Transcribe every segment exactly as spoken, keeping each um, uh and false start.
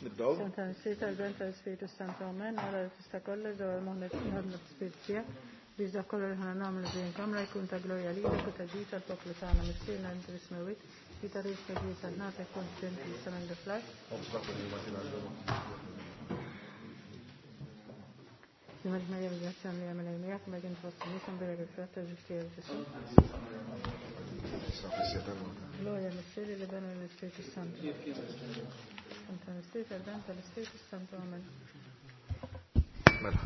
Nibdew. Tal-Spiritu Santu, Amen. Għara tista' kollox dwar moħħna ħadna l-Spirit tiegħek biex dak kollu li ħana nagħmlu din kamra jkun ta' glorja lilek u ta' ġid tal-poplu tagħna. Missierna inti fis-smewwiet, li tagħrif ta' ġid tal-nagħtek kont ġent li semen fl-art. Nimad Marja bil-grazzja li għamil miegħek ma kien fost nies imbierek il-frott ta' ġuf tiegħek Ġesù. Glorja Missieri li bena l-Ispiritu Santu. Tal-Ispiritu tal-Ben tal-Ispiritu Santu. Amen. Mela.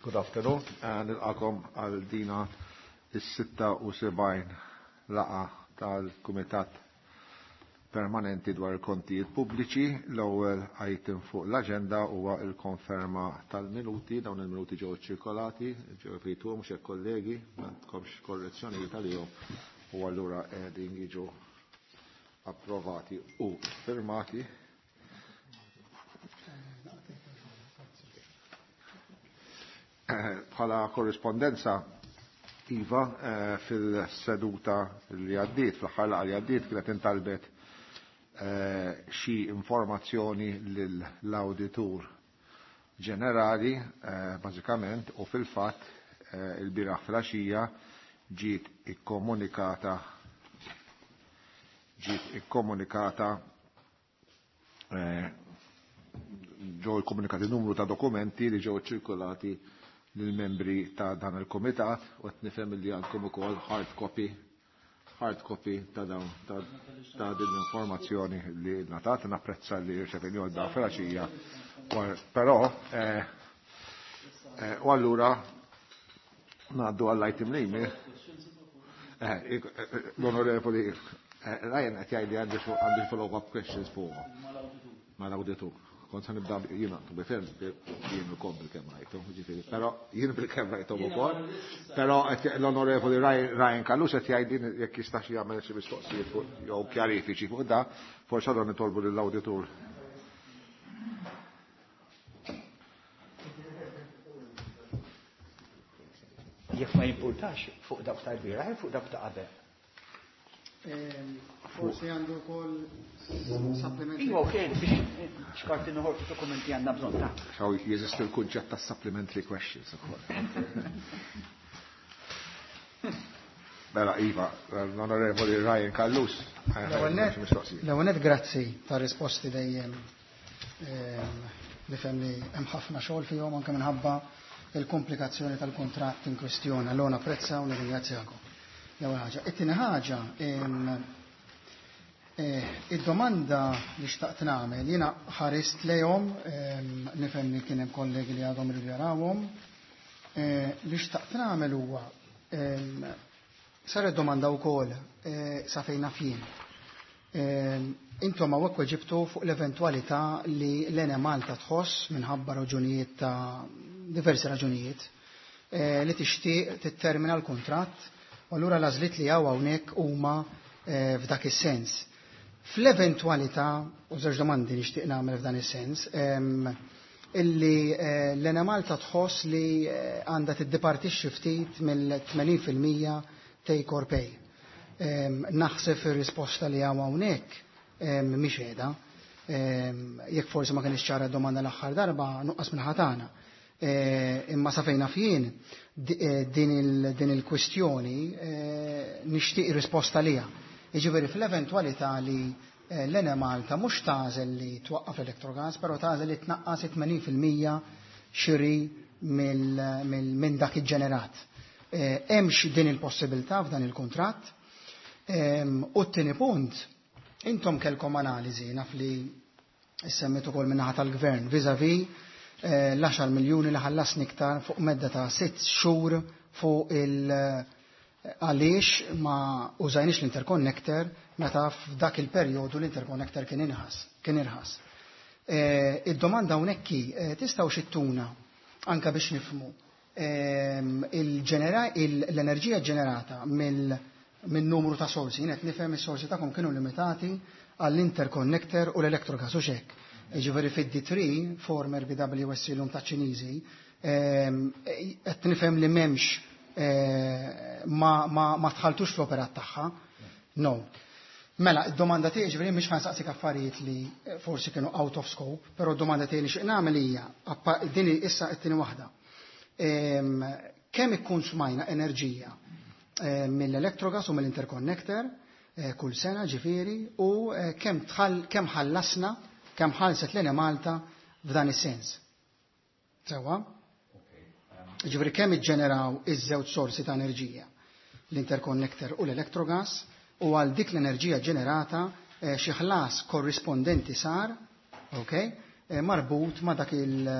Good afternoon. Nilqakom għal dina is-sitta u sebgħin laqa tal-Kumitat Permanenti dwar il-kontijiet pubbliċi. L-ewwel item fuq l-aġenda huwa l-konferma tal-minuti. Dawn il-minuti ġew ċirkolati, ġew rituhom mhux hekk kollegi, m'għandkomx korrezzjonijiet għalihom u allura qegħdin jiġu approvati u firmati. Bħala korrispondenza, Iva, fil-seduta li għaddiet, fl-aħħar laqgħa li għaddiet, kienet intalbet xi informazzjoni lill-awditur ġenerali, bażikament, u fil-fatt il-bieraħ filgħaxija ġiet ikkomunikata ġiet ikkomunikata ġew ikkomunikati numru ta' dokumenti li ġew ċirkolati lill-membri ta' dan il-komitat u qed nifhem li għandkom ukoll hard copy hard copy ta' dawn ta' din l-informazzjoni li ngħatat. Napprezza li rċevejni għal da filgħaxija. Però u allura ngħaddu għall-item li l-onorevoli Ryan qed jgħid li għandi follow-up questions fuq mal-awditur. Kont sa nibda jiena bifhem jien ukoll bil-kemm rajthom, ġifieri, però jien bil-kemm rajthom ukoll, però l-onorevoli Ryan Callus qed jgħid jekk jistax jagħmel xi mistoqsijiet fuq jew kjarifiċi fuq da, forsi għadhom nitolbu lill-awditur. Jekk ma jimpurtax fuq dawk tal-bieraħ, fuq dawk ta' qabel. Forsi għandu wkoll supplementary. Iva, ok, biex xkarti noħorġu dokumenti għandna bżonn ta' Xaw jeżisti l-kunċett ta' supplementary questions ukoll. Mela, Iva, l-onorevoli Ryan Callus. L-ewwel nett grazzi ta' risposti dejjem nifhem li hemm ħafna xogħol fihom anke minħabba il-komplikazzjoni tal-kuntratt in kwestjoni. Allora napprezza u nirringrazzjakom. L-ewwel ħaġa. It-tieni ħaġa, id-domanda li xtaqt nagħmel, jiena ħarist lejhom, nifhem li kien hemm kollegi li għadhom iridu jarawhom, li xtaqt nagħmel huwa saret domanda wkoll sa fejn naf jien. Intom hawnhekk weġibtu fuq l-eventwalità li l-Enemalta tħoss minħabba raġunijiet ta' diversi raġunijiet li tixtieq tittermina l-kuntratt. U allura l-għażliet li hawn hawnhekk huma f'dak is-sens. Fl-eventwalità, u żewġ domandi nixtieq nagħmel f'dan is-sens, illi l-Enemalta tħoss li għandha tiddipartixxi ftit mill-tmenin fil-mija take or pay. Naħseb ir-risposta li hawn hawnhekk mhix qiegħda. Jekk forsi ma kienx ċara d-domanda l-aħħar darba, nuqqas minn ħatana. Imma sa fejn naf jien din il-kwistjoni nixtieq risposta liha. Jiġifieri fl-eventwalità li l-Enemalta mhux tagħżel li twaqqaf l-Electrogas, però tagħżel li tnaqqas tmenin fil-mija xiri minn dak iġġenerat. Hemmx din il-possibilità f'dan il-kuntratt. U t-tieni punt, intom kellkom analiżi naf li semmit ukoll min-naħa tal-gvern vis-à-vis l-għaxar miljuni li ħallasni iktar fuq medda ta' sitt xhur fuq il- għaliex ma użajniex l-interconnector meta f'dak il-perjodu l-interconnector kien inħas, kien irħas. Id-domanda hawnhekk hi, tistgħu xittuna anke biex nifhmu l-enerġija ġenerata minn numru ta' sorsi, jien qed nifhem is-sorsi tagħkom kienu limitati għall-interconnector u l-electrogas u xek. Jiġifieri fid-D three, former B W S C l-lum ta' Ċiniżi, Qed nifhem li m'hemmx ma tħaltux fl-operat tagħha. No. Mela, id-domanda tiegħi ġifieri mhix ħansaqsik affarijiet li forsi kienu out of scope, però d-domanda tiegħi li xi nagħmel hija din issa t-tieni waħda. Kemm ikkun smajna enerġija mill-Electrogas u mill-Interconnector kull sena ġifieri u kemm kemm ħallasna, kemm ħallset l-Enemalta f'dan is-sens. Sewwa? Ġifieri kemm iġġeneraw iż-żewġ sorsi ta' enerġija, l-Interconnector u l-Electrogas, u għal dik l-enerġija ġenerata xi ħlas korrispondenti sar, ok, marbut ma' dak il-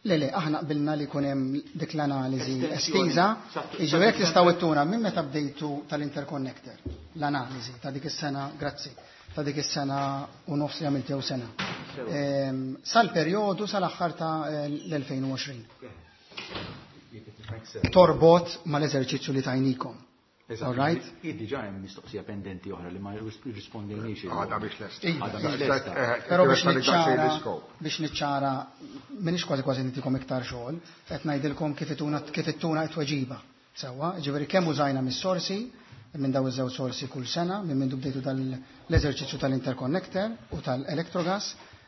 Le, le, aħna qbilna li jkun hemm dik l-analiżi estiża, jiġifieri jekk tistgħu ittuna minn meta bdejtu tal-Interconnector, l-analiżi ta' dik is-sena, grazzi, ta' dik is-sena u nofs li għamiltew sena. Sal-perjodu sal-aħħar ta' l-elfejn u għoxrin. Torbot mal-eżerċizzju li tajnikom. All right? Diġà hemm mistoqsija pendenti oħra li ma rrispondejniex. Għadha biex lesta. Però biex niċċara, biex niċċara, m'iniex kważi kważi nitikom iktar xogħol, qed ngħidilkom kif ituna kif ittuna t-tweġiba. Sewwa, ġifieri kemm użajna mis-sorsi, minn daw iż-żewġ sorsi kull sena, minn mindu bdejtu l-eżerċizzju tal-Interconnector u tal-Electrogas,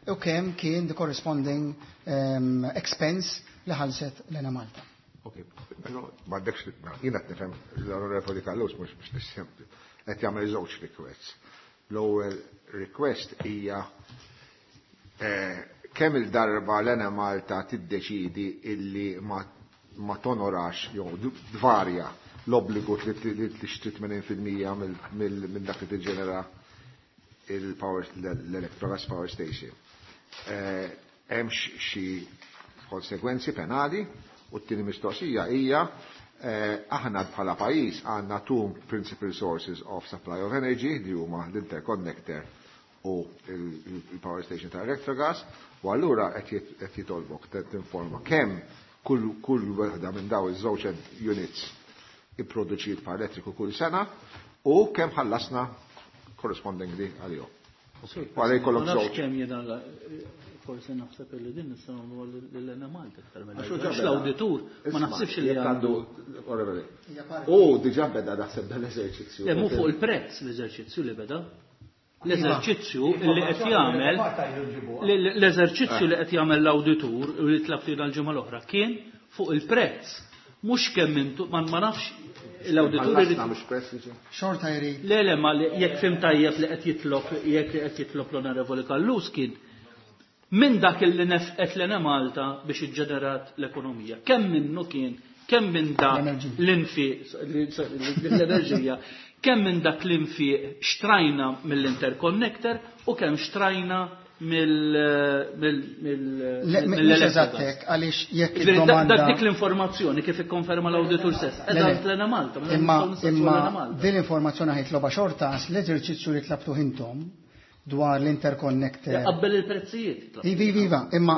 u kemm kien the corresponding um, expense li ħallset l-Enemalta. Ok, però m'għandekx jiena qed nifhem l-Onorevoli Callus mhux biex nisem qed jagħmel żewġ requests. L-ewwel request hija kemm il-darba l-Enemalta tiddeċidi illi ma tonorax jew tvarja l-obbligu li tixtri tmenin fil-mija minn dak li tiġġenera il-power l-Electrogas Power Station. Hemmx xi konsegwenzi penali. U t-tieni mistoqsija hija aħna bħala pajjiż għandna two principal sources of supply of energy li huma l-interconnector u il-power station ta' Electrogas, u allura qed jitolbok tinforma kemm kull kull waħda minn daw iż-żewġ units ipproduċiet pa' elettriku kull sena u kemm ħallasna correspondingly għalihom. Għalej kollok żewġ. Forsi naħseb li din nistgħu nagħmlu lill-Enemalta iktar minn l-awditur ma naħsibx li għandu. U diġà beda naħseb dan l-eżerċizzju. Le mhu fuq il-prezz l-eżerċizzju li beda. L-eżerċizzju li qed jagħmel l-eżerċizzju li qed jagħmel l-awditur u li tlabtina l-ġimgħa l-oħra kien fuq il-prezz. Mhux kemm intu ma nafx l-awditur irid xorta jrid. Le le ma jekk fim tajjeb li qed jitlob jekk qed jitlob l-Onorevoli Callus kien minn dak li nefqet l-Enemalta biex iġġenerat l-ekonomija. Kemm minnu kien, kemm minn dak l-infiq l-enerġija, kemm minn dak l-infiq xtrajna mill-interconnector u kemm xtrajna mill-elettriku. Għaliex jekk id-domanda. Dak dik l-informazzjoni kif ikkonferma l-awditur stess. Eżatt l-Enemalta. Imma din l-informazzjoni ħajtloba xorta għax l-eżerċizzju li tlabtu intom dwar l-interconnector. Qabbel il-prezzijiet. Iva, iva, imma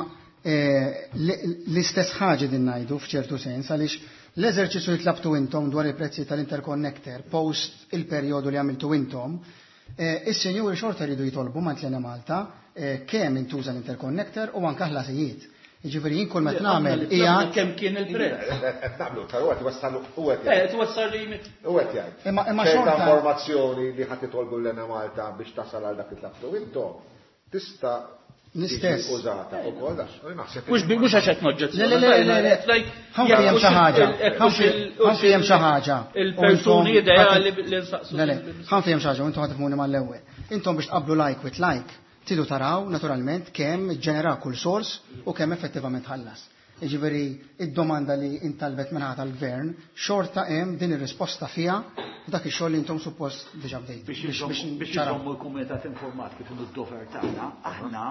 l-istess ħaġa din ngħidu f'ċertu sens għaliex l-eżerċizzju li tlabtu intom dwar il-prezzijiet tal-interconnector post il-perjodu li għamiltu intom, is-sinjuri xorta jridu jitolbu ma' l-Enemalta kemm intuża l-interconnector u anke ħlasijiet. Jiġifieri jien kull meta nagħmel hija kemm kien il-prezz. Qed naqblu tal qed iwassalu u qed Eh, twassal li u qed jgħid. Imma imma xorta informazzjoni li ħadd itolbu l-Enemalta biex tasal għal dak li tlabtu intom tista' l-istess użata wkoll għax naħseb. Mhux mhux għax qed noġġezzjoni. Le le le le. Ħa hemm xi ħaġa. Ħa hemm xi ħaġa. Il-persuni ideali li nsaqsu. Le le, ħa hemm xi ħaġa u intom ħa tifhmuni mal-ewwel. Intom biex tqabblu like with like tridu taraw naturalment kemm ġenera kull sors u kemm effettivament ħallas. Jiġifieri id-domanda li intalbet minn tal-gvern xorta hemm din ir-risposta fiha dak ix-xogħol li intom suppost diġà bdejtu. Biex iżommu l-kumitat informat kif inhu d-dover tagħna, aħna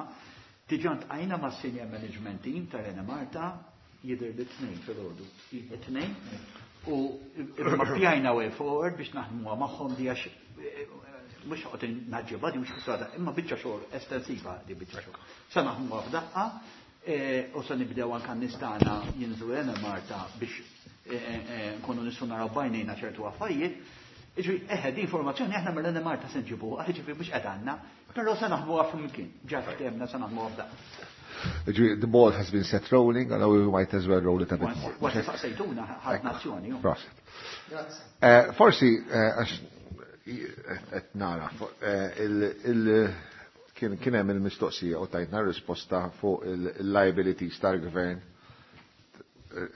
diġà ntqajna mas-senior management team tal-Enemalta jidher li tnejn filgħodu. It-tnejn u mappjajna way forward biex naħdmuha magħhom di għax mhux qed naġġibha di mhux ħsada, imma biċċa xogħol estensiva di biċċa xogħol. Sa naħdmuha f'daqqa u sa nibdew anke nistana jinżlu Enemalta biex nkunu nistgħu naraw bajnejna ċertu affarijiet. Ġifieri, eħe, di informazzjoni aħna mill-Enemalta se nġibuha, ġifieri mhux qed għandna, però se naħdmuha flimkien. Ġa ftehemna se naħdmuha f'daqqa. Ġifieri, the ball has been set rolling, and we might as well roll it a bit more. Once saqsejtuna ħadna azzjoni. Prosit. Eh, Forsi, eh, għax qed nara, eh, il- kien kien hemm il-mistoqsija u tajtna risposta fuq il-liabilities tal-gvern,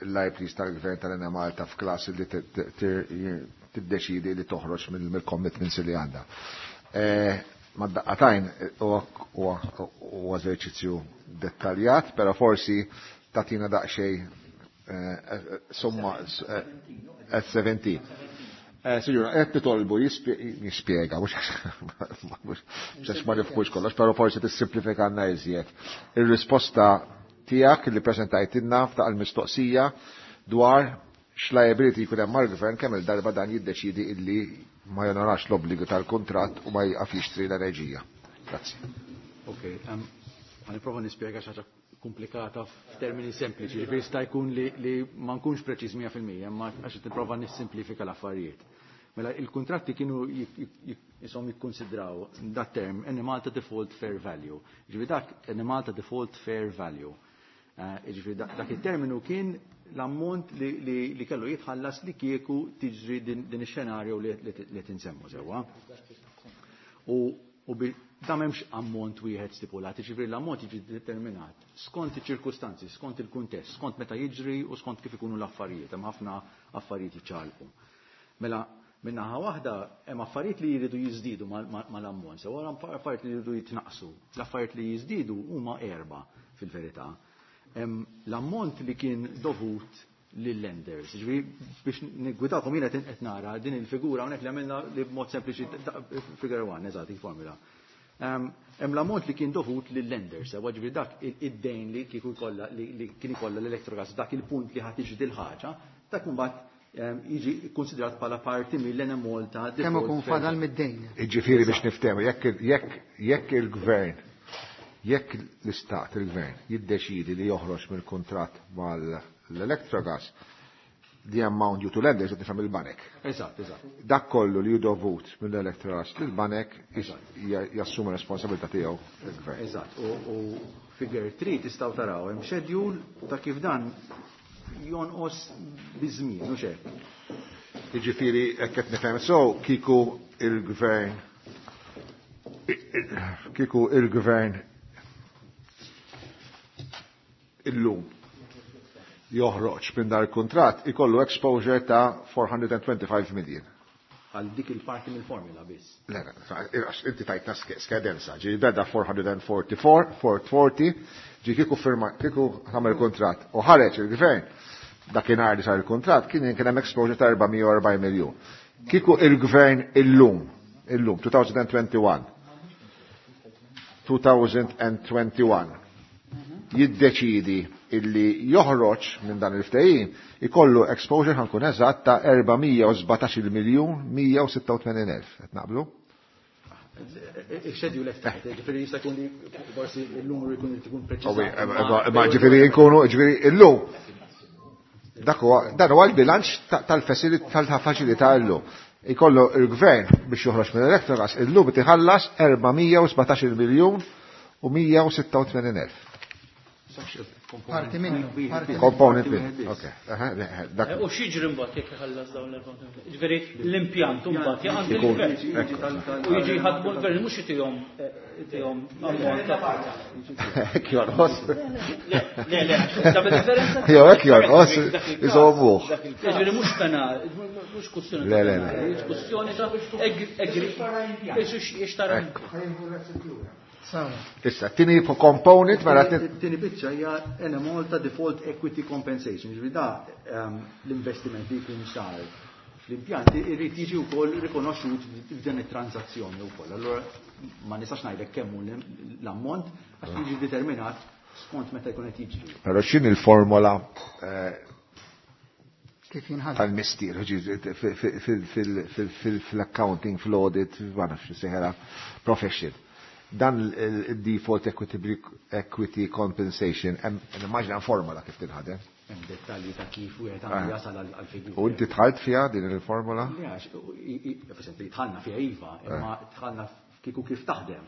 il-liabilities tal-gvern tal-Enemalta f'każ li tiddeċidi li toħroġ mill-commitments li għandha. Ma daqqatajn u eżerċizzju dettaljat, pero forsi tatina daqsxejn somma at seventeen. Signora, qed nitolbu jispjega, mhux għax ma nifhmux kollox, però forsi tissimplifikanna iżjed. Ir-risposta tiegħek li preżentajtilna f'daq il-mistoqsija dwar x'liability jkun hemm mal-gvern kemm il-darba dan jiddeċidi illi ma jonorax l-obbligu tal-kuntratt u ma jqaf jixtri l-enerġija. Grazzi. Ok, ħa nipprova nispjega xi ħaġa komplikata f'termini sempliċi, ġifieri jista' jkun li, li ma nkunx preċiż mija fil-mija, imma għax qed nipprova nissimplifika l-affarijiet. Mela il-kuntratti kienu jisom jikkonsidraw dat term Enemalta Default Fair Value. Ġifieri dak Enemalta Default Fair Value. Ġifieri dak it-terminu kien l-ammont li, li, li kellu jitħallas li kieku tiġri din, din ix-xenarju li, li, li tinsemmu sewwa. U, u bi, da m'hemmx ammont wieħed stipulat, ġifieri l-ammont jiġi determinat skont iċ-ċirkustanzi, skont il-kuntest, skont meta jiġri u skont kif ikunu l-affarijiet, hemm ħafna affarijiet jiċċaqalqu. Mela minnaħa waħda hemm affarijiet li jridu jiżdiedu mal-ammont, sew hemm affarijiet li jridu jitnaqsu. L-affarijiet li jiżdiedu huma erba' fil-verità. L-ammont li kien dovut lill-lenders. Ġifieri biex niggwidakom jiena qed nara din il-figura hawnhekk li għamilna li b'mod sempliċi figure one, eżatt, il-formula. Hemm l-ammont li kien dovut lill-lenders, sewa ġifieri dak id-dejn li kieku jkollha li kien ikollha l-Electrogas dak il-punt li ħadd tiġi dil-ħaġa, dak imbagħad jiġi konsidrat bħala parti mill-Enemalta. Kemm ikun fadal mid-dejn. Jiġifieri biex niftehmu, jekk jekk jekk il-gvern, jekk l-istat, il-gvern, jiddeċidi li joħroġ mill-kuntratt mal-Electrogas, the amount due to lenders qed nifhem il-banek. Eżatt, eżatt. Dak kollu li hu dovut mill-Electrogas lill-banek jassumi responsabilità tiegħu il-gvern. Eżatt, u figure three tistgħu taraw hemm schedule ta' kif dan jonqos biż-żmien, u hekk. Jiġifieri hekk qed nifhem so kieku il-gvern kieku il-gvern illum joħroġ minn dar il-kuntratt ikollu exposure ta' four hundred twenty-five million. Għal dik il-parti mill-formula biss. Le, inti tajtna skadenza, ġi beda four hundred forty-four, four forty, ġi kieku firma, kieku għamel kuntratt u ħareġ il-gvern, dakinhar li sar il-kuntratt, kien kien hemm exposure ta' erba' mija u erbgħin miljun. Kieku il-gvern illum, illum, twenty twenty-one, twenty twenty-one, jiddeċidi illi joħroġ minn dan il-ftehim, ikollu exposure, ħa nkun eżatt, ta' erba' mija u sbatax miljun mija u sitta u tmenin elf. Qed naqblu? Il-schedule qed ġifieri jista' jkun li forsi l-numru jkun ikun preċiż. Ma ġifieri nkunu ġifieri illum dak huwa dan huwa l-bilanċ tal-faċilità illum. Ikollu il-gvern biex joħroġ minn Electrogas illum iħallas erba' mija u sbatax miljun u mija u sitta u tmenin elf. Parti minnu. Component minnu. Ok. U x'jiġri mbagħad jekk iħallas dawn l-erba'? Ġifieri l-impjant mbagħad jaqgħand il-gvern. U jiġi jħadmu l-gvern, mhux itihom itihom ammont ta' Hekk jonqos. Le, le, ta' differenza. Jew hekk jonqos, iżommuh. Ġifieri mhux penal, mhux kwestjoni. Le, le, le. Kwestjoni ta' egri. Ixtara. Issa, tini component, mela. Tini biċċa hija Enemalta Default Equity Compensation, ġifieri da ehm, l-investiment li jkun sar fl-impjanti irrid jiġi wkoll rikonoxxut f'dan it-transazzjoni wkoll. Allura ma nistax ngħidlek kemm hu l-ammont għax jiġi determinat skont meta jkun qed jiġri. Però x'in il-formola eh, Kif jinħadem? Tal-mistier, fil-accounting, fil-audit, ma nafx seħera profession. Dan il-default equity, equity compensation, immaġina formola kif tinħadem. Hemm dettalji ta' kif wieħed għandu Ah. jasal għall-figura. U inti dħalt fiha din il-formula? Le, għax, i- i- dħalna fiha iva, imma dħalna kieku kif taħdem.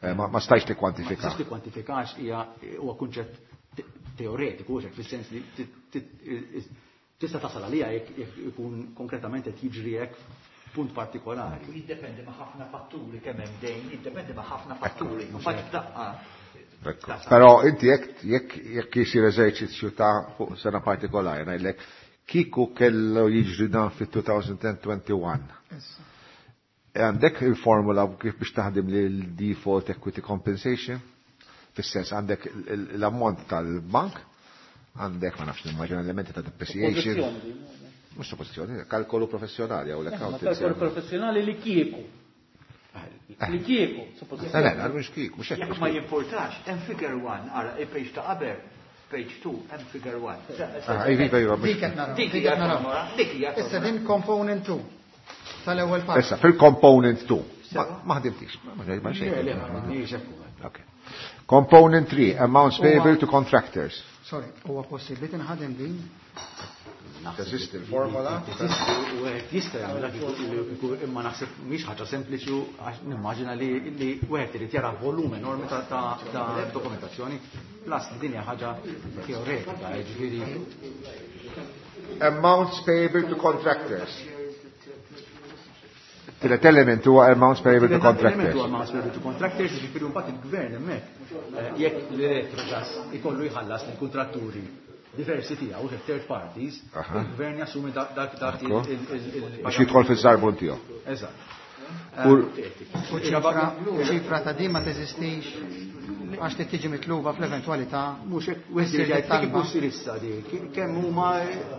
Eh, Ma ma stajx Ma tikkwantifika. tistax tikkwantifikax hija huwa kunċett te- teoretiku, hekk fis-sens li ti- ti- tista' tasal għalija jekk jekk ikun konkretament qed jiġri hekk f'punt partikolari. U jiddependi ma' ħafna fatturi kemm hemm dejn, jiddependi ma' ħafna fatturi. Mbagħad f'daqqa. Ekku. Però inti jekk jekk jekk jisir eżerċizzju ta' fuq sena partikolari, ngħidlek kieku kellu jiġri dan fit-twenty twenty-one. Issa. Għandek il-formula kif biex taħdem li l-default equity compensation? Fis-sens għandek l-ammont tal-bank, għandek ma nafx nimmaġina elementi ta' depreciation. Pożizzjoni. Mhux suppożizzjoni, kalkolu professjonali jew Ma l-accountant. kalkolu professjonali li kieku. Li kieku, Le, le, suppożizzjoni. mhux kieku, mhux hekk. Jekk ma jimportax, hemm figure one, ara, il-page ta' qabel, page two, hemm figure one. Ah, iva, iva, iva, mhux- Dik qed naraw. Dik Dik hija qed naraw. formula, dik hija Issa formula. din component two tal-ewwel parti. Issa, fil-component two. Ma ma ħdimtix, ma ma xejn. Le, le, ma m'għandniex hekk. Okay. Component three, amounts payable to contractors. Sorry, huwa possibbli tinħadem din? Teżisti l-formula? Teżisti u wieħed jista' jagħmilha kieku kieku imma naħseb mhix ħaġa sempliċi u għax nimmaġina li li wieħed irid jara volum enormi ta' ta' ta' dokumentazzjoni plus li din hija ħaġa teoretika, jiġifieri Amounts payable to contractors. Tielet element huwa amounts payable to Element contractors. huwa amounts payable to contractors, jiġifieri mbagħad il-gvern hemmhekk eh, jekk l-Electrogas ikollu jħallas lill-kuntratturi diversi tiegħu, third parties, Aha. il-gvern jassumi dak dak dak Ekku. il- il- il- Biex jidħol fiż-żarbun tiegħu. Eżatt. U- U ċifra, u ċifra ta' din ma teżistix għax trid tiġi mitluba fl-eventwalità. Mhux hekk wieħed issir jgħid kif talba. issir issa di, kemm huma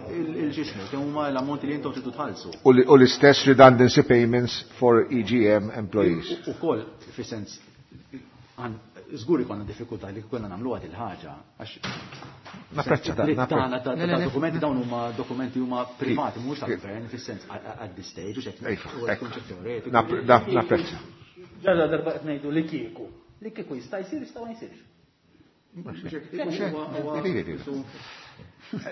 il-ġismu, kemm huma l-ammonti li intom tridu tħallsu. U li- u l-istess redundancy payments for E G M employees. U koll, fi sens, għan, żgur ikonna diffikultà li konna nagħmluha il ħaġa għax Napprezza da, li napprezza. tagħna ta' Le, le, ta' le. dokumenti dawn huma dokumenti huma privati mhux Kif? tal-gvern fis-sens at this stage u xek Ejfa, huwa ekku. kunċett teoretiku. Nap- nap- Napprezza. Ġalla darba qed ngħidu li kieku. Li kieku jista' jsir, jista' ma jsirx.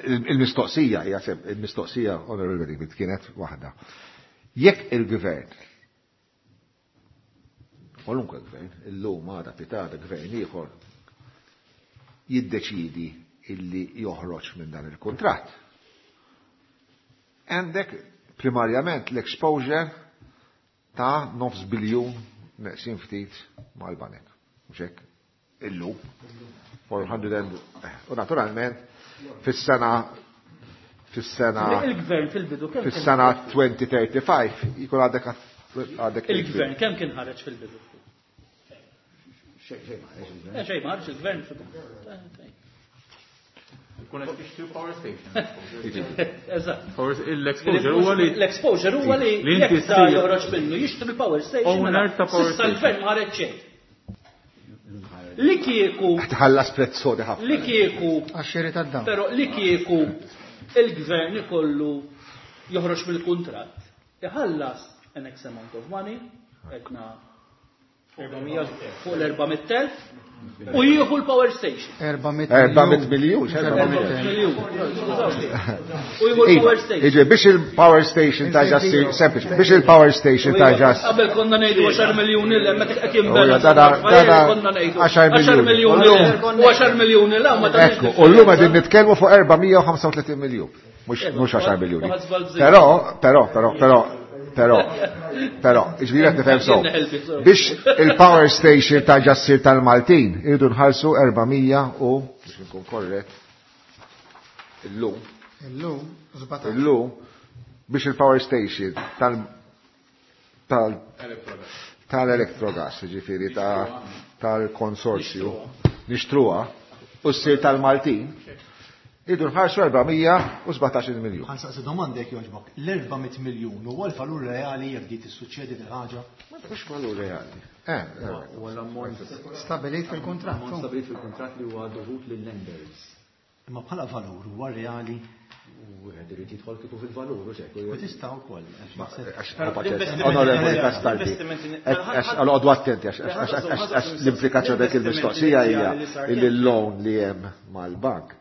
Il- Il-mistoqsija, hija sem, il-mistoqsija, Honorable David, kienet waħda. Jekk il-gvern, kwalunkwe gvern, illum għada pitgħada gvern ieħor, jiddeċidi illi joħroġ minn dan il-kontratt. Għandek primarjament l-exposure ta' nofs biljun neqsin ftit mal-banek. Mhux hekk? Illum. four hundred and, u naturalment fis-sena fis-sena Il-gvern fil-bidu kemm kien fis-sena twenty thirty-five jkun għadek għadek Il-gvern kemm kien ħareġ fil-bidu? Xejn xejn ma ħareġ il-gvern. Eh, xejn ma ħareġ il-gvern fil-bidu. Kun qed tixtri power station. Eżatt. Power- L-exposure huwa li L-exposure huwa li li inti jekk da ssir joħroġ minnu jixtri l-power station. Owner mela, ta' power s'issa station. l-gvern ma ħareġ xejn. Li kieku Tħallas prezz sodi ħafna. li kieku Għax-xiri tad-dawl. Però li kieku il-gvern ikollu joħroġ mill-kuntratt, iħallas an X amount of money, etna fuq l-erba' mitt elf, u jieħu l-power station. erba' mitt erba' mitt miljun, erba' mitt miljun. U jieħu l-power station. Iġi, biex il-power station ta' ġassi, sempliċi, biex il-power station ta' ġass. Qabel konna ngħidu għaxar miljuni l meta qed Oja, jinbena. dada- dada konna ngħidu għaxar għaxar miljuni. miljuni l u għaxar miljuni l ma tagħmilx Ekku, u l-lum għedin nitkellmu fuq erba' mija u ħamsa u tletin miljun. Mhux mhux għaxar miljuni. Però, però, però, però, però, però, iġviri qed nifhem sew. Biex il-power station ta' ġassir tal-Maltin, irridu nħallsu erba' mija u, biex nkun korrett, illum, Illum, sbatax. illum, biex il-power station tal tal tal-Electrogas, ġifiri ta' tal-konsorzju, nixtruha, u ssir tal-Maltin, irridu nħallsu erba' mija u sbatax-il miljun. Ħa nsaqsi domanda jekk jogħġbok. L-erba' mitt miljun huwa l-valur reali jekk di tissuċċedi dil-ħaġa? Mhux valur reali. Eh, eh. Huwa l-ammont Stabilit fil-kontratt. Ammont stabilit fil-kuntratt li huwa dovut lill-lenders. Imma bħala valur huwa reali U wieħed irid jidħol kieku fil-valur u xek. u tista' wkoll. Għax, Onorevoli Castaldi, għax għal attenti, għax- għax għax- għax l-implikazzjoni dik il-mistoqsija hija illi l-loan li hemm mal-bank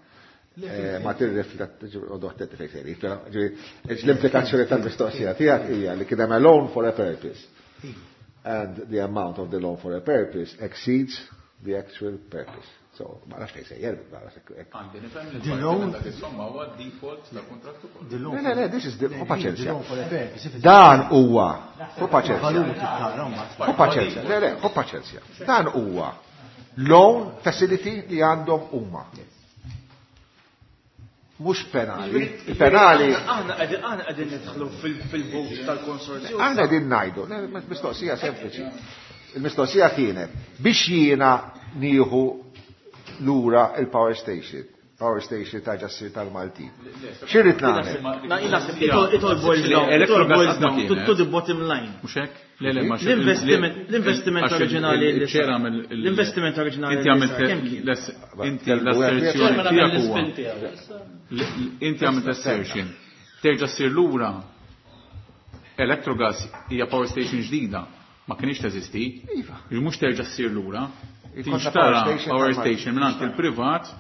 Eh, ma tirrifletti l-implikazzjoni tal-mistoqsija tiegħek hija li kien hemm a loan for a purpose. And the amount of the loan for a purpose exceeds the actual purpose. So, ma nafx fejn sejjer, ma nafx hekk. Għandi nifhem li The parti loan- minn dak is-somma huwa default ta' kuntratt ukoll. The loan Le, le, le, this is the, hu The paċenzja. loan for a purpose. If it's- Dan huwa, hu paċenzja. Valur tara mbagħad. Hu paċenzja, le, le, hu paċenzja. Dan huwa loan facility li għandhom huma. Mhux penali. Il-penali Aħna qegħdin aħna qegħdin nidħlu fil- fil-vot tal-konsorzju. Aħna din ngħidu, le, mistoqsija sempliċi. Il-mistoqsija kienet biex jiena nieħu lura il-power station, power station ta' ġassir tal-Maltin. X'irrid nagħmel? Na, jien naħseb it all- it all boils down, it all Electrogas boils qatt ma down to, kienet. to the bottom line. Mhux hekk? Le, le, ma L-investiment l-investiment oriġinali li sar. L-investiment L-investiment oriġinali Inti li għamilt sar, kemm kien? l- inti l-asserzjoni tiegħek huwa. L- Inti għamilt assertion. Terġa' ssir lura Electrogas hija power station ġdida. Ma kienx teżisti. Iva. Mhux terġa' ssir lura. Ikollna Tinxtara power station power tal-Malta. station mingħand il-privat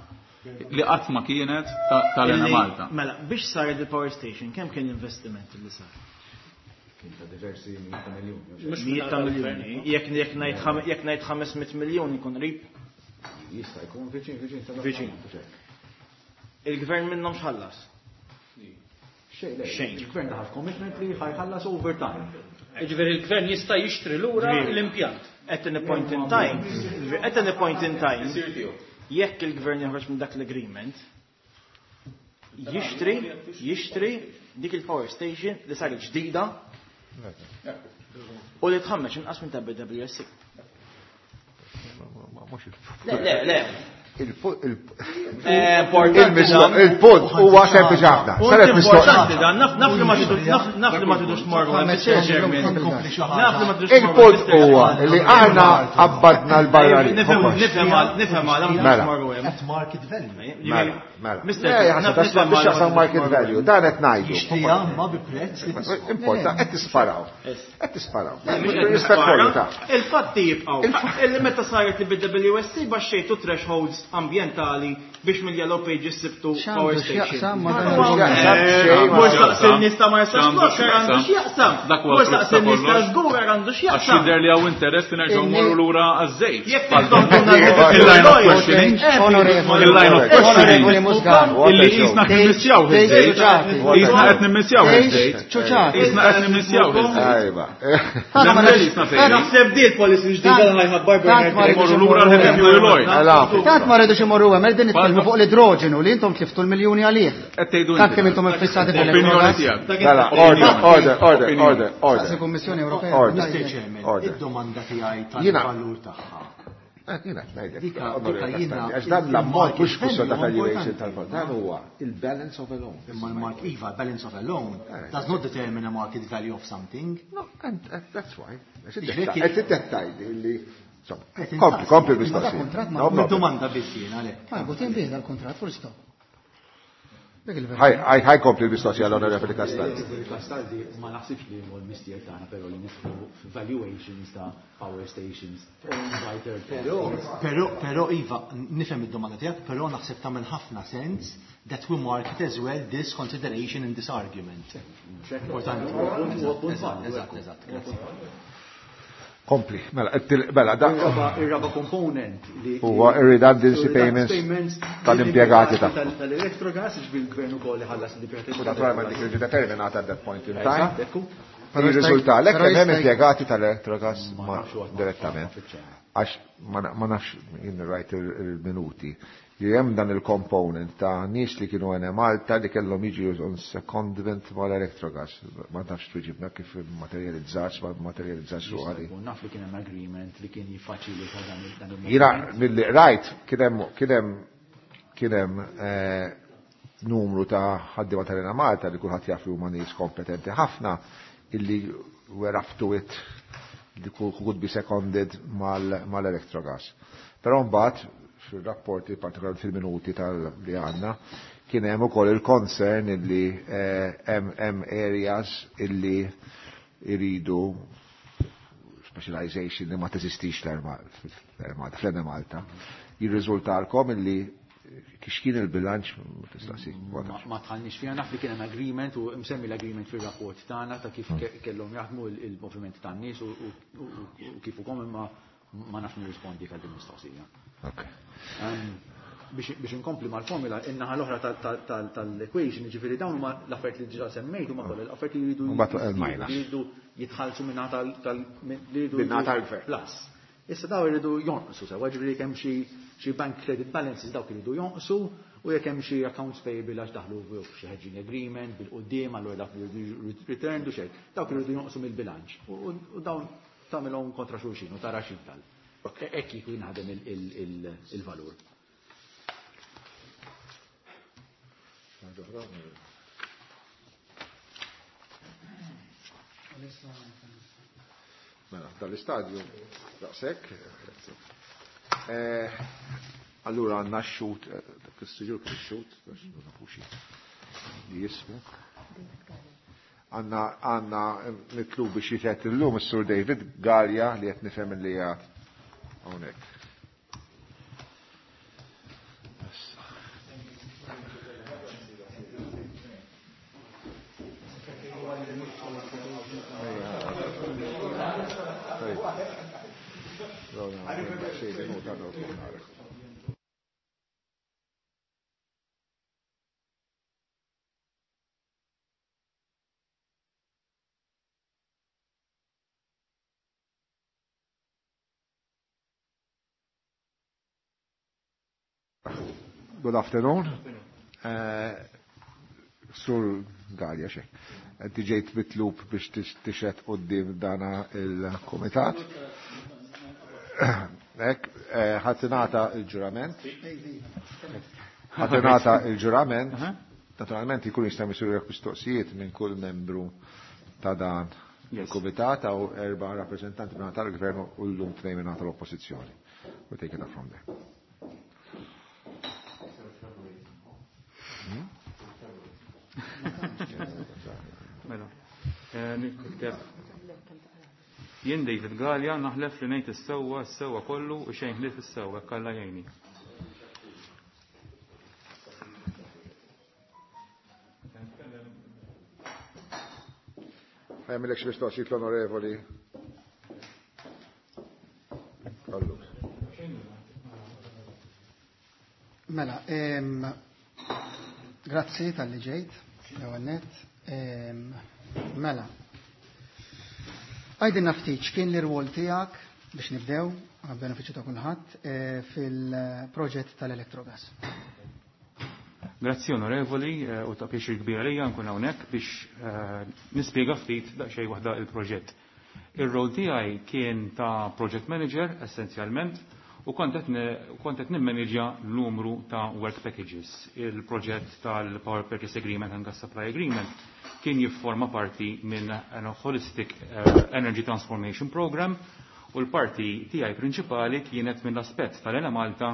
li qatt ma kienet ta- tal-Ena Illi- Malta. Mela, biex saret il-power station, kemm kien l-investiment li sar? Kien ta' diversi mijiet ta' miljuni. Mijiet ta' miljuni. Jekk jekk ngħid ħam- jekk ngħid ħames mitt miljun ikun qrib. Jista' jkun viċin, viċin ta' Viċin. Il-gvern minnhom x'ħallas. Xejn, le, Xejn. Il-gvern daħal commitment li ħajħallas overtime. Ġifieri il-gvern jista' jixtri lura l-impjant. At any point in time, at any point in time, jekk il-gvern joħroġ minn dak l-agreement, jixtri, jixtri dik il-power station li saret ġdida u li tħammeġ inqas minn ta' B W S C. Mhux il- Le, le, le. il- il- Eh, Importanti il-misto- dan. Il-punt huwa sempliċi ħafna. Punt Saret importanti mistoqsija. dan, naf naf li ma tridux naf naf li ma tridux tmorru hemm, Mister Chairman. Nkompli xi Naf li ma ħaġa. tridux tmorru Il-punt Mister huwa Chairman. li aħna qabbadna l-barrani. Nifhem nifhem għal nifhem għal ma tridux Mela. tmorru hemm. At market value. Mela, mela. Mister Le, jaħseb, naf- that's nifhem biex għal jaqsam ma market tridux tmorru value, dan qed ngħidu. Jixtriha ma bi prezz li tiswa. Importa, qed tisparaw. Qed tisparaw. Mhux qed Rispett kollu ta' Il-fatti jibqgħu. Illi meta saret il-B W S C baxxejtu thresholds ambjentali biex mill-Yellow Pages sibtu power X'għandu station. x'jaqsam ma dan X'għandu il- x'jaqsam xejn ma Mhux x'jaqsam. staqsi n-nies ta' Marsa X'għandu Xlokk għandu x'jaqsam. x'jaqsam. Dak huwa Mhux frott staqsi ta' n-nies ta' kollox. żgur għandu Għax x'jaqsam. jidher li hawn interess li nerġgħu mmorru lura għaż-żejt. Jekk Il-line of questioning. Onorevoli. Il-line of Onorevoli questioning. Muscat. Illi jisna qed nimmissjaw iż-żejt. Tgħix Jisna qed nimmissjaw iż-żejt. ċuċati. Jisna qed nimmissjaw iż-żejt. Ajba. Nemmen jisna fejn. Naħseb di l-policy ġdida li ħajħabbar Tant ma Bernard. Morru lura l-heavy fuel oil. Mela. Tant ma rridux imorru hemm, qegħdin nitkellmu fuq l-idroġenu li intom tliftu l-miljuni għalih. Qed tgħidu Tant inti. kemm intom iffissati Opinjoni fl-Electrogas. tiegħek. Mela, order, order, order, order, Saqsi order. Kummissjoni Ewropea. Order. Mister Chairman, Order. id-domanda tiegħi Jiena- tal-valur tagħha. Eh, Jiena qed ngħidlek, Dika- onorevoli dika jiena- Castaldi, għax dan l-ammont mhux kwistjoni ta' il-market valuation value tal-fond, dan huwa il-balance of a loan. Imma l-market, iva, balance of a loan does not determine a market value of something. No, and uh, that's why. Għax Ġifieri- id-dettaj- Qed li insomma, Qed kompli, intaqsi. kompli Ma da mistoqsija. kontrat ma- No problem. Domanda biss jiena għalhekk. Ma votin bih dal-kontrat, full stop. Dik il-verità. Ħaj, ħaj, ħaj kompli l-mistoqsija l-onorevoli Castaldi. Onorevoli Castaldi, ma naħsibx li huwa l-mistier tagħna però li nidħlu valuations ta' power stations owned by third Però, parties. però, però, Iva, nifhem id-domanda tiegħek, però naħseb tagħmel ħafna sens that we market as well this consideration in this argument. Importanti. Huwa punt Eżatt, validu, eżatt, ekku. eżatt, grazzi. Kompli, mela, it-til- mela, da Ir-raba ir-raba component li huwa ir-redundancy payments tal-impjegati tagħhom. tal- tal-Electrogas, ġifieri l-gvern ukoll iħallas l-impjegati. U naturalment dik jiġi determinata at that point in time. Eżatt, ekku. Però Jirriżulta jista' lek kemm hemm jista' impjegati tal-Electrogas Ma ma nafx huwa direttament. fiċ-ċena. Għax ma na- ma nafx jien rajt il-minuti li hemm dan il-component ta' nies li kienu għene Malta li kellhom jiġu on secondment mal-Electrogas. Ma nafx tweġibna kif materializzat, ma materializzax Jista' ruħali. jkun, naf li kien hemm agreement li kien jiffaċilita dan il- dan il Jiena mill-li rajt kien hemm kien hemm kien hemm eh, numru ta' ħaddiema tal Malta li kulħadd jaf li huma nies kompetenti ħafna illi were up to it li could be seconded mal-Electrogas. Però mbagħad fil-rapporti, partikolarment fil-minuti tal li għandna, kien hemm ukoll il-concern illi eh, hemm hemm areas illi iridu specialization li ma teżistix l-Armata, fl Malta, jirriżultalkom illi Kien il-bilanċ tistaqsi. Ma tħallniex fiha, naf li kien hemm agreement u msemmi l-agreement fir-rapport tagħna ta' kif kellhom jaħdmu il-moviment tan-nies u kif ukoll, imma ma nafx nirrispondi għal din mistoqsija. Biex inkompli mal-formula, in-naħa l-oħra tal-equation, ġifieri dawn huma l-affarijiet li diġà semmejt huma kollha l-affarijiet li jridu jridu jitħallsu minn tal-gvern. Plus. Issa daw jridu jonqsu sewa, ġifieri jekk hemm xi bank credit balances dawk iridu jonqsu, u jekk hemm xi accounts payable għax daħlu f'xi hedging agreement bil-quddiem, allura dak jridu returned u xejn, dawk iridu jonqsu mill-bilanċ. U dawn tagħmilhom kontra xulxin u tara x'jifdal. Hekk kieku jinħadem il-valur. Mela, dal-istadju daqshekk. Allura għandna x-xut, dak is-siġur kien ix-xut, għax ma nafux li jismu. Għandna għandna mitlub biex jitgħet illum is-Sur David Galea li qed nifhem li qiegħed hawnhekk. Good afternoon. Sur Galea, xek. Inti ġejt mitlub biex tixed quddiem dana il-komitat. Ek, ħatinata il-ġurament. Ħatinata il-ġurament. Naturalment jkun jista' jsiru mistoqsijiet minn kull membru ta' dan il-komitat għaw erba' rappreżentanti minn tal-gvern u llum tnejn minn tal-oppożizzjoni. We'll take it up from there. Mela, nikteb. Jien David Galea naħlef li ngħid is-sewwa s-sewwa kollu u xejn ħlief is-sewwa hekk Alla jgħinni. Ħajmilek xi mistoqsijiet l-onorevoli. Allu. Mela, grazzi tal-li ġejt, l-ewwel nett. Mela, għajdinna ftit x'kien l-irwol tiegħek biex nibdew għal benefiċċju ta' kulħadd fil-proġett tal-Electrogas. Grazzi onorevoli, u ta' pjaċir kbir għalija nkun hawnhekk biex nispjega ftit daqsxejn waħda il-proġett. Ir-rol tiegħi kien ta' project manager essenzjalment u kont qed nimmanġja numru ta' work packages. Il-proġett tal-Power Purchase Agreement and Gas Supply Agreement kien jifforma parti minn holistic energy transformation program, u l-parti tiegħi prinċipali kienet mill-aspett tal-Enemalta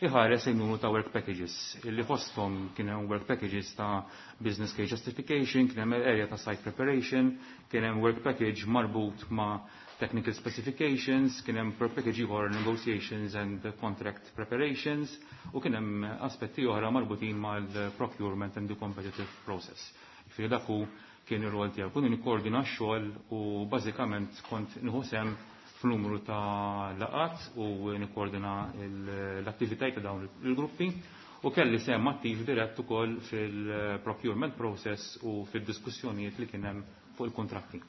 iħares il-numru ta' work packages. Illi fosthom kien hemm work packages ta' business case justification, kien hemm area ta' site preparation, kien hemm work package marbut ma' technical specifications, kien hemm work package ieħor negotiations and contract preparations, u kien hemm aspetti oħra marbutin mal-procurement and the competitive process. Jiġifieri dak hu kien ir-rol tiegħu. Kont nikkoordina x-xogħol u bażikament kont nieħu sehem f'numru ta' laqat u nikkoordina l-attivitajiet ta' dawn il-gruppi, u kelli sehem attiv dirett ukoll fil-procurement process u fid-diskussjonijiet li kien hemm fuq il-kontratti.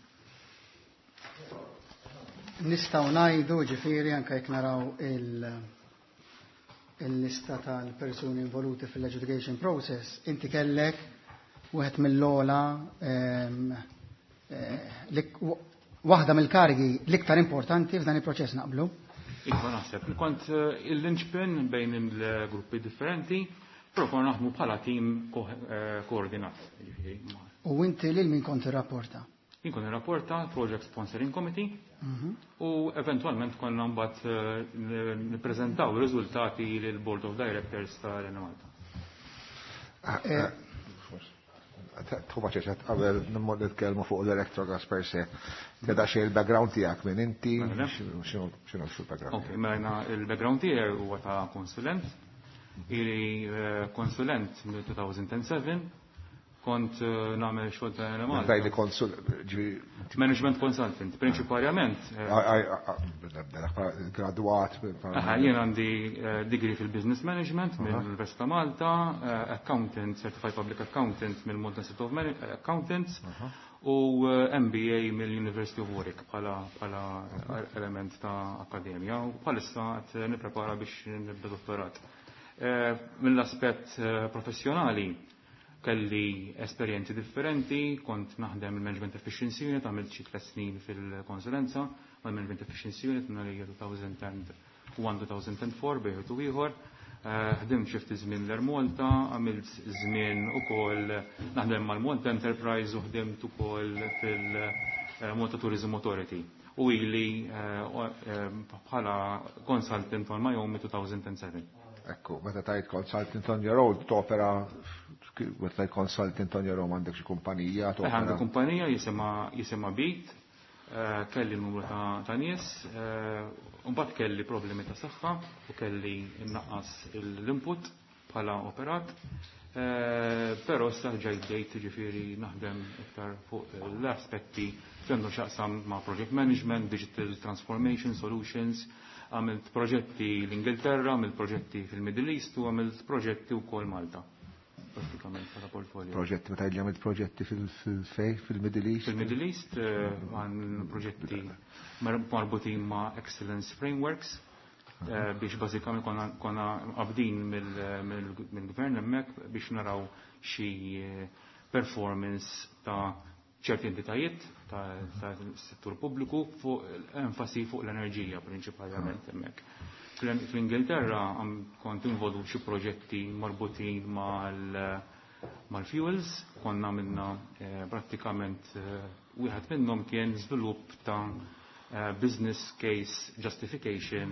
Nistgħu ngħidu ġifieri anke jekk naraw il-lista tal-persuni involuti fil-adjudication process, inti kellek wieħed mill-ogħla waħda mill-karigi l-iktar importanti f'dan il-proċess, naqblu? Iva naħseb, kont il-linchpin bejn il-gruppi differenti, però konna naħdmu bħala tim koordinat. U inti lil min kont irrapporta? Jien kont irrapporta Project Sponsoring Committee u eventualment konna mbagħad nippreżentaw ir-riżultati lil Board of Directors tal-Enemalta. Tħu ċeċet, qabel nimmur nitkellmu fuq l-Electrogas per se. Teda xej il-background tiegħek minn inti, x'inhu x'inhu l-background? Ok, mela il-background tiegħi huwa ta' konsulent. Ili eh, konsulent mill-two thousand seven, kont eh, nagħmel xogħol ta' Malta. Daj li konsul, ġifieri Management consultant, prinċipalment. Graduat. Aha, jien għandi eh, degree fil-business management mill-Università ta' Malta, eh, accountant, certified public accountant mill-Malta Institute of Man- Accountants u eh, M B A mill-University of Warwick bħala bħala element ta' akademja u bħalissa qed nipprepara biex nibda dottorat. Eh, Mill-aspett eh, professjonali kelli esperjenzi differenti, kont naħdem il-Management Efficiency Unit, għamilt xi tliet snin fil-konsulenza mal-Management Efficiency Unit minn għalija two thousand one-two thousand four bejn u ieħor. Eh, Ħdimt xi ftit żmien l-Air Malta, għamilt żmien ukoll naħdem mal-Malta Enterprise u ħdimt ukoll fil-Malta Tourism Authority. U ili eh, eh, bħala consultant on my own two thousand seven. Ekku, meta tajt consultant on your own, topera, meta tajt consultant on your own, għandek xi kumpanija, Eh, Għandi topera. kumpanija jisimha jisimha Beat, eh, kelli numru ta' ta' nies, eh, mbagħad kelli problemi ta' saħħa u kelli nnaqqas l-input bħala operat. Eh, Però issa ġejt ġejt ġifieri naħdem iktar fuq l-aspetti li għandu x'jaqsam ma' project management, digital transformation solutions, għamilt proġetti l-Ingilterra, għamilt proġetti fil-Middle East u għamilt proġetti wkoll Malta. Pratikament bħala portfolio. Proġetti, meta għamilt proġetti fil-fej, fil-Middle East? Fil-Middle East eh, għan proġetti mar- marbutin ma' Excellence Frameworks eh, biex bażikament konna, konna qabdin mill-gvern hemmhekk biex naraw xi eh, performance ta' ċerti entitajiet ta' ta' settur pubbliku fuq enfasi fuq l-enerġija prinċipalment hemmhekk. Fl- Fl-Ingilterra għam- kont involut xi proġetti marbutin mal mal-fuels, konna minna eh, prattikament eh, wieħed minnhom kien żvilupp ta' eh, business case justification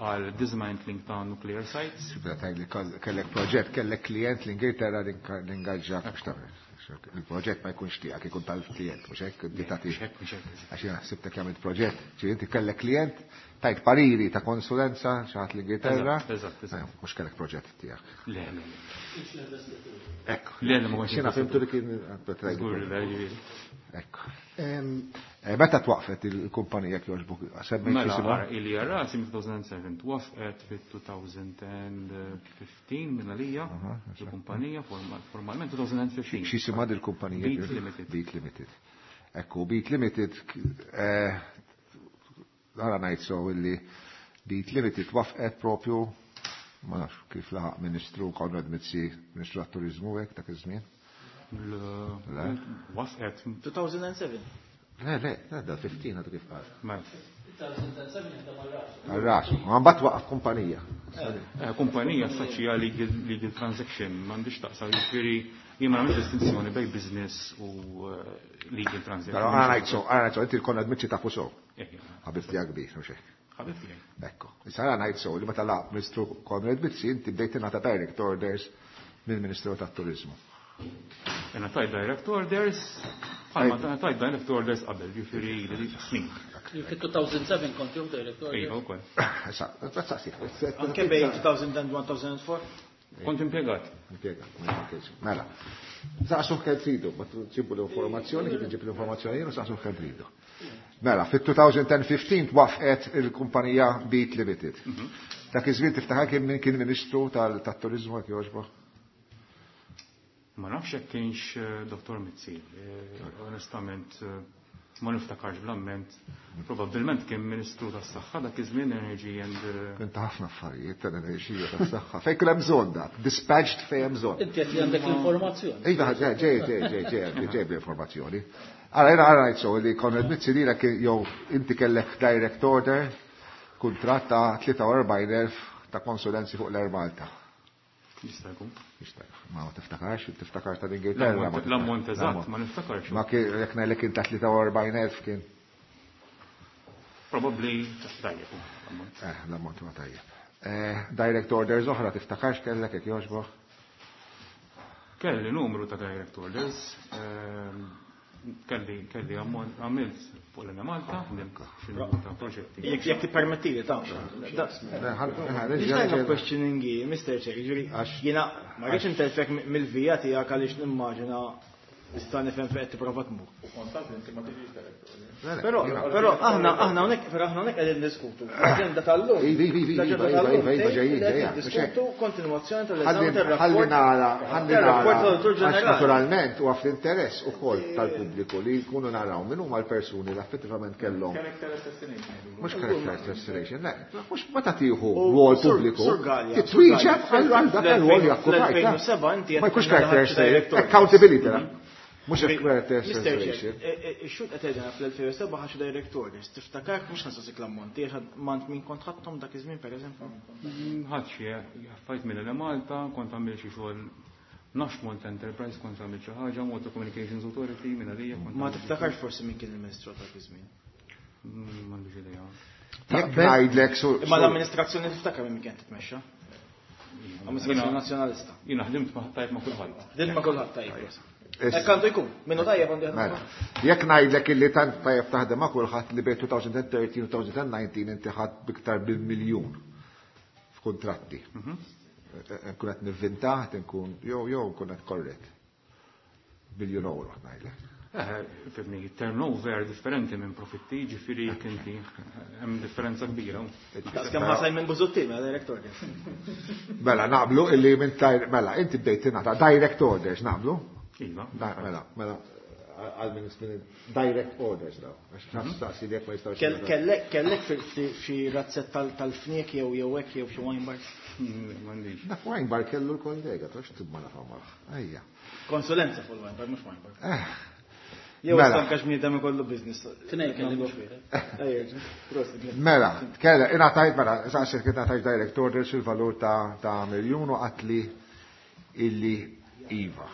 għal dismantling ta' nuclear sites. Meta tajt li kellek proġett, kellek klient l-Ingilterra li ingaġġak biex tagħmel. Il-proġett ma jkunx tiegħek, ikun tal-klient, mhux hekk inti tagħti. Mhux hekk, mhux hekk. Għax jiena ħsibtek jagħmel proġett, ġifieri inti kellek klient, tajt pariri ta' konsulenza xi ħadd l-Ingilterra. Eżatt, eżatt, eżatt. Eh, mhux kellek proġett tiegħek. Le, le, le. Ekku. Le, le, ma kontx Xina fimtu li kien Żgur, le, ġifieri. Ekku. Em, Eh, Meta twaqfet il-kumpanija kjoġbuk? Semmejt Mela, jisimha? ara, ili rasi minn two thousand seven twaqfet fit-twenty fifteen minn għalija, il-kumpanija formal- formalment twenty fifteen. X'jisimha dil-kumpanija? Beat Limited. Beat Limited. Ekku, Beat Limited, eh, għara ngħid so illi Beat Limited wafqet propju, ma nafx kif laħaq Ministru Konrad Mizzi, Ministru għat-Turizmu hekk dak iż-żmien. Le. Wafqet. two thousand seven. Le, le, le, da fifteen għadu kif qal. Mela. two thousand seven jaħdem għal-rasu. Għal-rasu, għambat waqaf kumpanija. Eh, Kumpanija saċija legal, legal transaction, m'għandix taqsam, jiġifieri jien ma nagħmilx distinzjoni bejn business u eh, legal transaction. Però għara ngħid so, għara ngħid so, inti l-Konrad Mizzi tafu so. Eh, Ħabib tiegħek kbir, mhux hekk. Ħabib tiegħi. Ekku, issa għara ngħid so li meta laq Ministru Konrad Mizzi inti bdejt tingħata direct orders mill-Ministru tat-Turizmu. Jena tajt direct orders, bħalma tajt direct orders qabel, ġifieri li snin. Fit-two thousand seven kont jew director. Iva, wkoll. Issa, saqsi. Anke bejn two thousand one-two thousand four? Kont impjegat. Impjegat, ma jmankelx. Mela, saqsu kemm tridu, ma tġibu l-informazzjoni, kif ġib l-informazzjoni jien u saqsu kemm tridu. Mela, fit-twenty fifteen twaqfet il-kumpanija Beat Limited. Dak iż-żmien tiftaħar kien min kien Ministru tal-Turizmu jekk jogħġbok? Ma nafx jekk kienx eh, Dottor Mizzi. Eh, Onestament, eh, ma niftakarx bl-amment. Probabilment kien Ministru tas-Saħħa dak iż-żmien, Energy and eh, Kien ta' ħafna affarijiet tal-enerġija tas-saħħa. Fejn kien hemm bżonn dak, dispatched fejn hemm bżonn. Inti qed li għandek l-informazzjoni. Iva, ġej, ġej, ġej, ġej, ġej, ġej bl-informazzjoni. Ara, jena għara ngħid so li Konrad Mizzi lila kien jew inti kellek direct order, kuntratt ta' tlieta u erbgħin elf ta' konsulenzi fuq l-Air Malta. Jista' jkun. Jista' jkun. Ma tiftakarx, tiftakar tal-Ingilterra. ma L-ammont- L-ammont tiftakarx. eżatt ma niftakarx. Ma kien jekk ngħidlek kien ta' tlieta u erbgħin elf kien. Probabbli tajjeb l-ammont. Eh, l-ammont huwa tajjeb. Eh, direct orders oħra tiftakarx kellek jekk jogħġbok? Kelli numru ta' direct orders. ehm, Kelli kelli għamilt fuq l-Enemalta, ħdimt xi proġetti. Jekk jekk tippermettili ta' Line of questioning hi, Mister Chair, jiġifieri jiena ma rridx intelfek mill-vija tiegħek għaliex nimmaġina nista' nifhem fejn qed tipprova tmur. Però però aħna aħna hawnhekk però aħna hawnhekk qegħdin diskutu. L-aġenda tal-lum. L-aġenda tal-lum qegħdin diskutu kontinwazzjoni tal-eżami tar-rapport. Ħalli nara, ħalli tar-rapport nara. tal-Awditur Għax Ġenerali. naturalment huwa fl-interess ukoll tal-pubbliku li jkunu naraw min huma l-persuni li effettivament kellhom. Character assassination. Mhux character assassination, le, mhux meta tieħu U rwol Sur- pubbliku, Sur Gallia, titwieġeb Sur għal Gallia, għal dak il-rwol li okkupajt. fl-elfejn u sebgħa inti Ma jkunx qed character tingħata assassination, director. accountability. Mhux character Mister Chair, assassination. ix-xhud qed jgħidilna fl-elfejn u sebgħa ħaxu direct orders. Tiftakar mhux nsaqsik l-ammonti, għax mant min kont ħadthom dak iż-żmien pereżempju. Ħadd xi affarijiet minn Malta, kont għamil xi xogħol nafx Malta Enterprise, kont għamil xi ħaġa, Malta Communications Authority minn għalija. kont Ma għamilt xi tiftakarx forsi min kien il-Ministru dak iż-żmien. Mm, M'għandix idea. Jekk ngħidlek sur. Imma l-amministrazzjoni tiftakar minn kien titmexxa. Amministrazzjoni Nazzjonalista. Jiena ħdimt ma' tajb ma' kulħadd. Ħdimt ma' kulħadd tajb. Issa. Hekk għandu jkun, minnu tajjeb għandu jaħdem. Mela, jekk ngħidlek illi tant tajjeb taħdem ma' kulħadd li bejn twenty thirteen u twenty nineteen inti ħadd biktar bil-miljun f'kuntratti. Nkun qed nivvinta, nkun jew jew nkun qed korrett. Biljun euro ngħidlek. Eh, fimni, turnover differenti minn profitti, ġifieri jekk inti hemm differenza kbira. Daqs kemm ħa Simon Busuttil mela direct orders. Mela naqblu illi minn tajr, mela inti bdejt tingħata direct orders naqblu? Iva. Da- Mela, mela għal minn minn direct orders daw. Għax naf staqsi li jekk ma jistgħux. Kell- Kellek kellek fi- fi- xi razzett tal- tal-fniek jew jew hekk jew xi wine bar. M'għandix. Dak wine bar kellu l-kollega, tox tibma nafhom. Ejja. Konsulenza fuq il-wine bar, mhux wine bar. Eh. Jew Mela. stanka x'bniedem ikollu business. Tnejn kelli mhux wieħed. Ejja, prosit. Mela, kella, ingħatajt, mela, saqsiet kien ingħatajt direct orders fil-valur ta' ta' miljun u għatli illi iva.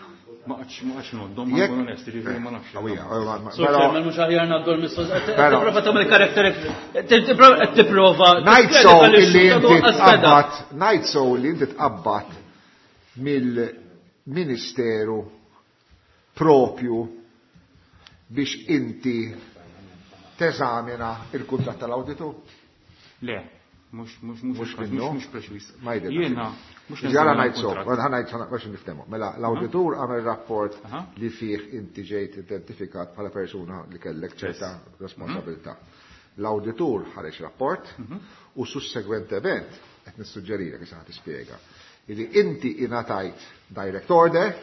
Ma qatx ma qatx ngħoddhom, ma Jekk- nkun onest, ġifieri ma nafx. Awija, ma- ma- Sur però- Chairman, mhux aħjar ngħaddu l-mistoqsija. Però- Tipprova tagħmel karakter qed tipprova. Ngħid so illi inti tqabbad. tqabbad, ngħid so illi inti tqabbad mill-Ministeru propju biex inti teżamina il-kuntratt tal-awditur. Le, mhux mhux mhux Mhux mhux minnu? mhux preċiż. Ma jidhirx. Jiena mhux Ġara neżamina ngħid so, l-kuntratt. ħa ngħid biex niftehmu. Mela l-awditur għamel rapport Aha. li fih inti ġejt identifikat bħala persuna li kellek ċerta responsabilità. L-awditur ħareġ rapport u sussegwentement qed nissuġġerilek issa ħa tispjega illi inti ingħatajt direct order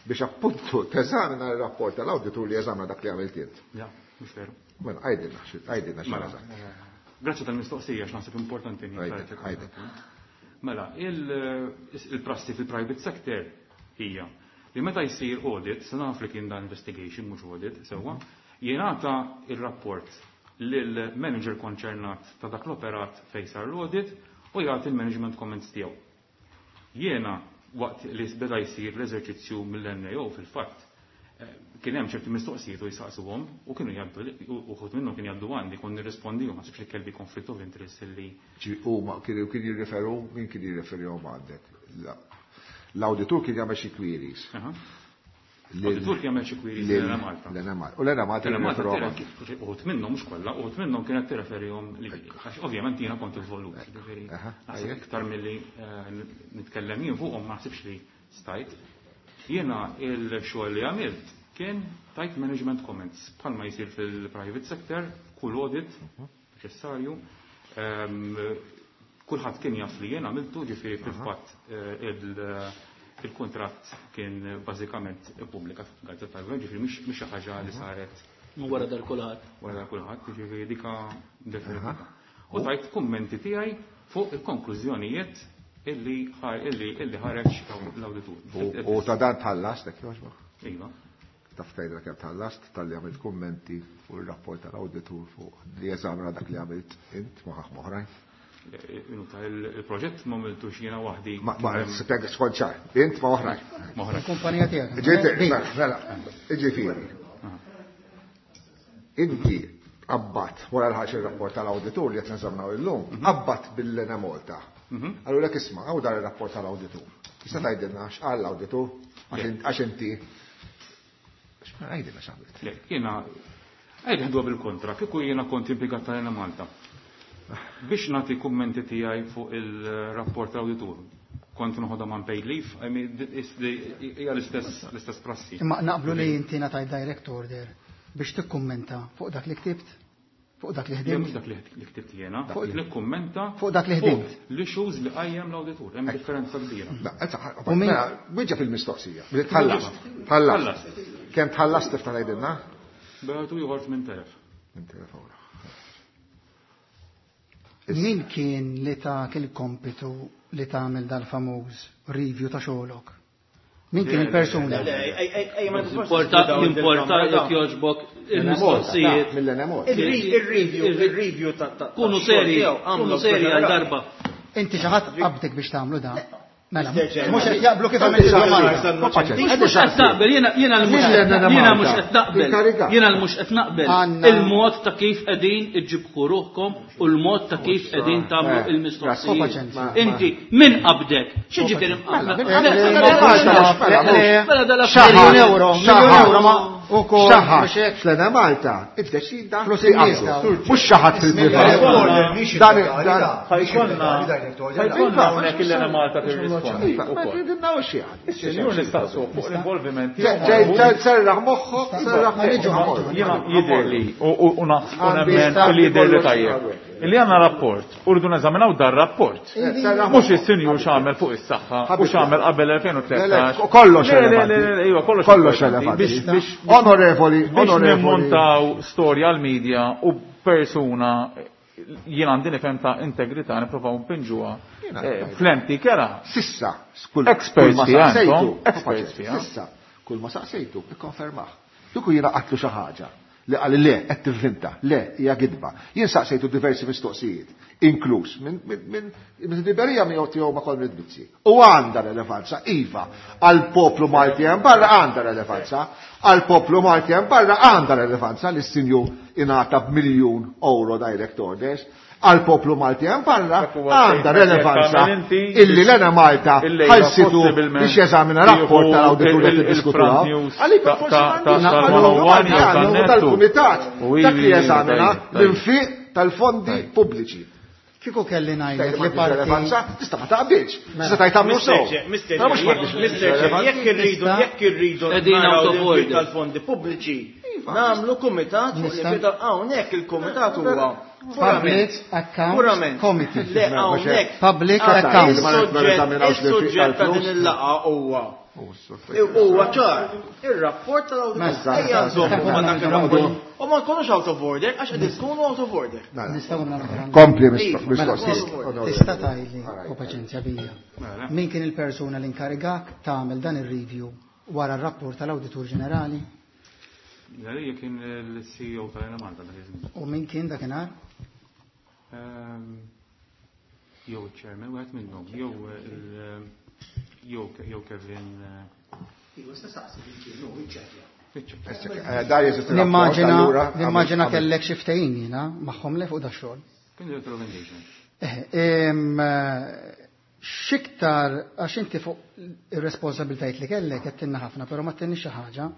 biex appuntu teżamina l-rapport tal-awditur li eżamina dak li għamilt int. Ja, mhux veru. Mela, għidilna, xi- għidilna xi Mela, eżatt. eh, grazzi tal-mistoqsija, x'naħseb importanti Għidil, niklarifika. għidil. Mela, il- il-prassi fil-private sector hija li meta jsir audit, se naf li kien dan investigation mhux audit, sewwa, jingħata il-rapport lil-manager konċernat ta' dak l-operat fejn sar l-audit u jagħti il-management comments tiegħu. Jiena waqt li beda jsir l-eżerċizzju mill-N A O fil-fatt, eh, kien hemm ċerti mistoqsijiet u jisaqsuhom u kienu jgħaddu u uħud minnhom kien jgħaddu għandi kont nirrispondihom, ma sibx li kelli conflict of interest illi Ġi- Huma kienu kien jirriferu, min kien jirreferihom għandek? La- L-awditur kien jagħmel xi queries. Aha. Lil- L-awditur kien jagħmel xi queries lil- lil Malta. L-Ena Malta. U l-Ena Malta L-Ena Malta jirreferuhom. Uħud minnhom mhux kollha, uħud minnhom kienet tirreferihom li għax ovvjament jiena kont involut, ġifieri Aha, naħseb ajjek. iktar milli eh, nitkellem jien fuqhom ma naħsibx li stajt. Jiena il-xogħol li għamilt kien tajt management comments bħalma jsir fil-private sector, kull audit neċessarju. Ehm, Kulħadd kien jaf li jien għamiltu, ġifieri fil-fatt eh, il- il-kuntratt kien bażikament ippubblikat fil-Gazzetta tal-Gvern, ġifieri mhix mhix xi ħaġa li saret Wara dar kulħadd. wara kulħadd, ġifieri dika definitiva. U tajt kummenti tiegħi fuq il-konklużjonijiet illi ħar- illi illi ħareġ l-awditur. U- U ta' dan tħallast, hekk jogħġbok? Iva. Taf tgħidha kemm tħallast talli għamilt kummenti fuq ir-rapport tal-awditur fuq li eżamina dak li għamilt int ma' ħadd oħrajn. Inuta, il-proġett ma għamiltux jiena waħdi. Ma ma spjega skont ċar, int ma' oħrajn. Ma' oħrajn. Kumpanija tiegħek. Ġiet, mela, mela, ġifieri. Inti qabbat wara l-ħaġa ir-rapport tal-awditur li qed neżaminaw illum, qabbat bil-Lena Malta. Allura lek isma' hawn dar ir-rapport tal-awditur. Tista' tgħidilna x'qal l-awditur għax in- għax inti Għajdilna x'għamilt. Le, jiena għajdi ħadwa bil-kontra, kieku jiena kont impjegat tal-Enemalta. Biex nagħti kummenti tiegħi fuq il-rapport tal-awditur. Kont noħodha man paid leave, I mean, hija l-istess l-istess prassi. Imma naqblu li inti ngħatajt direct order biex tikkummenta fuq dak li ktibt, fuq dak li Le, ħdimt. mhux dak li li ktibt jiena, Fuq- li kummenta Fuq dak li ħdimt. fuq l-issues li qajjem l-awditur, hemm differenza kbira. U min- Mela, wieġeb il-mistoqsija. Tħallas. Tħallas. Kemm tħallas tifta ngħidilna? Beħtu ieħor tmien telef. Tmien telef euro. Min kien li tak il-kompitu li tagħmel dal-famuż review ta' xogħolok? Min kien il-persuna? Importa, importa jekk jogħġbok il-mistoqsijiet. Mill-Enemalta. Il-review, il-review ta' ta' Kunu seri, kunu seri għal darba. Inti xi ħadd qabdek biex tagħmlu da? Mela, Mister Chairman. mhux qed jaqblu kif għamilt il-domanda. Mhux mhux qed naqbel, jiena jiena l-mhux jiena mhux qed naqbel. Jiena l-mhux qed naqbel. Għandna- Il-mod ta' kif qegħdin iġġibħu ruħkom u l-mod ta' kif qegħdin tagħmlu il-mistoqsijiet. Inti min qabdek? Xi ġifieri Mela dal-affarijiet. Miljun euro, miljun euro ma ukoll Xaħat, biex hekk. fl-Enemalta, iddeċida Flus li in-nies qabdu. dawn. Mhux xaħat fil-privat. Dan dan Ħajkonna ħajkonna hawnhekk il-Enemalta tirrispondi. Iva, ma tridilna u xi ħadd. Is-sinjur nistaqsu fuq l-involviment Ġej, ġej, serraħ moħħok, serraħ moħħok. Jiena jidher li u u naħsbu nemmen li jidher li tajjeb. Illi għandna rapport, u rridu neżaminaw dar rapport. Mhux is-sinjur x'għamel fuq is-saħħa u x'għamel qabel elfejn u tlettax. Kollox Le, le, le, relevanti. le, iva, kollox Kollox importanti. relevanti. Biex biex Onorevoli, biex onorevoli. nimmontaw storja għal-medja u persuna jien għandi nifhem ta' integrità nipprovaw npinġuha eh, fl-empty kera. Sissa, kull Experts kull ma fiha, saqsejtu, intom, experts fiha. Sissa, kull ma saqsejtu, ikkonfermah. Kieku jiena qatlu xi ħaġa li qal le qed tivvinta, le hija gidba. Jien saqsejtu diversi mistoqsijiet, inkluż minn minn minn minn Liberija miegħu tiegħu ma' Konrad Mizzi. U għandha relevanza, iva, għal poplu Malti hemm barra għandha relevanza, għal poplu Malti hemm barra għandha relevanza li s-sinjur ingħata b'miljun euro direct orders, għal poplu Malti hemm barra Dak huwa għandha statement relevanza jekk tagħmel inti illi l-Enemalta il-lejla ħalsitu possibilment biex jeżamina rapport jieħu tal-awditur li il- il- tiddiskutu il-front hawn. news Għalika ta' forsi ta' m'għandux ta' għallu tal-one jew għallu tan-nettu. tal-kumitat U dak li ivi, jeżamina tajjeb, tajjeb. l-infiq tal-fondi pubbliċi. Kieku kelli ngħidlek Tgħid li m'għandix parti relevanza, tista' ma taqbilx. Tista' tgħid tagħmlu Mister sew. Chair, Mister Però mhux Chair, m'għandix Mister Chair, relevanza. jekk irridu, jekk irridu Qegħdin naraw out of l-infiq order. tal-fondi pubbliċi, nagħmlu kumitat fuq Nista' l-infiq tal- hawnhekk il-kumitat huwa Public Accounts Purament. Committee. Le hawnhekk Public Ah, Accounts. Is-suġġett is-suġġett ta' din il-laqgħa huwa Huwa ċar, ir-rapport tal-awditur. Mela. Ejja nżommu ma' dak ir-rapport. U ma nkunux out of order, għax qed tkunu out of order. Nistgħu nagħmlu. Kompli Iva, mistoqsijiet. Tista' tgħidli u paċenzja bija. Min kien il-persuna li inkarigak tagħmel dan ir-review wara r-rapport tal-Awditur Ġenerali Għalija kien il-C E O tal-Enemalta dak iż-żmien. U min kien dakinhar? Ehm, Jew il-chairman, wieħed minnhom, jew il- jew jew Kevin. Dar jeżisti rapport, Nimmaġina allura, nimmaġina għamil- kellek xi ftehim jiena magħhom le fuq da xogħol. Kien director of engagement. Eh, em, eh, X'iktar għax inti fuq ir-responsabiltajiet li kellek qed tinna ħafna, però ma tinni xi ħaġa.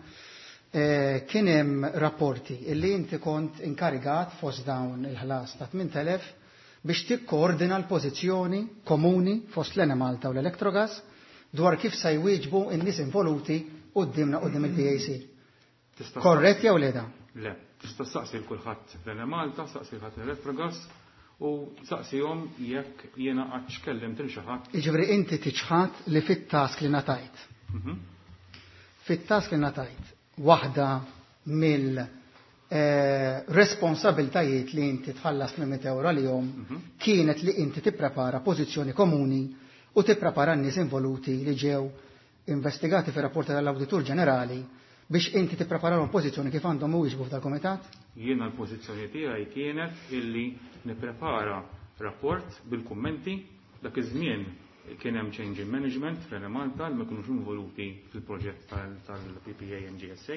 Eh, Kien hemm rapporti illi inti kont inkarigat fost dawn il-ħlas ta' tmien elef biex tikkoordina l-pożizzjoni komuni fost l-Enemalta u l-Electrogas dwar kif se jwieġbu n-nies involuti quddiemna quddiem il-P A C. Tista' Korrett jew le da? Le, tista' saqsi l-kulħadd l-Enemalta, saqsi l-ħadd l-Electrogas u saqsihom jekk jiena qatt kellimt il xi ħadd. Jiġifieri inti tiċħat li fit-task li ngħatajt. Mhm. Fit-task li ngħatajt, waħda mill eh, responsabiltajiet li inti tħallas mitt euro għalihom kienet li inti tipprepara pożizzjoni komuni u tipprepara n-nies involuti li ġew investigati fir rapporti tal-Awditur Ġenerali biex inti tippreparahom pożizzjoni kif għandhom iwieġbu f'dal-kumitat? Jiena l-pożizzjoni tiegħi kienet illi nipprepara rapport bil-kummenti. Dak iż-żmien kien hemm change in management fl-Enemalta li ma kinux involuti fil-proġett tal-P P A and G S A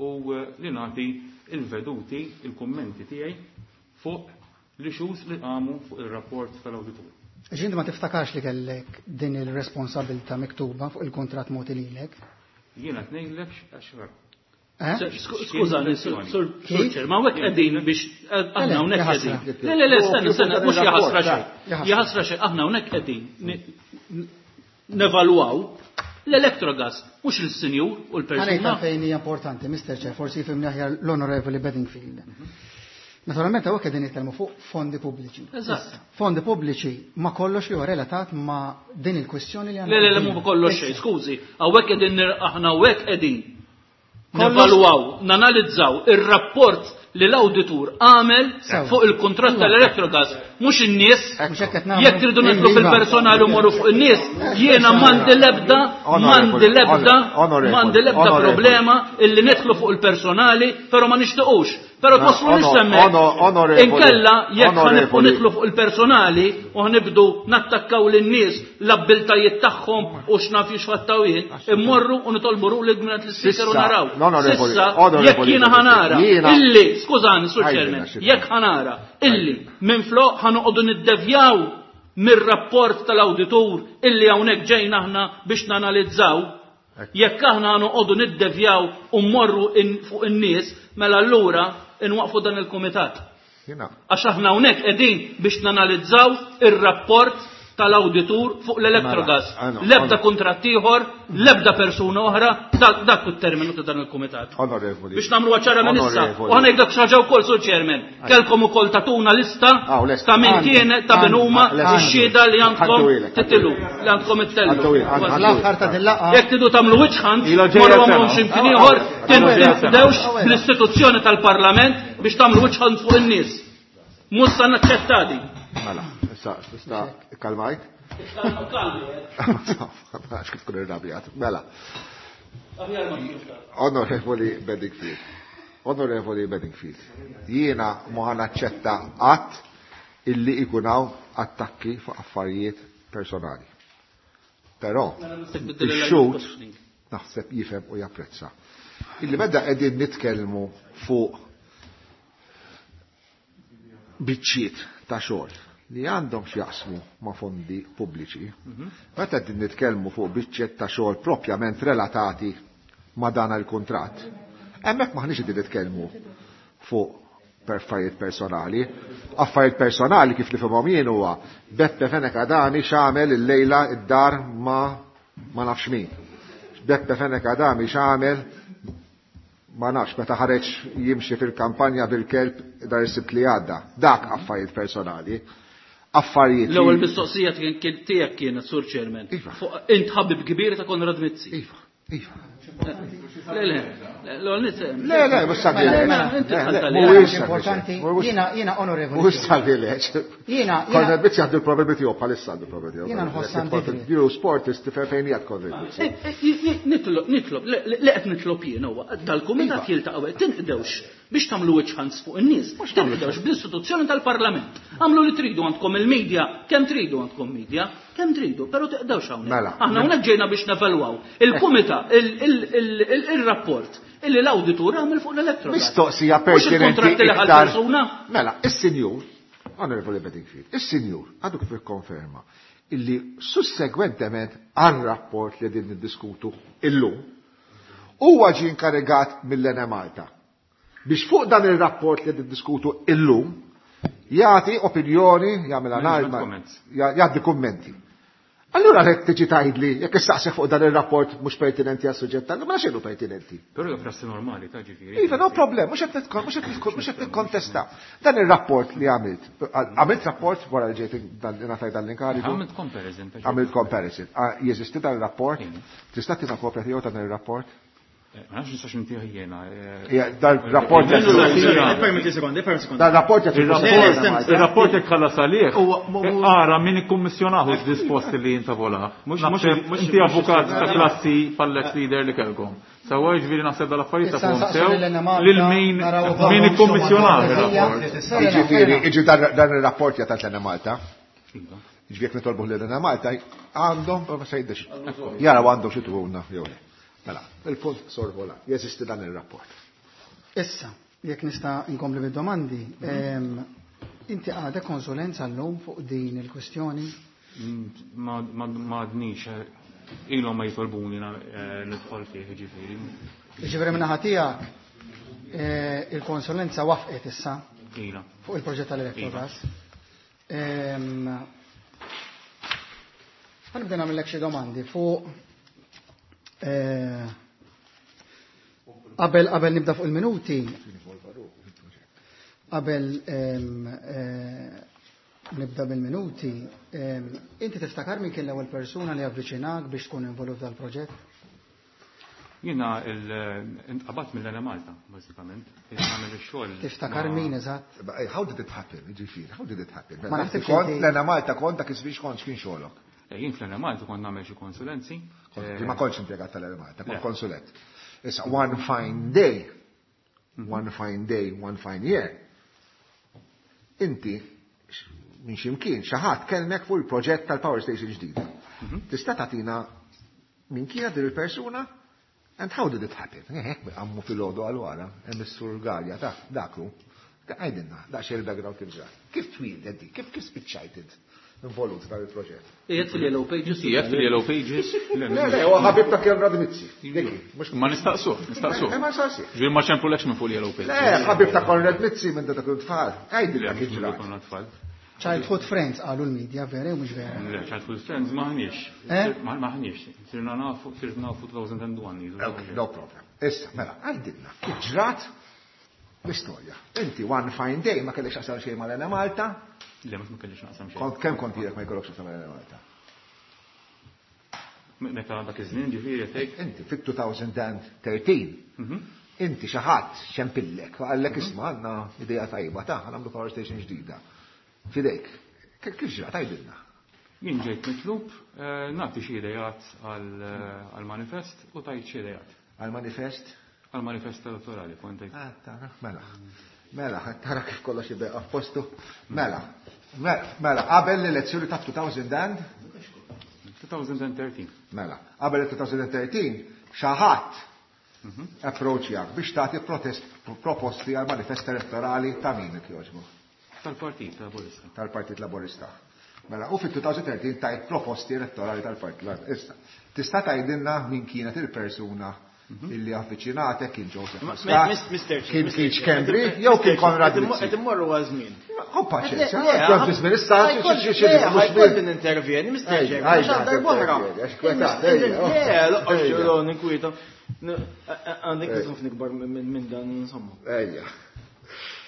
u eh, li nagħti il-veduti, il-kummenti tiegħi fuq l-issues li qamu fuq ir-rapport tal-awditur. Ġinti ma tiftakarx li kellek din il-responsabilta miktuba fuq il-kontrat mogħti lilek? Jiena tnejlek għax Skużani, Sur Chair, ma hawnhekk qegħdin biex aħna hawnhekk qegħdin. Le, le, le, stenna, stenna, mhux jaħasra xejn. Jaħasra xejn, aħna hawnhekk qegħdin nevalwaw l-Electrogas, mhux il-sinjur u l-persuna. Ħanejta fejn hija importanti, Mister Chair, forsi jifhimni aħjar l-Onorevoli Bedingfield. Naturalment hawnhekk qegħdin nitkellmu fuq fondi pubbliċi. Eżatt. Fondi pubbliċi ma kollox li huwa relatat ma din il-kwistjoni li għandna. Le, le, le, mhu kollox xejn, skużi, hawnhekk qegħdin aħna hawnhekk qegħdin nevalwaw, nanalizzaw ir-rapport li l-awditur għamel fuq il-kuntratt tal-Electrogas, mhux in-nies. Jekk tridu nidħlu fil-personali u morru fuq in-nies, jiena m'għandi l-ebda, m'għandi l-ebda, m'għandi l-ebda problema illi nidħlu fuq il-personali, però ma nixtiequx. Però twasslu hemmhekk. Inkella jekk ħanibqgħu nidħlu fuq il-personali u ħnibdu nattakkaw lin-nies l-abbiltajiet tagħhom u x'naf jixfattaw jien, immorru u nitolbu ruling mingħand l-ispeaker u naraw. Sissa jekk jiena ħanara illi, skużani, Sur Chairman, jekk ħanara illi minflok ħanoqogħdu niddevjaw mir-rapport tal-awditur illi hawnhekk ġejna aħna biex nanalizzaw, jekk aħna noqogħdu niddevjaw u mmorru fuq in-nies, mela allura inwaqfu dan il-kumitat. Għax aħna hawnhekk qegħdin biex nanalizzaw ir-rapport tal-awditur fuq l-Electrogas. L-ebda kuntratt ieħor, l-ebda persuna oħra, dak it-terminu ta' dan il-kumitat. Biex nagħmlu ċara minn issa. U ħa ngħidlek xi ħaġa wkoll, Sur Chairman. Kellkom ukoll tatuna lista ta' min kien ta' min huma x-xhieda li għandkom titilu, li għandkom ittellu. Jekk tridu tagħmlu wiċċ morru għamlu x'imkien ieħor, tinqdewx bl-istituzzjoni tal-Parlament biex tagħmlu wiċċ fuq in-nies. Mhux se naċċetta din. Mela, issa, issa, kalmajt? Għax kif tkun irrabjat. Mela. Onorevoli Bedingfield. Onorevoli Bedingfield. Jiena ma ħa naċċetta qatt illi ikun hawn attakki fuq affarijiet personali. Però, ix-xhud naħseb jifhem u japprezza. Illi meta qegħdin nitkellmu fuq biċċiet ta' xogħol li għandhom x'jaqsmu ma' fondi pubbliċi, meta qegħdin nitkellmu fuq biċċiet ta' xogħol propjament relatati ma' dan il-kuntratt, hemmhekk m'aħniex qegħdin nitkellmu fuq affarijiet personali. Affarijiet personali kif nifhimhom jien huwa Beppe Fenech Adami x'għamel illejla id-dar ma ma nafx min. Beppe Fenech Adami x'għamel ma nafx meta ħareġ jimxi fil-kampanja bil-kelb dar is-Sibt li għadda. Dak affarijiet personali. Affarijiet. L-ewwel mistoqsija tiegħek kienet, Sur Chairman. Int ħabib kbir ta' Konrad Mizzi. Iva, iva. Le, le, le, le, mhux sabileġ. Mhuwiex importanti. Jiena jiena onorevoli. Mhux sabileġ. Jiena Konrad Mizzi għandu l-problemi tiegħu bħalissa għandu l-problemi tiegħu. Jiena nħoss għandi. Jiru sportist tifhem fejn qiegħed Konrad Mizzi. Nitlob, nitlob, li qed nitlob jien huwa dal-kumitat jiltaqgħu tinqdewx biex tagħmlu wiċċ fuq in-nies, tinqdewx bl-istituzzjoni tal-Parlament. Għamlu li tridu għandkom il-medja, kemm tridu għandkom media, kemm tridu, però tiqdewx hawnhekk. Aħna hawnhekk ġejna biex nevalwaw il-kumitat, il-rapport illi l-awditur għamel fuq l-Electrogas. Mistoqsija pertinenti iktar. Mela, is-sinjur, Onorevoli Bedingfield, is-sinjur għadu kif ikkonferma illi sussegwentement għar-rapport li din niddiskutu illum huwa ġie inkarigat mill-Enemalta biex fuq dan ir-rapport li niddiskutu illum jagħti opinjoni, jagħmel analiżi, jgħaddi kummenti. Allura jekk tiġi tgħidli jekk issaqsek fuq dan ir-rapport mhux pertinenti għas-suġġett tal ma xejn pertinenti. Però hija prassi normali ta' ġifieri. Iva, no problem, mhux qed mhux qed nikkontesta. Dan ir-rapport li għamilt, għamilt rapport wara li ġejt ngħataj dan l-inkarigu. Għamilt comparison. Għamilt comparison. Jeżisti dan ir-rapport? Tista' tina kopja tiegħu dan ir-rapport? Ma nafx nistax intih jiena. Dan rapport Dan rapport Il-rapport jekk ħallas għalih. Ara min ikkummissjonahu disposti li jintavola. Inti avukat ta' klassi pal-ex leader li kellkom. Sewwa jiġifieri naħseb dal-affarijiet ta' fuqhom sew lil min min ikkummissjonahu ir-rapport. Jiġifieri, jiġi dan ir-rapport jagħtat lena Malta. Jiġifieri jekk nitolbuh lil Malta għandhom ma se jiddex. Jaraw għandhom xi tuhulna jew le. Mela, il-punt sorvola, jeżisti dan il-rapport. Issa, jekk nista' inkompli bid-domandi, inti għadek konsulenza llum fuq din il-kwestjoni? Ma għadnix. ilhom ma jitolbuni nidħol fih, ġifieri. Ġifieri min-naħa tiegħek il-konsulenza wafqet issa fuq il-proġett tal-Electrogas. Ħa nibda nagħmellek xi domandi fuq qabel qabel nibda fuq il-minuti. Qabel nibda bil-minuti, inti tiftakar min kien l-ewwel persuna li avviċinak biex tkun involut dal-proġett? Jiena intqabat mill-Enemalta, bażikament. Tiftakar min eżatt? How did it happen? Ġifieri, how did it happen? Ma naħsibx kont l-Enemalta kont dak iż-żmien kont x'kien xogħolok? Jien fl-Enemalta kont nagħmel xi konsulenzi. Ma kontx impjegat tal-Enemalta, kont konsulent. Issa one fine day, one fine day, one fine year. Inti minn ximkien xi ħadd kellmek fuq il-proġett tal-power station ġdida. Tista' tagħtina min kienet din il-persuna? And how did it happen? Hekk għammu fil-ħodu għal-wara, hemm is-sur Galea ta' daklu. Għajdinna, daqsxejn il-background kif ġrat. Kif twieldet di? Kif kif spiċċajt involut dan il-proġett? Qiegħed fil-Yellow Pages. Qiegħed fil-Yellow Pages. Le, le, huwa ħabib ta' Konrad Mizzi. Ma nistaqsuh, nistaqsuh. Ma nistaqsuh. Ġifieri ma ċempulekx minn fuq il-Yellow Pages. Le, ħabib ta' Konrad Mizzi minn dak tfal. Għajdilna kif ġrat. Childhood Friends qalu l-media, vera u mhux vera? Le, Childhood Friends maħniex. Maħniex. Sirna nafu, sirna nafu two thousand one. No problem. Issa, mela, għajdilna kif ġrat l-istorja. Inti one fine day ma kellekx x'taqsam xejn mal-Enemalta? Le, mhux ma kellix naqsam xejn. Kemm kont ilek ma jkollok x'taqsam mal-Enemalta? Meta dak iż-żmien ġifieri tgħid. Inti fit-two thousand thirteen. Inti xi ħadd xempillek, qallek isma' għandna idea tajba ta' nagħmlu power station ġdida. Fidejk, kif ġrat għajdilna? Jien ġejt mitlub nagħti xi idejat għall-manifest u tajt xi idejat. Għall-manifest? Għall-manifest elettorali, kont tgħid. Ah, tara, mela. Mela, tara kif kollox jibda f'postu. Mela, mela, qabel l-elezzjoni ta' two thousand and? two thousand thirteen. Mela, qabel two thousand thirteen, xi ħadd approachjak biex tagħti protest proposti għall-manifest elettorali ta' min jogħġbu? Tal-Partit Laburista. Tal-Partit Laburista. Mela, u fit-two thousand thirteen tajt proposti elettorali tal-Partit Laburista. Tista' tgħidilna min kienet il-persuna illi avviċinatek, kien Joseph Muscat, kien Keith Schembri, jew kien Konrad Mizzi. Qed immorru għal żmien. Hu paċenzja, għal żmien issa ħajkolli nintervjeni, Mister Chairman, għax għal darb'oħra. Le, loqgħod ninkwieta. Għandek ħafna ikbar minn dan insomma. Ejja.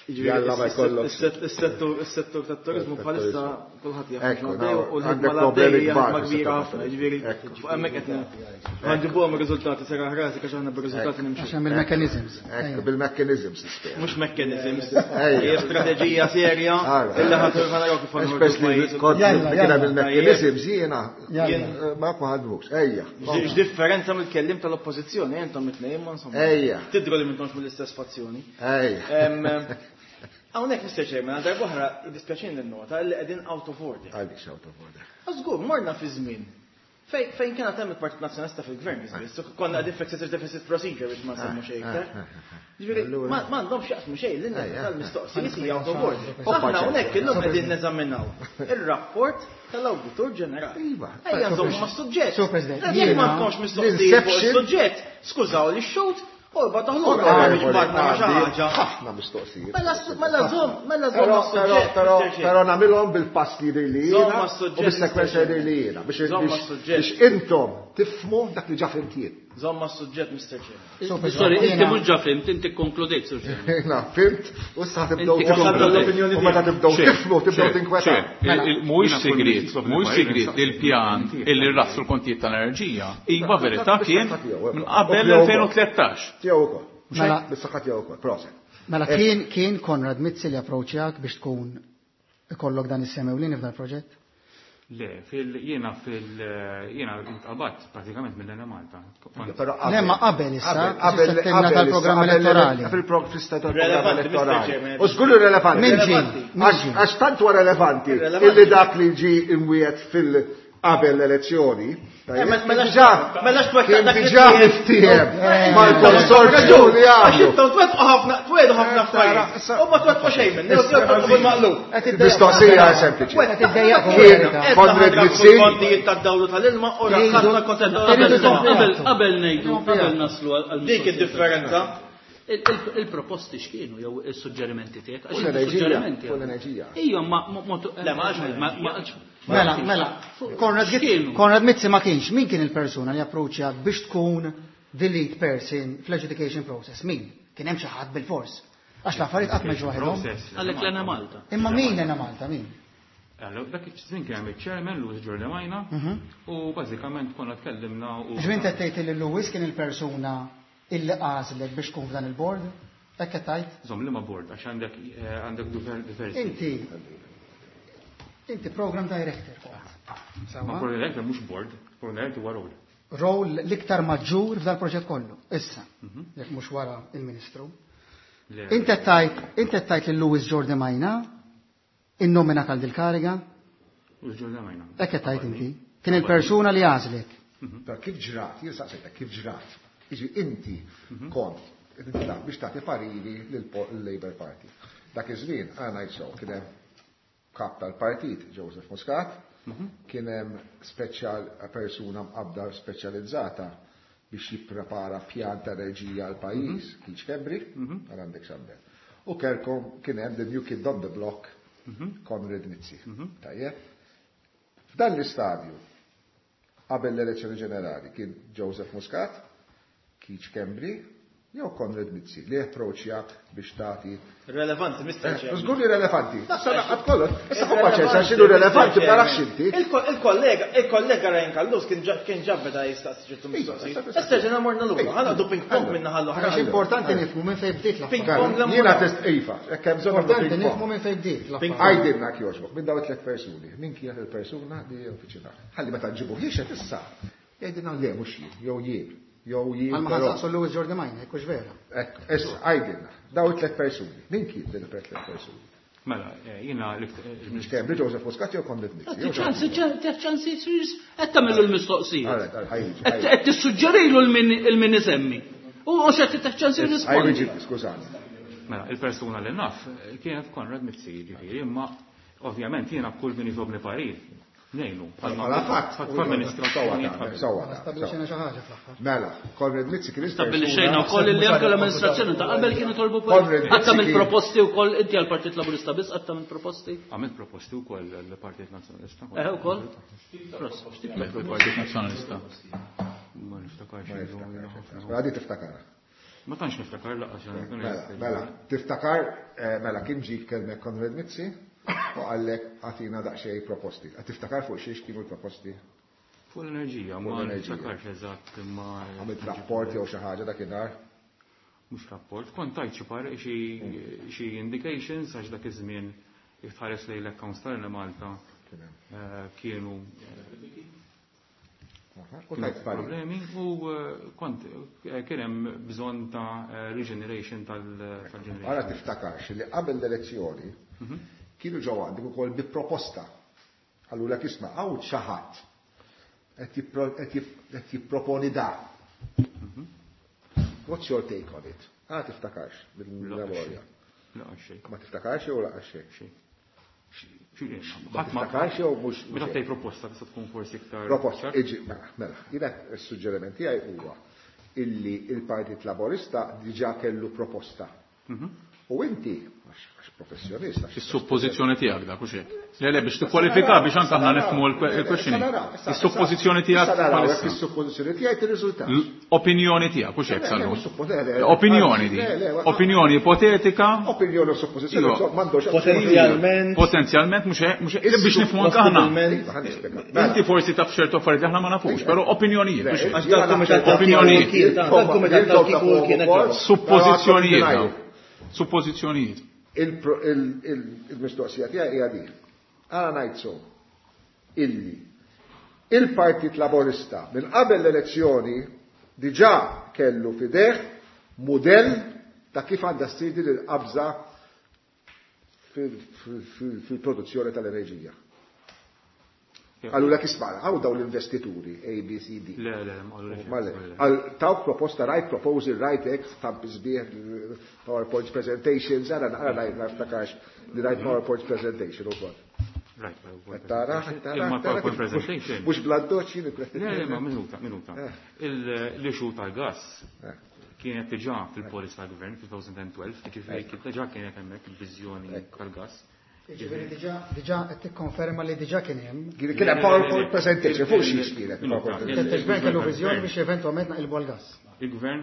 Jalla ma jkollok. Is-settur tat-turizmu bħalissa kulħadd jaf u l-ħidma l-għaddejja ħidma kbira ħafna, jiġifieri fuq hemmhekk qed ħanġibuhom ir-riżultati seraħ rasi għax aħna bir-riżultati nimxu. Għax hemm il-mechanisms. Ekku, bil-mechanisms nispera. Mhux mechanisms. Hija strateġija serja illi ħadd naraw kif ħanħorġu pajjiż. Kien hemm il-mechanisms jiena ma ma ħadmux. Ejja. X'differenza mill-kellim tal-oppożizzjoni intom it-tnejn ma insomma. Ejja. Tidru li m'intomx mill-istess fazzjoni. Ejja. Hawnhekk Mister Chairman, għal darb'oħra jiddispjaċini n-nota li qegħdin out of order. Għaliex out of order? Żgur, morna fi żmien fejn kien hemm il-Partit Nazzjonalista fil-Gvern, biss, konna qegħdin f'excessive deficit procedure biex ma nsemmu xejn iktar. Ġifieri, ma għandhomx jaqsmu xejn lilna tal-mistoqsijiet hija out of order. Aħna hawnhekk illum qegħdin neżaminaw ir-rapport tal-Awditur Ġenerali. Ejja nżommu mas-suġġett. Jekk ma tkunx mistoqsijiet fuq is-suġġett, skużaw li x-xut, Orba taħlura, ħafna mistoqsijiet. Mela żomm, mela żomm mas-suġġett. Però nagħmilhom bil-pass li jidher li jiena u bis-sekwenza jidher li jiena biex intom tifhmu dak li ġa fhimt jien. Żomm mas-suġġett, Mister Chairman. Sorry, inti mhux ġa fhimt, inti konkludejt, Sur Chairman. Jiena fhimt u issa tibdew u meta tibdew tifhmu tibdew tinkwetaw. Mhuwiex sigriet, mhuwiex sigriet li l-pjan illi rrassu l-kontijiet tal-enerġija iva verità kien minn qabel elfejn u tlettax. Tiegħu wkoll. Bis-saħħa tiegħu wkoll, proset. Mela kien kien Konrad Mizzi li approċċjak biex tkun ikollok dan is-semewlini f'dan il-proġett? Le, fil jiena fil jiena intqabadt pratikament mill-Enemalta. Le, ma qabel issa, qabel tal-programm elettorali. Fil-programm tal-programm elettorali. U żgur relevanti. Min ġie? Għax tant huwa relevanti illi dak li ġie imwiet fil Qabel l-elezzjoni, Mela kien diġà miftiehem mal-konsorzju li għamlu. Għax twettqu ħafna, twedu ħafna affarijiet. U ma twettqu xejn minn, twettqu bil-maqlub. Mistoqsija sempliċi. Kien Konrad Mizzi. Kontijiet tad-dawlu tal-ilma u rakkatna kontijiet tad-dawlu. Qabel ngħidu, qabel naslu għal dik id-differenza. Il-proposti x'kienu jew is-suġġerimenti tiegħek? Għax il-suġġerimenti. Fuq l-enerġija. Ejja, ma Le, ma Mela, mela, Konrad Mizzi ma kienx, min kien il-persuna li approċċjak biex tkun the lead person fl-adjudication process? Min? Kien hemm xi ħadd bil-fors. Għax l-affarijiet qatt ma ġew waħedhom. Għalhekk l-Ena Malta. Imma min l-Ena Malta, min? Allora, dak iż-żmien kien hemm iċ-chairman Louis Giorgemajna u bażikament konna tkellimna u. Ġvien qed tgħid li Louis kien il-persuna illi għażlek biex tkun f'dan il-board? Hekk qed tgħid? Żomm liema board għax għandek għandek diversi. Inti Inti program director kont. Ma program director mhux board, program director huwa role. Role l-iktar maġġur f'dal proġett kollu. Issa, jekk mhux wara il-Ministru. Inti tajt, inti tajt lil Louis Giorgemajna innomina għal dil-kariga? Louis Giorgemajna. Hekk qed tgħid inti. Kien il-persuna li għażlek. Però kif ġrat, jien saqsejtek kif ġrat. Jiġi inti kont biex tagħti pariri lill-Labour Party. Dak iż-żmien għana jsew kien hemm kap tal-partit Joseph Muscat, kien hemm speċjal persuna mqabbda speċjalizzata biex jipprepara pjan ta' enerġija għal pajjiż, Keith Schembri, għal għandek xambel. U kelkom kien hemm the new kid on the block, Konrad Mizzi. Tajjeb. F'dan l-istadju, qabel l-elezzjoni ġenerali, kien Joseph Muscat, Keith Schembri, jew Konrad Mizzi li approċċjak biex tagħti. Relevanti, Mister Chairman. Żgur li relevanti. Issa laqgħat kollox. Issa fuq paċenza x'inhu relevanti ma nafx inti. Il-kollega, il-kollega Ryan Callus kien kien ġab beda jistaqsi ċertu mistoqsijiet. Issa ġena morna lura, ħa ping pong minna ħallu. Għax importanti nifhmu minn fejn bdiet l-affarijiet. Ping pong Jiena test iva, hekk hemm bżonn Importanti nifhmu minn fejn bdiet l-affarijiet. Għajdilna jogħġbok, minn dawn it-tliet persuni, min kienet il-persuna li uffiċina. Ħalli meta nġibu ħiexet issa, jgħidilna le mhux jien, jew jien. Jew jien. Għal ma ħansaqsu Louis Giorgemajna, hekk hux vera. Ekk, issa għajdilna, daw it-tliet persuni. Min kien din it-tliet persuni? Mela, jiena Schembri, Joseph Muscat jew Konrad Mizzi. Ċansi, ċansi, qed tagħmlu l-mistoqsija. Qed tissuġġerilu l-min isemmi. U mhux qed tieħ ċansi jirrispondi. Skużani. Mela, il-persuna li naf kienet Konrad Mizzi, ġifieri, imma ovvjament jiena kull min jitobni parir. Nejnu, bħala fatt, amministrazzjoni. Stabbilixxejna xi ħaġa fl-aħħar. Mela, Konrad Mizzi kien Stabbilixxejna wkoll li anke l-amministrazzjoni ta' qabel kienu tolbu Qatt tagħmel proposti wkoll inti għall-Partit Laburista biss qatt tagħmel proposti? Għamilt proposti wkoll għall-Partit Nazzjonalista. Eh ukoll? Il-Partit Nazzjonalista. Ma niftakarx. Għadi tiftakar. Ma tantx niftakar laqas. Mela, tiftakar, mela kien ġie kellmek Konrad Mizzi? U għallek għatina daqxej proposti. Għad tiftakar fuq xiex kienu l-proposti? Fuq l-enerġija, ma niftakarx eżatt imma. Għamilt rapport jew xi ħaġa dakinhar? Mhux rapport, kont tajt xi par xi indications għax dak iż-żmien jekk tħares lejn l-accounts tal-Malta kienu problemi u kont kien hemm bżonn ta' regeneration tal-generation. Ara tiftakarx li qabel l-elezzjoni kienu ġew għandek ukoll bi proposta. Allura isma' hawn xi ħadd qed jipproponi da. What's your take on it? Ah, tiftakarx bil-memorja. Ma tiftakarx jew laqas xejn? Ma tiftakarx jew mhux. Meta tgħid proposta tista' tkun forsi iktar. Proposta, iġi, mela, mela. Jiena s-suġġeriment tiegħi huwa illi il-Partit Laburista diġà kellu proposta. U inti, għax professjonista. Is-suppożizzjoni tiegħek dak u xejn. Le le biex tikkwalifika biex anke aħna nifhmu l-questioning. Is-suppożizzjoni tiegħek bħalissa. Is-suppożizzjoni tiegħek tirriżulta. Opinjoni tiegħek u xejn sallu. Opinjoni di. Opinjoni ipotetika. Opinjoni u suppożizzjoni m'għandux potenzjalment. Potenzjalment mhux mhux biex nifhmu anke aħna. Inti forsi taf ċertu affarijiet li aħna ma nafux, però opinjonijiet. Opinjonijiet. Suppożizzjonijiet. Suppożizzjonijiet. Il-mistoqsija tiegħi hija din. Għala ngħid so illi il-Partit Laburista minn qabel l-elezzjoni diġà kellu fideh mudell ta' kif għandha ssir din il-qabża fil-produzzjoni tal-enerġija. Għallu l isma' għaw daw l-investituri, A, B, C, D. Le, le, ma Għal tawk proposta, right proposal, right X, stamp sbieħ, PowerPoint presentation, zara naqra rajt naftakarx li rajt PowerPoint presentation u kol. Right, PowerPoint Tara, tara, PowerPoint presentation. Mux bladdoċ, Le, le, ma minuta, minuta. L-issue tal-gas kienet diġà fil-policy tal-gvern fil-elfejn u tnax, ġifieri kien diġà kienet hemmhekk il-viżjoni tal-gas. Ġifieri diġà diġà qed tikkonferma li diġà kien hemm. Kien hemm PowerPoint presentation fuq xiex kienet. Il-gvern kellu viżjoni biex eventwalment naqilbu għall-gas. Il-gvern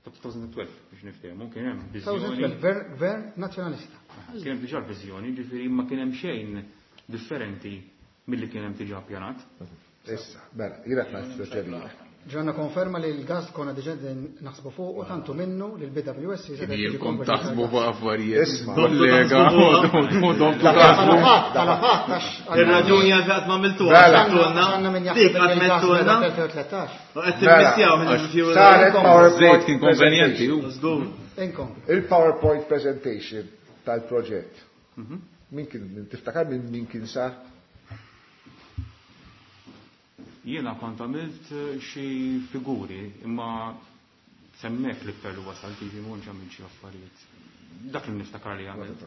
ta' elfejn u tnax biex niftehmu kien hemm viżjoni. Gvern nazzjonalista. Kien hemm diġà viżjoni, ġifieri ma kien hemm xejn differenti milli kien hemm diġà ppjanat. Issa, mela, jiena qed suġġerija. Ġanna konferma li l-gas konna diġà naħsbu fuq u tantu minnu li l-B W S jiġi Ilkom taħsbu fuq affarijiet. Kollega, Ir-raġuni għal qatt ma għamiltuha. Dik qatt mettulna. U qed timmissjaw Saret PowerPoint kien konvenjenti. Il-PowerPoint presentation tal-proġett. Min kien tiftakar minn min kien sar? Jiena kont għamilt xi figuri, imma semmek l-iktar li wasal, tiġi mhux għamilt xi affarijiet. Dak li niftakar li għamilt.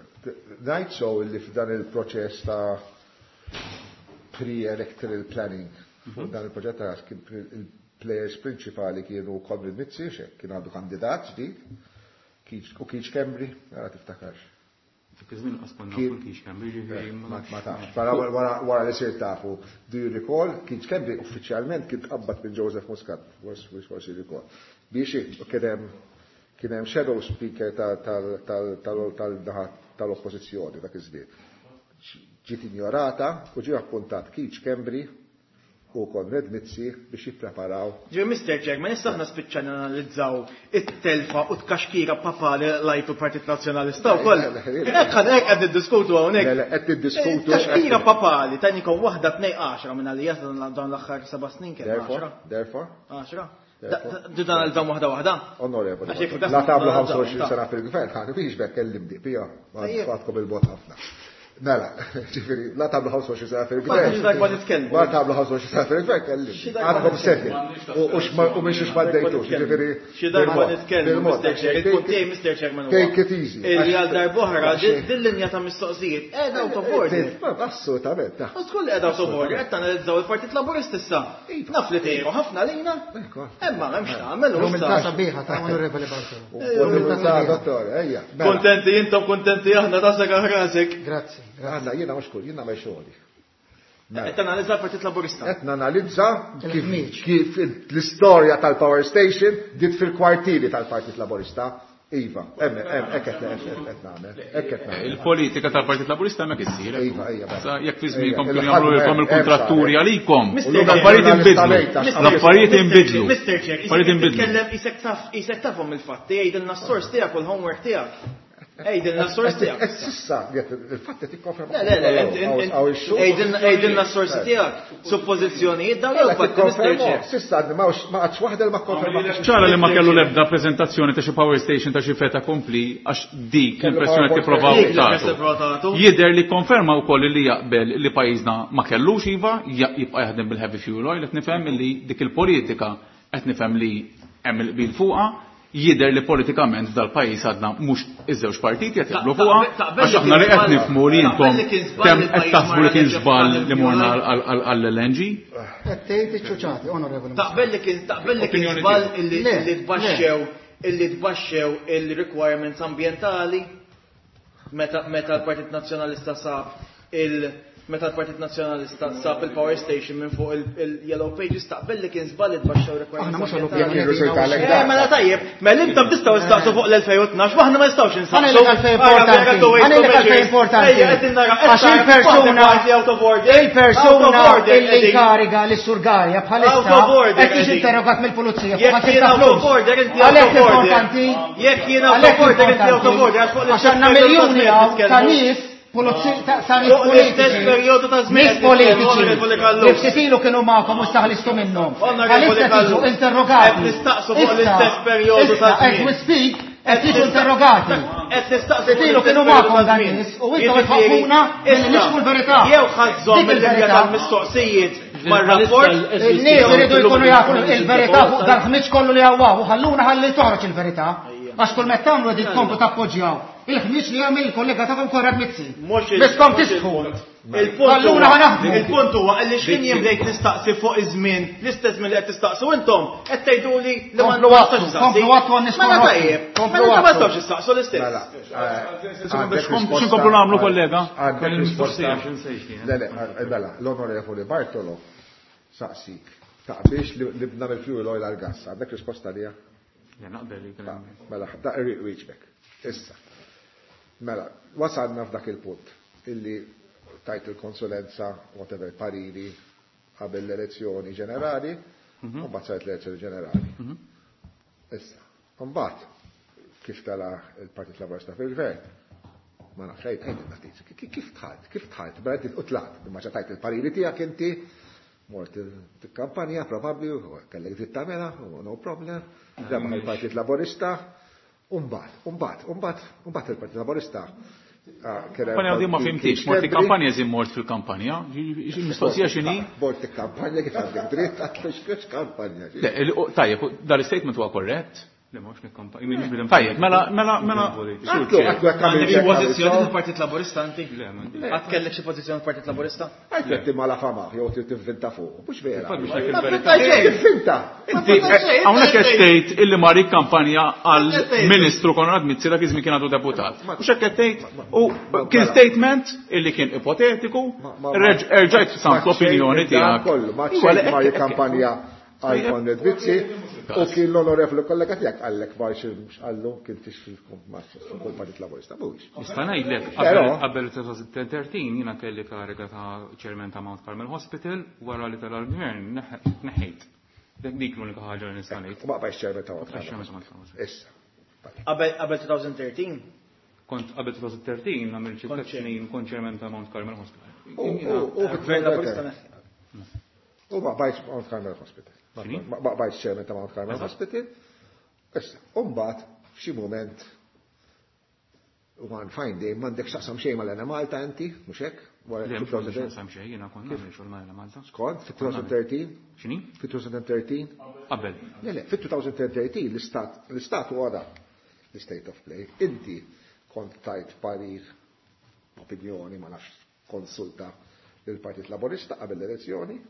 Ngħid so li f'dan il-proċess ta' pre-electoral planning, fuq dan il-proġett ta' il-players prinċipali kienu Konrad Mizzi, xek kien għandu kandidat ġdid, u Keith Schembri, għara tiftakarx. Dak iż-żmien qas konna nafu Keith Schembri, ġifieri ma tafx. Wara li sir tafu, do you recall, Keith Schembri uffiċjalment kien tqabbad minn Joseph Muscat, forsi recall. Biex kien hemm kien hemm shadow speaker tal-oppożizzjoni dak iż-żmien. Ġiet injorata u ġie appuntat Keith Schembri u Konrad Mizzi biex jippreparaw. Ġi Mister Chairman, issa aħna spiċċana analizzaw it-telfa u tkaxkira papali lajtu Partit Nazzjonalista wkoll. Hekk hekk qed niddiskutu hawnhekk. Le, le, qed niddiskutu. Tkaxkira papali, tanikom waħda tnej għaxra minn għalija dawn l-aħħar seba' snin kien għaxra. Therefore? Għaxra. Dan għal waħda waħda? Onorevoli, la tablu ħamsa u għoxrin sena fil-gvern, ħan biex bekk kellim di, pija, għadkom il-bot ħafna. Mela, ġifieri, la tablu ħamsa u għoxrin sena fil-gvern. La tablu ħamsa u għoxrin sena fil-gvern, kellim. Għadkom setin. U minn xiex ma ddejtux, ġifieri. Xi darba nitkellmu, Mister Chair, il-punt tiegħi Mister Chairman. Take it easy. Illi għal darb'oħra din linja ta' mistoqsijiet qiegħda out of order. Assolutament. U tkun li qiegħda out of order, qed tanalizzaw il-Partit Laburist issa. Naf li tgħiru ħafna lejna. Imma m'hemmx tagħmel u issa. Sabiħa ta' Onorevoli Bartolo. Dottor, ejja. Kontenti intom, kontenti aħna tasek rasek. Grazzi. Għanna, jiena mhux kull, jiena ma xogħli. Qed tanalizza l-Partit Laburista. Qed nanalizza kif l-istorja tal-Power Station dit fil-kwartieri tal-Partit Laburista. Iva, hemm hemm hekk qed nagħmel, hekk qed nagħmel. Il-politika tal-Partit Laburista hemmhekk issir. Iva, iva. Jekk fi żmienkom kienu jagħmlu il-kontratturi għalikom. L-affarijiet inbidlu. L-affarijiet inbidlu. Mister Chair, isek taf, isek tafhom il-fatti, jgħidilna s-sors tiegħek u l-homework tiegħek. Ejdilna s-sorsi tiegħek. Sissa, il-fatt qed tikkonferma. Le, le, ejdilna s-sorsi tiegħek. Suppożizzjonijiet dawn jew fatti, Mister Chair. Sissa ma għadx waħda li ma kkonferma. Ċara li ma kellu l-ebda preżentazzjoni ta' xi power station ta' xi feta kompli għax dik l-impressjoni qed tipprovaw tagħtu. Jidher li konferma wkoll li jaqbel li pajjiżna ma kellux iva, jibqa' jaħdem bil-heavy fuel oil, qed nifhem li dik il-politika qed nifhem li hemm il-qbil fuqha. Jidher li politikament f'dal-pajjiż għadna mhux iż-żewġ partiti qed jaqblu fuqha, għax aħna li qed nifhmu li intom kemm qed taħsbu li kien żball li morna għall-L N G. Qed tgħid iċ-ċuċati, onorevoli. Taqbel li kien taqbel li kien żball illi tbaxxew illi tbaxxew il-requirements ambjentali meta meta l-Partit Nazzjonalista sab il meta l-Partit Nazzjonalista sab il-power station minn fuq il-Yellow Pages, taqbel li kien żball itbaxxew requirements. Aħna mhux għall-opinjoni. Eh, mela tajjeb, mela intom tistgħu nistaqsu fuq l-elfejn u tnax, aħna ma nistgħux insaqsu. Ħanejlek għalfejn importanti. Ħanejlek għalfejn importanti. Għax il-persuna il-persuna illi inkariga lis Sur Galea bħalissa qed tiġi interrogat mill-pulizija fuq Jekk jien out of order, inti out Għalhekk of order. importanti. Jekk jien out of order, inti out of order, għax fuq Għax għandna miljuni ta' nies Pulizija ta' nies Fuq l-istess politiċi. perjodu ta' żmien Nies qed politiċi. nitkellmu, Onorevoli Callus. Li ftit ilu kienu magħkom u staħlistu minnhom. Onorevoli Għalissa tiġu Callus. interrogati. Qed nistaqsu fuq Issa, l-istess perjodu ta' issa, as żmien. we speak, Qed jiġu interrogati. Qed nistaqsi Tilu kienu magħkom dan nies u intom tħaffuna milli nixfu l-verità. Jew ħażhom il-linja tal-mistoqsijiet mar-rapport. Il-nies iridu jkunu jafu il-verità fuq dal-ħmiġ kollu li hawn u ħalluna ħalli toħroġ il-verità. Għax kull meta tagħmlu qegħdin tkomplu tappoġġjaw. Il-ħmiġ li jagħmel il-kollega tagħkom Konrad Mizzi. Biskom tisħu. Il-punt huwa li x'kien jien bdejt nistaqsi fuq iż-żmien, l-istess żmien li qed tistaqsu intom, qed tgħiduli li ma nistax nistaqsi. Komplu għattu għan Mela tajjeb, mela ma nistgħux nistaqsu l-istess. X'inkomplu nagħmlu kollega? Għandek risposta. Le, le, mela, l-Onorevoli Bartolo saqsik taqbix li bna mill-fuel oil għal-gas. Għandek risposta lija? Mela, da irriq Issa. Mela, wasalna f'dak il-punt illi tajt il-konsulenza, whatever, pariri, qabel l-elezzjoni ġenerali, u mbagħad saret l-elezzjoni ġenerali. Issa, mbagħad kif tala il-Partit Laburista fil-Gvern, ma nafx għid ftit, kif tħalt, kif tħalt, mela inti tlaqt, imma tajt il-pariri tiegħek inti, mort il-kampanja probabbli, kellek dritt tagħmilha, no problem, rebaħ il-Partit Laburista, u mbagħad, u mbagħad, u mbagħad, u mbagħad il-Partit Laburista. Kampanja di ma fimtix, mort il-kampanja zin mort fil-kampanja, mistoqsija xini? Mort il-kampanja kif għandek dritt, għatlux kampanja. Tajjeb, dal-statement huwa korrett? Le, mhux nikkampanja. Tajjeb, mela, mela, mela. Għandek xi pożizzjoni fil-Partit Laburista inti? Għad kellek xi pożizzjoni fil-Partit Laburista? Għajt qed mala fama, jew trid tivvinta fuq, mhux vera. Ma Tivvinta. Inti hawnhekk qed tgħid illi mar kampanja għal Ministru Konrad Mizzi dak iż-żmien kien għadu deputat. Mhux hekk qed tgħid u kien statement illi kien ipotetiku, erġajt samt l-opinjoni tiegħek. Kollu, ma xejn mar kampanja għal Konrad Mizzi u kien l-onorevoli kollega tiegħek għallek marx għallu kien tix fil-Partit Laburista mhuwiex. Nista' ngħidlek qabel elfejn u tlettax jiena kelli kariga ta' chairman ta' Mount Carmel Hospital wara li tala l-gvern neħejt. Dik l-unika ħaġa li nista' ngħid. U ma bqajtx chairman ta' Mount Carmel. Issa. Qabel elfejn u tlettax? Kont qabel elfejn u tlettax nagħmel xi tliet snin kont chairman ta' Mount Carmel Hospital. U Gvern Laburista U ma bqajtx Mount Carmel Hospital. Ma bqajtx chairman ta' Mount Carmel Hospital. Issa, u mbagħad f'xi mument one fine day m'għandek x'taqsam xejn mal-Enemalta inti, mhux hekk? Le, mhux x'taqsam xejn, jiena kont nagħmel xogħol mal-Enemalta. Skont, fit-elfejn u tlettax? X'inhi? Fit-elfejn u tlettax? Qabel. Le, le, fit-elfejn u tlettax l-istat l-istat huwa dak, l-state of play. Inti kont tajt parir, opinjoni, ma nafx konsulta lill-Partit Laburista qabel l-elezzjoni.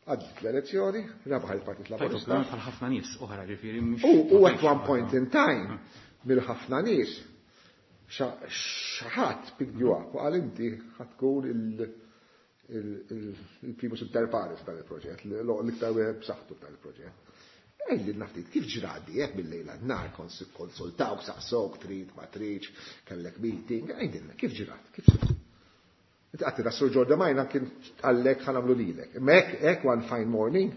Għaddit l-elezzjoni, rebaħ il-Partit Laburista. Bħal ħafna nies oħra ġifieri mhux. U at one point in time, mill-ħafna nies, xi ħadd picked you up u qal inti ħa tkun il-primus inter pares dan il-proġett, l-iktar wieħed b'saħħtu dan il-proġett. Għidilna ftit, kif ġradi hekk bil-lejla nhar konsultawk, saqsok, trid, ma tridx, kellek meeting, għidilna, kif ġrat, kif ġrat? Inti għatti da Sur Giordemaina kien għallek ħa nagħmlu lilek. Imma hekk hekk one fine morning,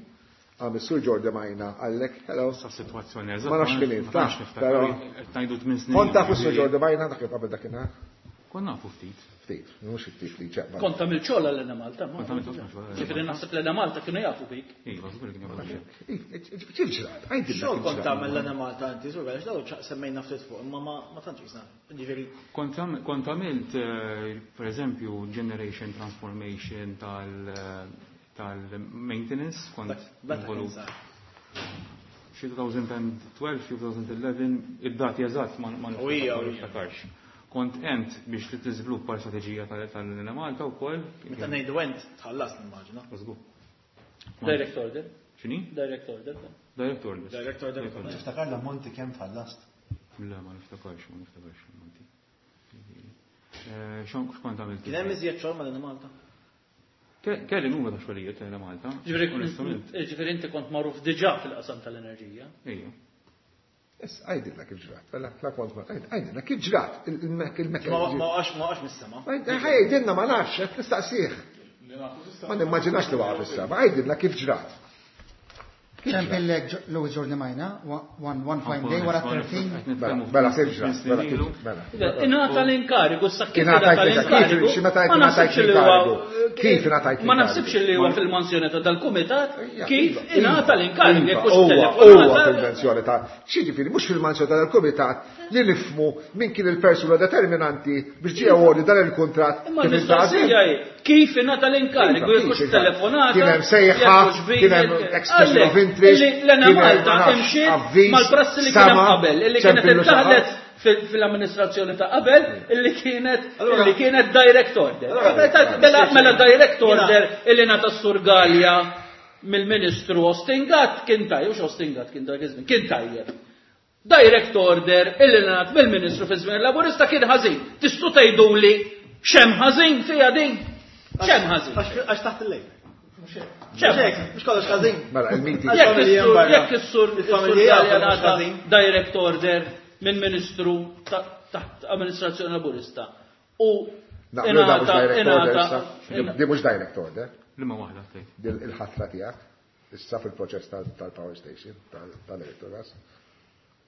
għam is-Sur Giordemaina għallek, hello. Sa situazzjoni eżatt. Ma nafx kien int, Ma tantx però. niftakar. Qed ngħidu tmien snin. Kont taf is-Sur Giordemaina dak qabel dakinhar? Kont nafu ftit. Ftit, mhux ftit li ċeqba. Kont tagħmel xogħol għal Malta. Kont għamilt ħafna xogħol għal Ġifieri naħseb l-Enemalta kienu jafu bik. Iva, żgur li kien jafu bik. Kif ġrat? Għidilna Xogħol kif kont ġrat. tagħmel l-Enemalta inti, żgur għaliex dawn semmejna ftit fuq, imma ma tantx jisna. Ġifieri Kont għam- kont għamilt, eh, per eżempju, generation transformation tal- tal-maintenance, kont meta kien involut sar. xi elfejn u tnax, xi elfejn u għaxra, id-dati eżatt ma ma U hija, u hija. niftakarx. Kont ent biex li tiżviluppa l-strateġija tal-Enemalta wkoll. Meta ngħidu ent tħallas nimmaġina. Żgur. Direct order. X'inhi? Direct order. Direct order. Direct order. Tiftakar l-ammonti kemm tħallast? Le, ma niftakarx, ma niftakarx l-ammonti. Eh, Xon x'kont għamilt? Kien hemm iżjed xogħol mal-Enemalta. Ke- Kelli numru ta' xogħlijiet tal-Enemalta. Ġifieri Onestament. ġifieri inti kont magħruf diġà fil-qasam tal-enerġija. Ejja. Issa, għidilna kif ġrat. Mela, la kont ma, għidilna kif ġrat il-mekk. Ma ma waqax ma waqax mis-sema. Għidilna ma nafx, qed nistaqsih. Ma nimmaġinax li waqaf is-sema. Għidilna kif ġrat. Ċempillek Louis Giordi Majna, one one fine day wara thirteen. Mela, kif ġra? Mela. Ingħata l-inkarigu, sa kif Ingħatajt ingħata l-inkarigu? Kif meta Ma naħsibx li huwa Kif ingħatajt Ma naħsibx li huwa fil-mansjoni ta' dal-kumitat kif ingħata l-inkarigu jekk hux Huwa telefonata. fil-mensjoni ta' x'jiġifieri mhux fil-mansjoni ta' dal-kumitat li nifhmu min kien il-persuna determinanti biex ġie awarded dan il-kuntratt Imma kif l-mistoqsija hi kif ingħata l-inkarigu jekk hux telefonata. Kien hemm sejħa, jekk hux kien hemm video, expression of għalhekk, interest, illi l-Ena kien hemm, Malta ma nafx, imxiet avviż, mal-prassi li kien hemm sama, qabel, illi kienet ċempillu xi ħadd. intaħlet fil-amministrazzjoni ta' qabel, illi kienet illi kienet direct order. Mela mela direct order illi ngħata s-Sur Galea mill-Ministru Austin Gatt kien tajjeb, mhux Austin Gatt kien dak iż-żmien, kien tajjeb. Direct order illi ngħat mill-Ministru fi żmien Laburista kien ħażin. Tistgħu tgħiduli x'hemm ħażin fiha din? X'hemm ħażin? Għax taħt il-lejl. X'hemm ħażin? Mhux kollox ħażin. Mela, il-meeting. Jekk is-sur, jekk is-sur, Il-familji is-sur jaf Galea mhux ngħata ħażin. direct order minn Ministru taħt amministrazzjoni Laburista. U Naqblu da mhux ingħata direct order ingħata issa. Di mhux direct order. Liema waħda tgħid. Dil il-ħatra tiegħek issa fil-proċess tal-power station tal-Electrogas.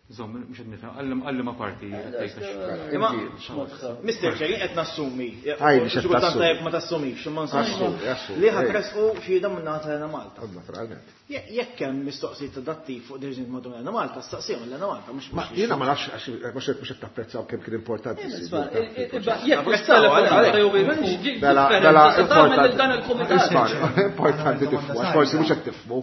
Żomm, mhux qed nifhem, għallim għallim ma parti tgħid. Imma, Mister Chair, qed nassumi. Għajdi, x'qed Xi kultant tassumi. tajjeb ma tassumix, imma nsomma. Assumi, assumi. Li ħa tresqu xhieda minn naħa tal-Ena Malta. Naturalment. Jekk hemm mistoqsijiet ta' dattiv fuq deċiżjonijiet madwar l-Ena Malta, staqsihom l-Ena Malta, mhux Ma jiena ma nafx għax mhux qed mhux qed tapprezzaw kemm kien importanti. Jekk hux telefonata jew Mela, mela, differenza se tagħmel lil dan il-kumitat. Isma', importanti tifhmu, għax forsi mhux qed tifhmu.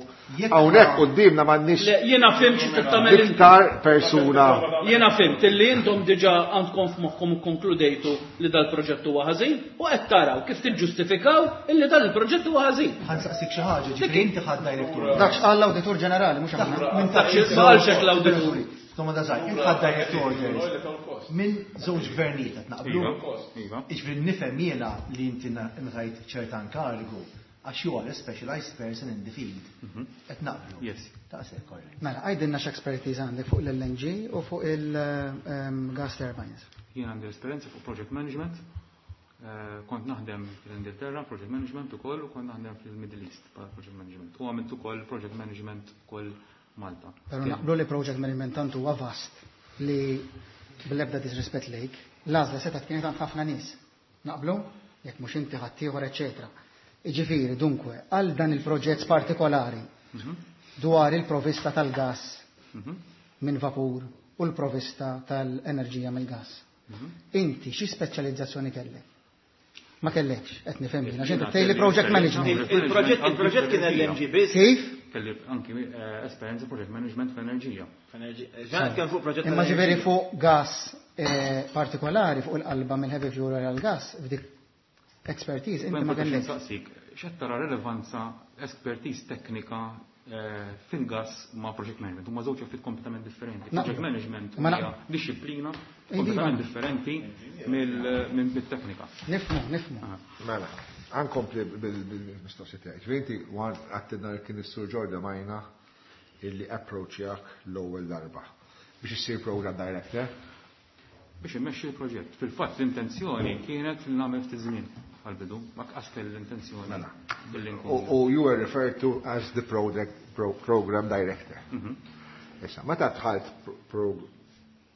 Hawnhekk quddiemna m'għandniex Le, jiena fhimt xi tagħmel inti. iktar persuna. Jiena fhimt illi intom diġà għandkom f'moħħkom u konkludejtu li dal-proġett huwa ħażin u qed taraw kif tiġġustifikaw illi dan il-proġett huwa ħażin. Ħa nsaqsik xi ħaġa, ġifieri inti ħadd direct order. Dak x'qal l-Awditur Ġenerali, mhux aħna. Minn taħt Ma qalx hekk l-awditur. Domanda żgħir, int ħadd direct orders minn żewġ gvernijiet qed naqblu. Iva. Jiġifieri nifhem jiena li inti ngħatajt ċerta inkarigu għax you are a specialized person in the field. Qed naqblu. Yes. Taqsek korrekt. Mela, għajdilna x'expertise għandek fuq l-L N G u fuq il-gas turbines. Jien għandi esperjenza fuq project management. Eh, Kont naħdem fl-Ingilterra project management ukoll u kont naħdem fil-Middle East bħala project management. U għamilt ukoll project management ukoll Malta. Pero naqblu li project management tantu huwa vast li bl-ebda disrispett lejk, l-għażla setgħet kienet għand ħafna nies. Naqblu? Jekk mhux inti ħaddieħor, eċetera. Iġifieri, dunque, għal dan il-proġett partikolari dwar il-provista tal-gas minn vapur u l-provista tal-enerġija mill-gas. Inti xi speċjalizzazzjoni kellek? Ma kellekx, qed nifhem jien, għax inti tgħidli project management. Il-proġett il-proġett kien L N G biss. Kif? Kelli anki eh, esperjenza project management fl-enerġija. Ġan kien fuq proġett. Imma ġifieri fuq gas eh, partikolari, fuq il-qalba mill-heavy fuel għal gas, f'dik expertise, inti ma kellekx. Nsaqsik, x'qed tara relevanza expertise teknika eh, fil-gas ma' project management? Huma żewġ affarijiet kompletament differenti. Naqbel. Project management Ma hija naqbel. disciplina Iva. kompletament differenti mill- minn bit-teknika. Nifhmu, nifhmu. Mela, ħa nkompli bil-mistoqsija tiegħek. Ġifieri inti wan għattinna li kien is-Sur Giorgio Majna illi approachjak l-ewwel darba biex issir program director. Biex immexxi l-proġett. Fil-fatt l-intenzjoni kienet li nagħmel ftit żmien għal-bidu, ma qas kelli l-intenzjoni Mela. billi U nkun. u you were referred to as the project pro, program director. Issa, meta dħalt pro, pro,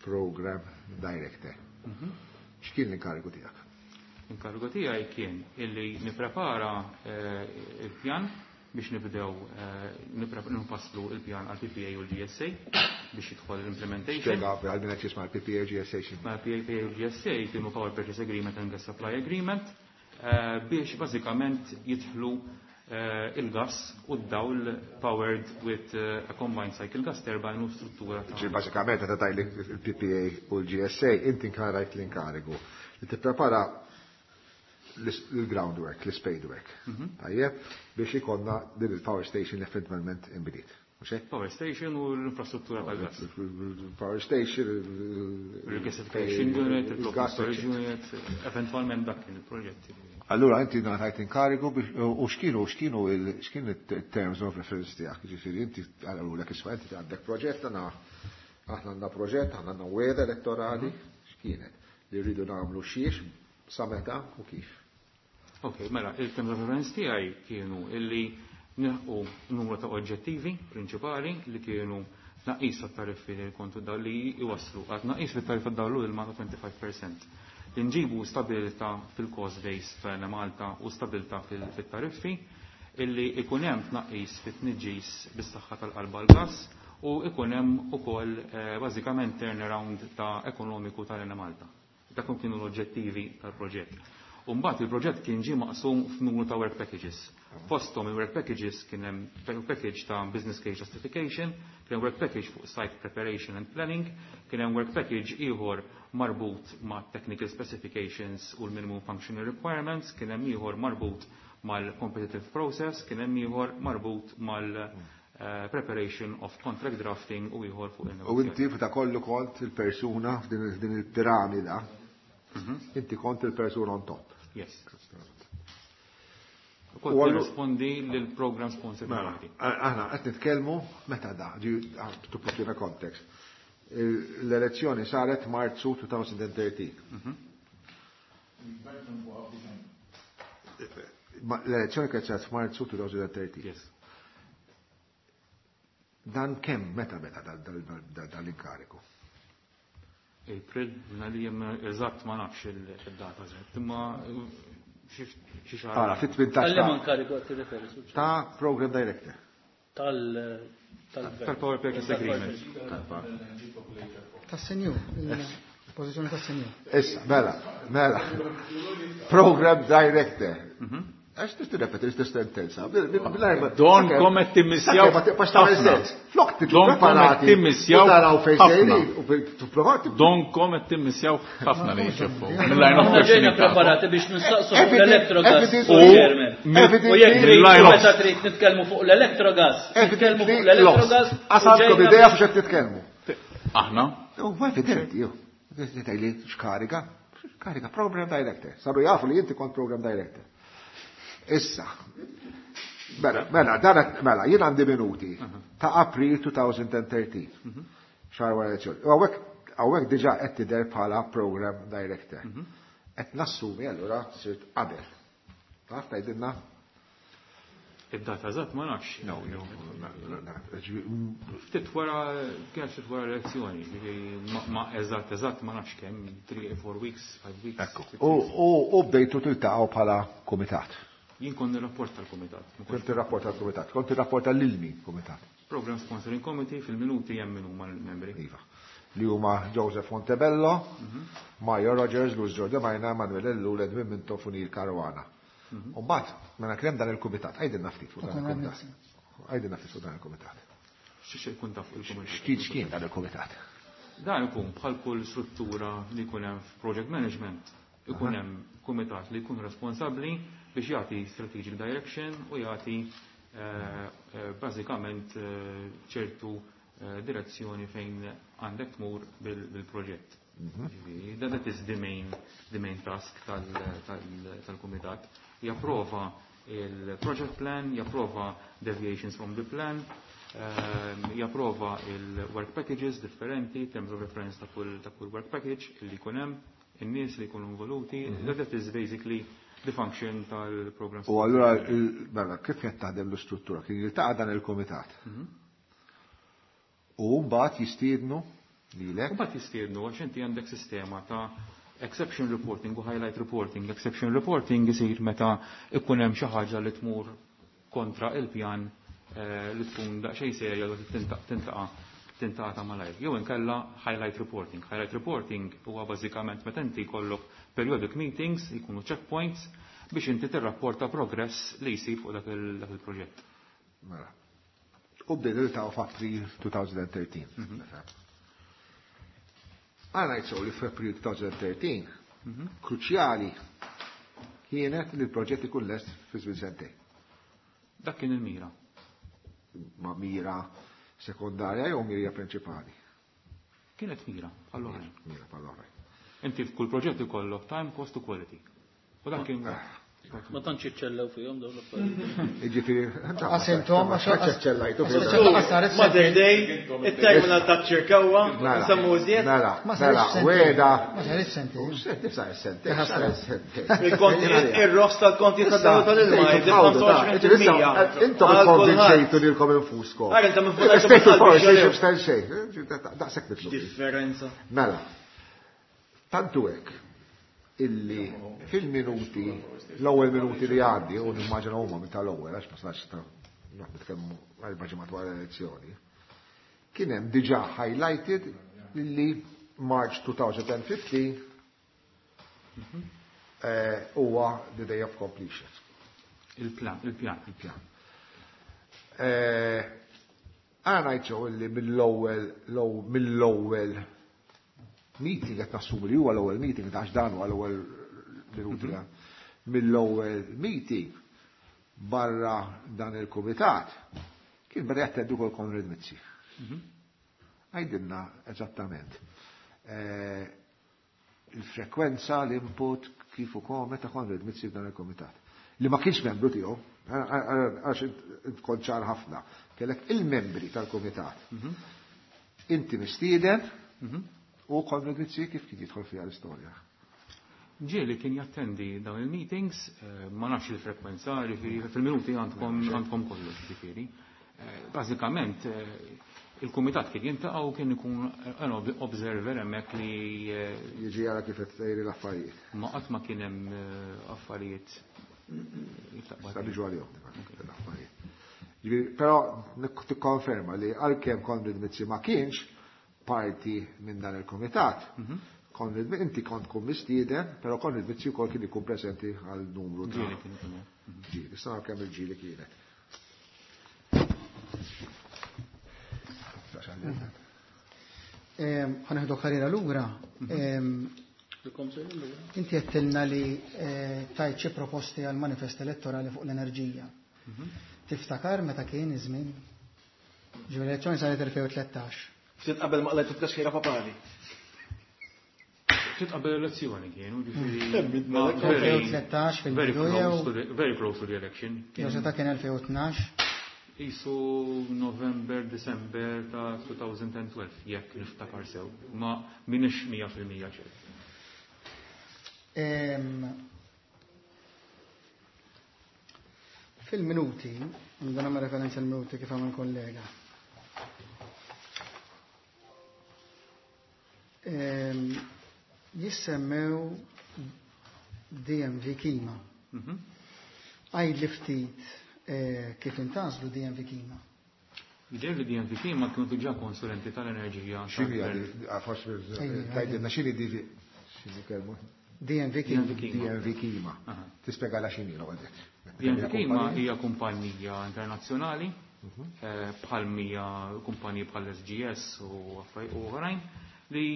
program director, x'kien l-inkarigu tiegħek? L-inkarigu tiegħi kien illi nipprepara eh, il-pjan biex nibdew eh, nipre- nfasslu il-pjan għal P P A u l-G S A biex jidħol l-implementation. Spjega għal min qed jisma' l-P P A, G S A x'inhu. Ma' P P A u G S A kienu Power Purchase Agreement and Gas Supply Agreement eh, biex bażikament jidħlu eh, il-gas u d-dawl powered with eh, a combined cycle gas turbine u struttura ta' Ġi bażikament meta tajli il-P P A u l-G S A, inti nkarajt l-inkarigu li tipprepara l-groundwork, l-spadework. Tajjeb, biex ikonna din il-power station eventwalment inbdiet. Mhux hekk? Power station u l-infrastruttura tal-gas. Power station, Regasification unit, il-block il-gas, storage unit, eventualment dak kien il-proġett. Allura inti ngħatajt inkarigu biex u x'kienu x'kienu il- x'kienu it-terms of reference tiegħek, ġifieri inti għalulek isma' inti għandek proġett għandna aħna għandna proġett, aħna għandna wegħda elettorali, x'kienet li rridu nagħmlu xiex, sa meta u kif. Ok, mela, il-terms of reference tiegħi kienu illi Nilħqu numru ta' oġġettivi prinċipali li kienu tnaqqis tat-tariffi li kontu daw li jwasslu għal tnaqqis fit-tariffa dawl u ilma ta' twenty-five percent. Li nġibu stabilità fil-cost base ta' Enemalta u stabilità fit-tariffi, illi ikun hemm tnaqqis fit-tniġġis bis-saħħa tal-qalba l-gas u ikun hemm ukoll bażikament turnaround ta' ekonomiku tal-Enemalta. Dak kienu l-oġġettivi tal-proġett. U mbagħad il-proġett kien ġie maqsum f'numru ta' work packages. Fosthom il-work packages kien hemm work package ta' business case justification, kien hemm work package fuq site preparation and planning, kien hemm work package ieħor marbut ma' technical specifications u l-minimum functional requirements, kien hemm ieħor marbut mal-competitive process, kien hemm ieħor marbut mal-preparation of contract drafting u ieħor fuq il-negozjati. U inti f'da kollu kont il-persuna f'din il-piramida, inti kont il-persuna on top. Yes. Kont nirrispondi lill-program sponsor. Aħna qed nitkellmu meta da, to put in a context. L-elezzjoni saret Marzu twenty thirteen. L-elezzjoni kienet saret f'Marzu twenty thirteen. Yes. Dan kemm meta beda dal-inkariku? April, li eżatt ma nafx il-data eżatt, imma xi xahar. Ara, fit-tmintax. Għal inkariku qed tirreferi? Ta' program director. Tal tal-Power Purchase Agreement. Tas-senjur, il-pożizzjoni tas-senjur. Issa, mela, mela. Program director. Għax tista' tirrepeti l-istess sentenza. Don kom qed timmissjaw. Flok Don kom qed timmissjaw. Don kom qed timmissjaw ħafna li jxeffu. Mill-line of Ġejna questioning. preparati biex nistaqsu fuq l-electrogas. U U jekk trid mill-line of meta trid nitkellmu fuq l-electrogas. Nitkellmu fuq l-electrogas. Għasadkom idea fuq x'qed titkellmu. Aħna? U evidenti, ju. Tgħidli x'kariga? X'kariga program director. Saru jafu li inti kont program director. Issa, mela, mela, dan, mela, jien għandi minuti ta' April twenty thirteen. Xahar wara elezzjoni. U hawnhekk, hawnhekk diġà qed tidher bħala program director. Qed nassumi allura sirt qabel. Taf tgħidilna? Id-data eżatt ma nafx. No, no, no, no, no. Ftit wara, kien ftit wara l-elezzjoni, ġifieri ma eżatt eżatt ma nafx kemm, three, four weeks, five weeks. Ekku. U, u, u bdejtu tiltaqgħu bħala kumitat. Jien kont nirrapport tal-kumitat. Kont nirrapport tal-kumitat, kont nirrapport lil min kumitat. Program Sponsoring Committee fil-minuti hemm min huma l-membri. Iva. Li huma Joseph Montebello, Mario Rogers, Luis Giordano, Manuel Ellul, Edwin Mintoff u Neil Caruana. U mbagħad, mela kien hemm dan il-kumitat, għidilna ftit fuq dan il-kumitat. Għidilna ftit fuq dan il-kumitat. Xi jkun taf fuq il-kumitat? X'kien x'kien dan il-kumitat? Dan ikun bħal kull struttura li jkun hemm f'project management, ikun hemm kumitat li jkun responsabbli biex jagħti strategic direction u jagħti bażikament ċertu direzzjoni fejn għandek tmur bil-proġett. Ġifieri, that is the main, the main task tal-kumitat. Japprova il-project plan, japprova deviations from the plan, japprova il-work packages differenti, terms of reference ta' kull, ta' kull work package li jkun hemm, in-nies li jkunu involuti. That is basically the function tal-program. U allura, mela, kif qed taħdem l-istruttura? Kien jiltaqa' dan il-kumitat. U mbagħad jistiednu lilek? U mbagħad jistiednu għax inti għandek sistema ta' exception reporting u highlight reporting. Exception reporting isir meta ikun hemm xi ħaġa li tmur kontra il-pjan li tkun daqsxejn serja li tintaqa' tintaqa' ta' malajr. Jew inkella highlight reporting. Highlight reporting huwa bażikament meta inti jkollok periodic meetings, jkunu checkpoints biex inti tirrapporta progress li jsir fuq dak il-proġett. Mela. U bdejna niltaqgħu f'April twenty thirteen. Għana jitsow li f'April twenty thirteen, kruċjali kienet li l-proġett ikun lest fi żmien sentejn. Dak kien il-mira. Ma mira sekondarja jew mira prinċipali? Kienet mira, bħall-oħrajn. Mira bħall-oħrajn. Inti f'kull proġett ikollok time, cost u quality. U dak kien Ma tantx iċċellew fihom dawn l-affarijiet. Jiġifieri, Għas intom, għax ċellajtu fihom. Mother Day, it-terminal ta' Ċirkewwa, nsemmu iżjed. Mela, Ma mela, sarx weda. Ma sarx sentejn. Nifsa sentejn, sar sentejn. Ir-rofs tal-konti ta' dawl tal-ilma, jżid ħamsa u għoxrin fil-mija. Intom ikkonvinċejtu lilkom infuskom. Għar, intom infuskom. Stejtu forsi xi xejn. Daqshekk nitlu. Differenza. Mela. Tantu hekk illi fil-minuti, l-ewwel minuti li għandi, u nimmaġina huma minn tal-ewwel għax ma snax nitkellmu erba' ġimgħat wara l-elezzjoni, kien hemm diġà highlighted li March twenty fifteen huwa the day of completion. Il-plan, il-pjan. Il-pjan. Għana ngħid illi mill-ewwel mill-ewwel meeting qed nassumi li huwa l-ewwel meeting għax dan huwa l-ewwel minuti mill-ewwel meeting barra dan il-kumitat kien beda jattendu kol Konrad Mizzi. Għajdilna eżattament il-frekwenza, l-input, kif ukoll meta Konrad Mizzi f'dan il-kumitat. Li ma kienx membru tiegħu, għax tkun ċar ħafna, kellek il-membri tal-kumitat. Inti mistieden u Konrad Mizzi kif kien jidħol fiha l-istorja. Ġieli kien jattendi dawn il-meetings, ma nafx il-frekwenza, fil-minuti għandkom għandkom kollox, ġifieri. Bażikament il-kumitat kien jiltaqa' u kien ikun an observer hemmhekk li jiġi jara kif qed tgħiri l-affarijiet. Ma qatt ma kien hemm affarijiet. Sa niġu għalihom l-affarijiet. Ġifieri, però tikkonferma li għalkemm Konrad Mizzi ma kienx parti minn dan il-kumitat, Konrad, inti kont tkun mistieden, però Konrad Mizzi wkoll kien ikun preżenti għal numru ta' Ġieli kien ikun hemm. Ġieli, issa naraw kemm il-ġieli kienet. Ħa nieħdu karriera lura. Inti għedtilna li tajt xi proposti għal manifest elettorali fuq l-enerġija. Tiftakar meta kien iż-żmien? Ġifieri l-elezzjoni saret elfejn u tlettax. Ftit qabel ma qlajt it-tkaxkira papali. Ftit qabel l-elezzjoni kienu, ġifieri elfejn u tlettax fil-bidu jew very close to the election. Jew seta' kien elfejn u tnax. Isu November, December ta' twenty twelve, jekk niftakar sew, ma minix mija fil-mija ċert. Fil-minuti, nibda nagħmel referenza l-minuti kif għamel kollega. Jissemmew D M V Kima. Għajd li ftit kif intażlu D M V Kima? Jidher li D M V Kima kienu diġà konsulenti tal-enerġija. X'inhi għadi? Forsi tgħidilna x'inhi D V x'inhi kelma? D M V Kima. D M V Kima. Tispjega x'inhi l-ewwel. D M V Kima hija kumpanija internazzjonali bħal mija kumpaniji bħal S G S u oħrajn li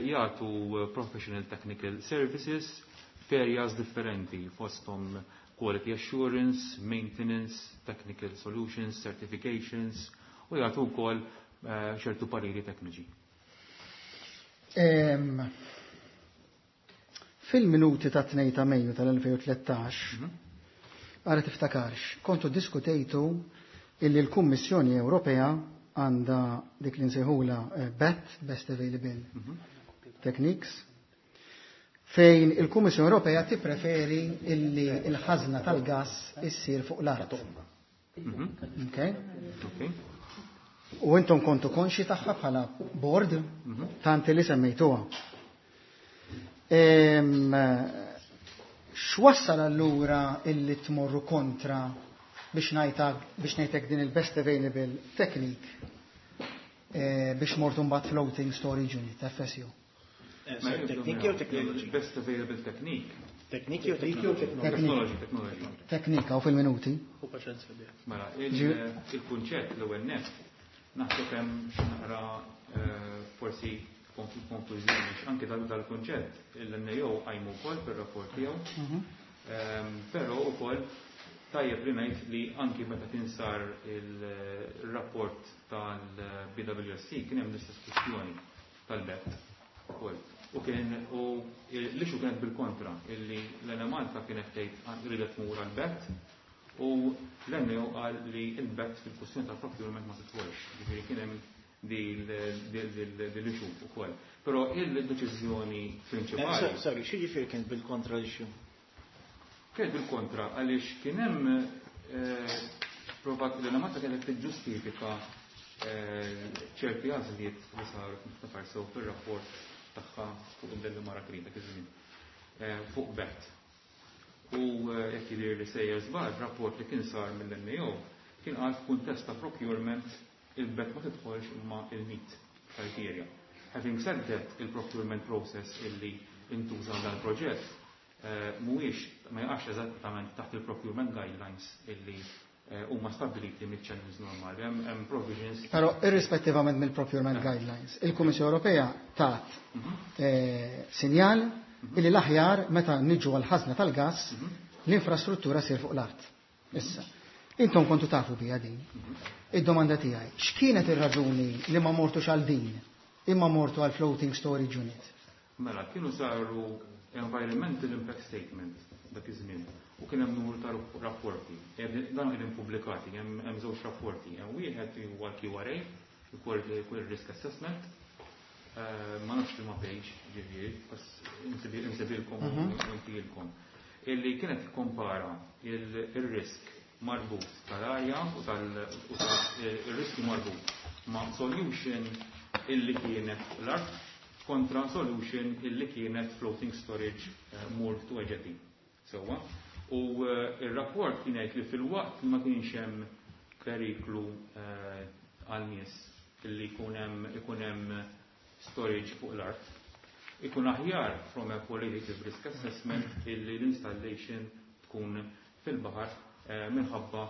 jagħtu professional technical services f'areas differenti fosthom quality assurance, maintenance, technical solutions, certifications u jagħtu wkoll ċertu pariri tekniċi. Fil-minuti ta' tnejn ta' Mejju tal-elfejn u tlettax, għara tiftakarx, kontu diskutejtu illi l-Kummissjoni Ewropea għandha dik li nsejħula B A T, Best Available Techniques, fejn il-Kummissjoni Ewropea tippreferi illi l-ħażna tal-gass issir fuq l-art. Okay? U intom kontu konxi tagħha bħala board tant li semmejtuha. X'wassal allura illi tmorru kontra biex ngħidlek, biex ngħidlek din il-best available technique biex mortu mbagħad floating storage unit, F S U? Tekniki jew technology? Best available technique. Tekniki jew technology? Technology, technology. Teknika u fil-minuti. U paċenzja biha. Mela, il-kunċett l-ewwel nett naħseb hemm xi naqra forsi konklużjoni anke dal-kunċett l-N A O qajmu wkoll fir-rapport tiegħu. Però wkoll tajjeb li ngħid li anki meta kien sar il-rapport tal-B W S C kien hemm l-istess kwistjoni tal-B E T ukoll. U kien u l-issue kienet bil-kontra, illi l-Enemalta kienet tgħid ridet tmur għal-BET u l-N A O qal li il-BET fil-kwestjoni tal-procurement ma titħolx. Ġifieri kien hemm dil-issue ukoll. Però il-deċiżjoni prinċipali. Eh, sorry, xi ġifieri kien bil-kontra l-issue? Kien bil-kontra għaliex kien hemm eh, provat li l-Malta kienet tiġġustifika eh, ċerti għażliet li saru niftakar sew fir-rapport tagħha fuq il-Delimara Green dak iż-żmien eh, fuq BET. U eh, jekk jidher li sejjer żball, rapport li kien sar mill-N A O kien qal f'kuntest ta' procurement il-BET ma tidħolx imma il-NEET criteria. Having said that, il-procurement process illi intuża dan il-proġett eh, mhuwiex ma jaqax eżattament taħt il-procurement guidelines illi huma stabiliti mill-channels normali, hemm provisions. Però irrispettivament mill-procurement guidelines, il-Kummissjoni Ewropea tat mhm. eh, sinjal mhm. illi l-aħjar meta niġu għal ħażna tal-gas mhm. l-infrastruttura sir fuq l-art. Issa, intom kontu tafu bija din. Id-domanda tiegħi, x'kienet ir-raġuni li ma mortux għal din, imma mortu għal floating storage unit? Mela, kienu saru environmental impact statement dak iż-żmien u kien hemm numru ta' rapporti. Dan qegħdin pubblikati, hemm żewġ rapporti. Hemm wieħed huwa l-Q R A, il Risk Assessment, eh, ma nafx li ma page, ġifieri, bas insibilkom u mhm. intilkom. Illi kienet kompara il-risk marbut tal-arja u tal-riski marbut ma' solution illi kienet l-art kontra solution illi kienet floating storage uh, moored to a jetty. Sewwa. U eh, il-rapport kien jgħid li fil-waqt ma kienx hemm periklu eh, għal nies illi jkun hemm ikun hemm storage fuq l-art. Ikun aħjar from a qualitative risk assessment illi l-installation tkun fil-baħar eh, minħabba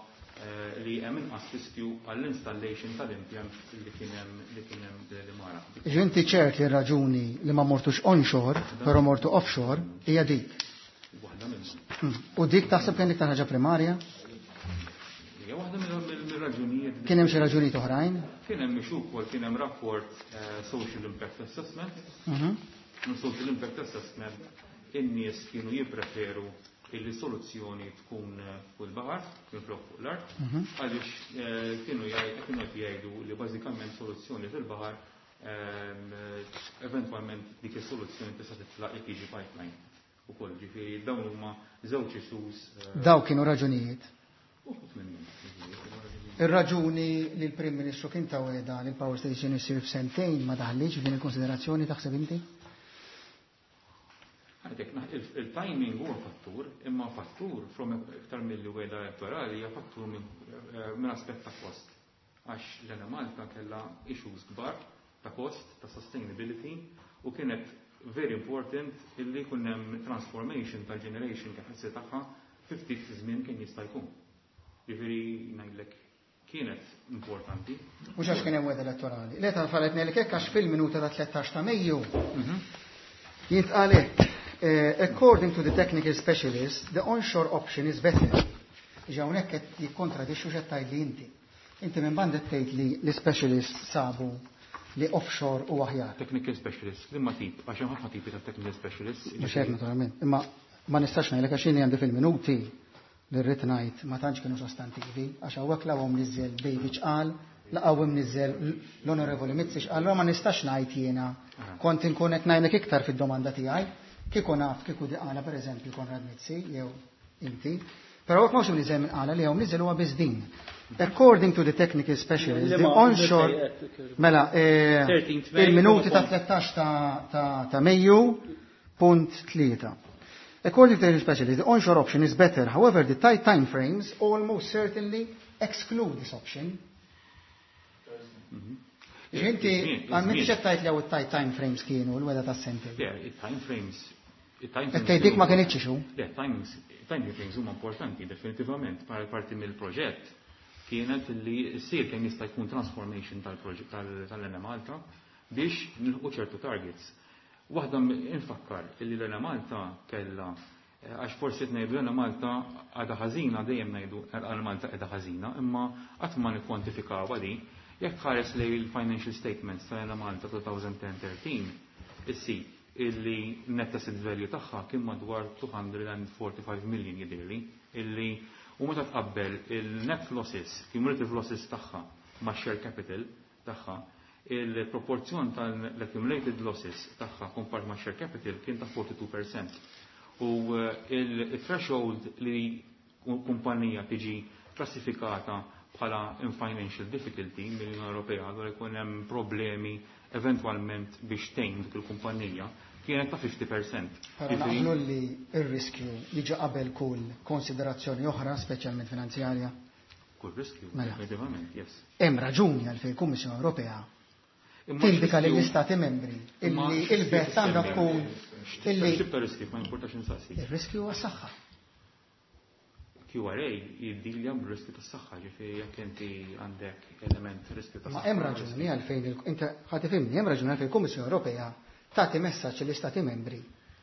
li hemm inqas riskju għall-installation tal-impjant li kien hemm li kien hemm Delimara. Inti ċert li raġuni li ma mortux onshore, però mortu offshore, hija dik. Waħda minnhom. U dik taħseb kien iktar ħaġa primarja? Hija waħda mill-raġunijiet. Kien hemm xi raġunijiet oħrajn? Kien hemm issue wkoll, kien hemm rapport eh, Social Impact Assessment. Mhm. Social Impact Assessment in-nies kienu jippreferu illi soluzzjoni tkun eh, fuq il-baħar, minflok fuq l-art, mhm. għaliex eh, kienu kienu qed jgħidu li bażikament soluzzjoni fil-baħar ehm, eventwalment dik is-soluzzjoni tista' titlaq jekk jiġi pipeline ukoll, ġifieri dawn huma żewġ issues. Eh, Daw kienu raġunijiet. Ir-raġuni li l-Prim Ministru kien ta wegħda li l-power station isir f'sentejn ma daħliġ f'din il-konsiderazzjoni, taħseb inti? Għadek, il-timing huwa fattur, imma fattur from iktar mill wegħda elettorali hija fattur minn eh, aspett ta' kost. Għax l-Enemalta kellha issues kbar ta' cost, ta' sustainability, u kienet very important illi jkun hemm transformation tal-generation capacity tagħha fi ftit żmien kien jista' jkun. Ġifieri ngħidlek kienet importanti. Mhux għax kien hemm wegħda elettorali. Le tal-falet ngħidlek hekk għax fil-minuta ta' tlettax ta' Mejju mhm. jintqal hekk. Eh, according to the technical specialist, the onshore option is better. Ġa hawnhekk qed jikkontradixxu x'qed tgħid li inti. Inti minn banda tgħid li l-specialist sabu li offshore u aħjar. Technical specialist, imma tip, għax hemm ħafna tipi ta' technical specialist. Mhux hekk naturalment, imma ma nistax ngħidlek għax jien għandi fil-minuti li rrid ngħid ma tantx kienu sostantivi, għax hawnhekk laqgħu mniżżel David x'qal, laqgħu mniżżel l-Onorevoli Mizzi x'qal, ma nistax ngħid jiena kont inkun qed ngħidlek iktar fid-domanda tiegħi, kieku naf kieku di qala pereżempju Konrad Mizzi jew inti. Però hekk mhux mniżżel minn qala li hawn mniżżel huwa biss din. According to the technical specialist, the onshore, mela, eh, il-minuti ta' tlettax ta' ta' Mejju, punt tlieta. According to the specialist, the onshore option is better. However, the tight time frames almost certainly exclude this option. Inti, għal min ċettajt li għaw tight time frames kienu l-wegħda ta' sentejn? Yeah, time frames. Dik ma kienx xu? Le, time frames huma importanti, definitivament, parti mill-proġett kienet li ssir kemm jista' jkun transformation tal-proġett tal-Enemalta biex nilħu ċertu targets. Waħda infakkar illi l-Enemalta kellha eh, għax forsi ngħidu l-Enemalta għadha ħażina, dejjem ngħidu l-Malta qiegħda ħażina, imma qatt ma nikkwantifikaw di. Jekk tħares li l-financial statements tal-Enemalta elfejn u għaxra tlettax, issib Illi net asset value tagħha kien madwar two hundred forty-five million, jidhirli, illi u meta tqabbel il-net losses, cumulative losses tagħha ma' share capital tagħha, il-proporzjon tal-accumulated losses tagħha compared ma' share capital kien ta' forty-two percent. U eh, il-threshold li kumpanija tiġi klassifikata bħala in financial difficulty mill-Unjoni Ewropea, allura jkun hemm problemi eventwalment biex tgħin dik il-kumpanija, kienet ta' fifty percent. Però naqblu li ir-riskju jiġi qabel kull konsiderazzjoni oħra, speċjalment finanzjarja. Kull riskju, Mela. Effettivament, yes. Hemm raġuni għalfejn il-Kummissjoni Ewropea Imma tindika x-riskju- lill-Istati membri Imma illi x-riskju il-bet għandha tissemmi? tkun illi X'tip ta' riskju, ma importax insaqsi? Ir-riskju għas-saħħa. Q R A jiddilja b'riskju tas-saħħa, ġifieri jekk inti għandek element riskju Ma tas-saħħa. Hemm raġuni għalfejn il- inti ħa tifhimni, hemm raġuni għalfejn il-Kummissjoni Ewropea tagħti messaġġ lill-Istati membri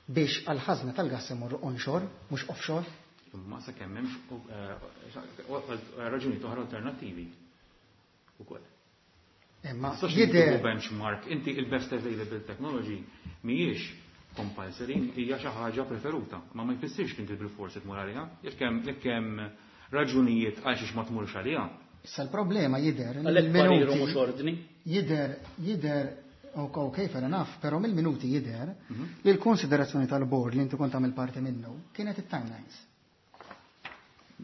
biex għal-ħażna tal-gass imorru onshore, mhux offshore. Imma sakemm hemmx eh, raġuni oħra alternattivi ukoll. Imma Tistax jidher tieħu benchmark, inti il-best available technology mhijiex compulsory, hija xi ħaġa preferuta, ma ma jfissirx li inti bil-forsi tmur għaliha, jekk hemm jekk hemm raġunijiet għal xiex ma tmurx għaliha. Issa l-problema jidher li Għalhekk pariru l-minuti mhux ordni. Jidher jidher ok, ok, fair enough, però mill-minuti jidher li l-konsiderazzjoni tal-board li inti kont tagħmel parti minnu kienet it-timelines.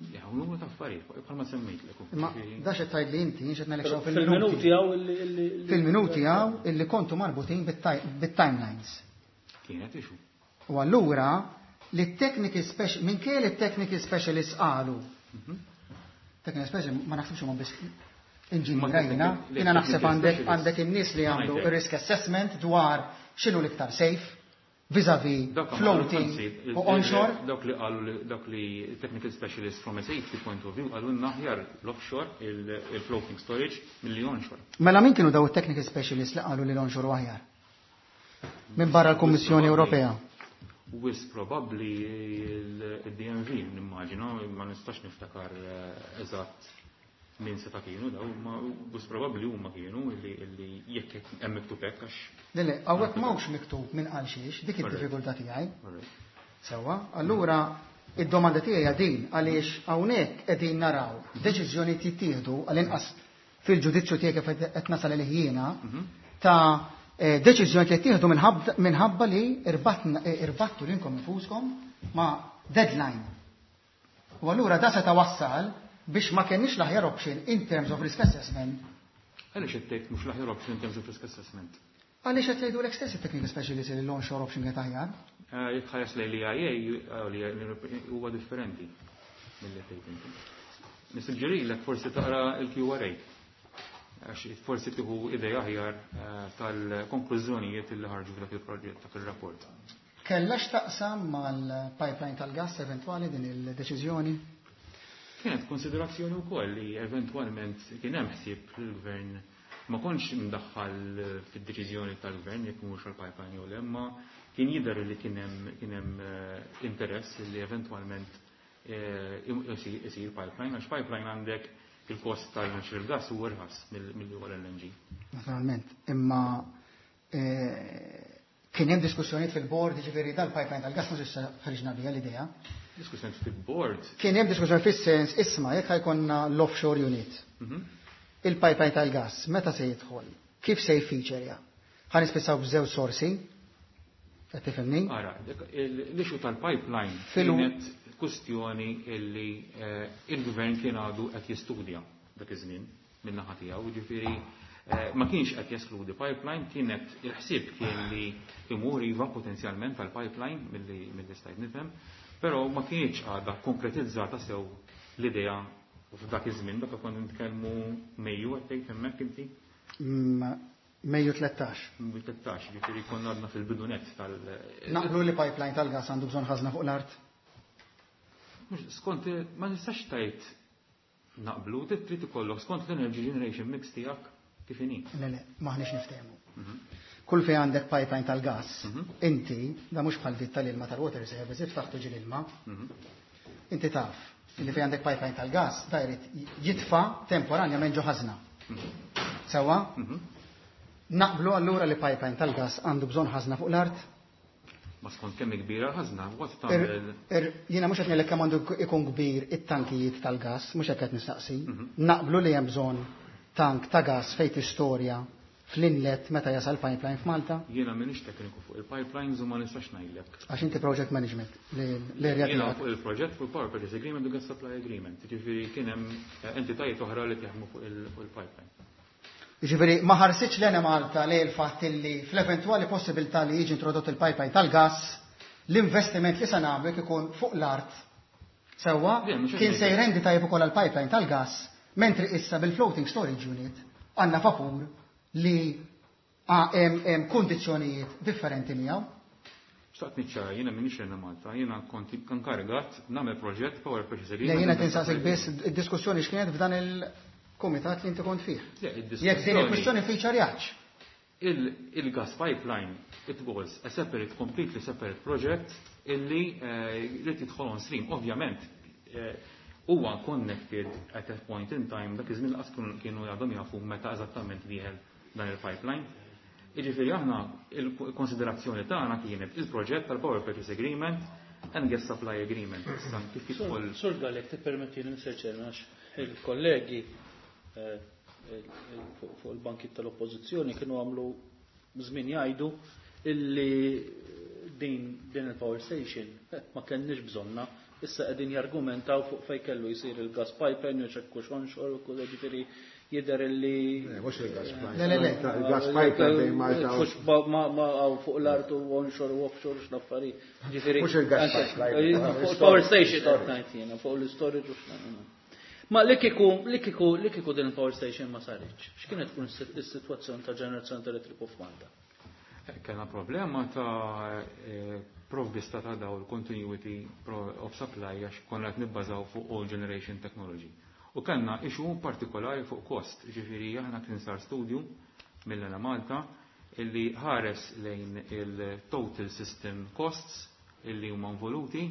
Ja, u numru ta' affarijiet, bħalma semmejtlek. Imma da xed tgħid li inti xed ngħidlek xew Fil-minuti fil-minuti. hawn illi- illi- Fil-minuti hawn illi kontu marbutin bit-timelines. Kienet issue. U allura li technical special, minkejja li technical specialists qalu, technical specialist ma naħsibx huma biss inġinierajna, Ma jiena naħseb għandek specialist. Għandek in-nies li għamlu Ngħidlek. risk assessment dwar x'inhu l-iktar safe vis-a-vis Dak floating anzi, u onshore. Dawk li qalu li- dawk li technical specialist from a safety point of view qalu aħjar l-offshore, il-floating storage, milli onshore. Mela min kienu daw it-technical specialists li qalu li l-onshore u aħjar? Minn barra l-Kummissjoni Ewropea. Wisq probabbli il-D N V, nimmaġina, ma nistax niftakar eh, eżatt min seta kienu daw, ma wisq probabbli huma kienu illi illi jekk hemm miktub hekk għax. Le, le, hawnhekk m'hawnx miktub minn qal xiex, dik id-diffikultà tiegħi. Alright. Sewwa, allura id-domanda tiegħi hija din, għaliex hawnhekk qegħdin naraw deċiżjoni jittieħdu, għall-inqas fil-ġudizzju tiegħek kif qed nasal li jiena, ta' eh, deċiżjoni li jittieħdu minħabba minħabba li irbatna- eh, irbattu lilkom infuskom ma' deadline. U allura da seta' wassal biex ma kenniex l-aħjar option in terms of risk assessment. Għaliex qed tgħid mhux l-aħjar option in terms of risk assessment? Għaliex qed jgħidu l-istess technical specialist li l-onshore option kienet aħjar? Eh, Jekk ħares lejn l-E I A, eh, huwa differenti mill-li tgħid inti. Nissuġġerilek forsi taqra il-Q R A. Għax forsi tieħu idea aħjar eh, tal-konklużjonijiet li ħarġu f'dak il-proġett, dak il-rapport. Kellha x'taqsam mal-pipeline tal-gas eventwali din il-deċiżjoni? Kienet konsiderazzjoni wkoll li eventwalment kien hemm ħsieb l-gvern, ma kontx imdaħħal fid-deċiżjoni tal-gvern jekk mhux għall-pipeline jew le, imma kien jidher li kien hemm kien hemm eh, interess li eventwalment eh, isir isir pipeline, għax pipeline għandek il-kost tal-natural gas u irħas mill-li huwa l-L N G. Naturalment, imma eh, kien hemm diskussjonijiet fil-board, ġifieri dal-pipeline tal-gas mhux issa ħriġna biha l-idea. Diskussjoni fil-board. Kien hemm diskussjoni fis-sens, isma', jekk ħa jkollna l-offshore unit. Mhm. Il-pipeline tal-gas meta se jidħol? Kif se jfeaturja? Ħa nispiċċaw b'żewġ sorsi? Qed tifhimni? Ara, dik- il- l-issue tal-pipeline Filu- kienet kustjoni illi eh, il-gvern kien għadu qed jistudja dak iż-żmien min-naħa tiegħu, ġifieri eh, ma kienx qed jeskludi pipeline, kienet il-ħsieb kien li imur iva potenzjalment tal-pipeline milli milli stajt nifhem, però ma kienx għadha konkretizzata sew l-idea f'dak iż-żmien, dak konna nitkellmu Mejju qed tgħid hemmhekk inti? Mm, Mejju tlettax. Mejju tlettax, ġifieri konna għadna fil-bidunet tal- Naqblu li pipeline tal-gas għandu bżonn ħażna fuq l-art? Mhux, skont, ma nistax tgħid naqblu, trid ikollok skont l-energy generation mix tiegħek kif inhi. Le, le, maħniex niftehmu. Kull fejn għandek pipeline tal-gas, inti, da mhux bħal dit tal-ilma tal-water service, iftaħ tiġi l-ilma, inti taf li fejn għandek pipeline tal-gas, da jrid jitfa temporanjament ġo ħażna. Sewwa? Naqblu allura li pipeline tal-gas għandu bżonn ħażna fuq l-art? Ma skont kemm kbira l-ħażna, what tagħmel. Jiena mhux qed ngħidlek kemm għandu ikun kbir it-tankijiet tal-gas, mhux hekk qed nistaqsi. Naqblu li hemm bżonn tank ta' gas fejn tistorja fl-inlet meta jasal pipeline f'Malta? Jiena m'iniex tekniku fuq il-pipelines u ma nistax ngħidlek. Għax inti project management l-area Jiena fuq il-proġett fuq il-Power Purchase Agreement u Gas Supply Agreement. Jiġifieri kien hemm entitajiet oħra li jaħdmu fuq il-pipeline. Jiġifieri ma ħarsitx l-Enemalta li l-fatt li fl-eventwali possibilità li jiġi introdott il-pipeline tal-gas, l-investiment li se nagħmlu jekk ikun fuq l-art sewwa kien se jrendi tajjeb ukoll għall-pipeline tal-gas, mentri issa bil-floating storage unit għandna vapur li hemm kundizzjonijiet differenti miegħu. Xtaqt niċċara, jiena m'iniex Enemalta, jiena kont inkarigat nagħmel proġett Power Purchase Agreement. Le, jiena tinsaqsik biss id-diskussjoni x'kienet f'dan il-kumitat li inti kont fih. Jekk din il-kwistjoni feature Il-gas pipeline, it was a separate, completely separate project illi li tidħol on stream. Ovvjament, huwa connected at that point in time, dak iż-żmien lanqas kienu għadhom jafu meta eżattament dieħel dan il-pipeline. Jiġifieri aħna il-konsiderazzjoni tagħna kienet il-proġett tal-Power Purchase Agreement and Gas Supply Agreement. Issa kif jidħol. Sur Galek, tippermettili Mister Chairman, għax il-kollegi fuq il-banki tal-oppożizzjoni kienu għamlu żmien jgħidu illi din din il-power station ma kenniex bżonna, issa qegħdin jargumentaw fuq fejn kellu jsir il-gas pipeline u xekku onshore u kull, ġifieri jidher illi Mhux il-gas pipeline. Le, le, le. Il-gas pipeline bejn Malta u Mhux ma ma fuq l-art u onshore u offshore x'l-affarijiet. Ġifieri Mhux il-gas pipeline. Fuq il-power station qed ngħid jiena, fuq l-storage u x'nagħmlu. Ma li kieku, li kieku, li kieku din il-power station ma saritx, x'kienet tkun is-sitwazzjoni ta' ġenerazzjoni ta' elettriku f'Malta? Kellna problema ta' provvista ta' dawl continuity of supply għax konna qed nibbażaw fuq old generation technology. U kellna issue partikolari fuq cost, ġifieri aħna kien sar studju mill-Enemalta illi ħares lejn il-total system costs illi huma involuti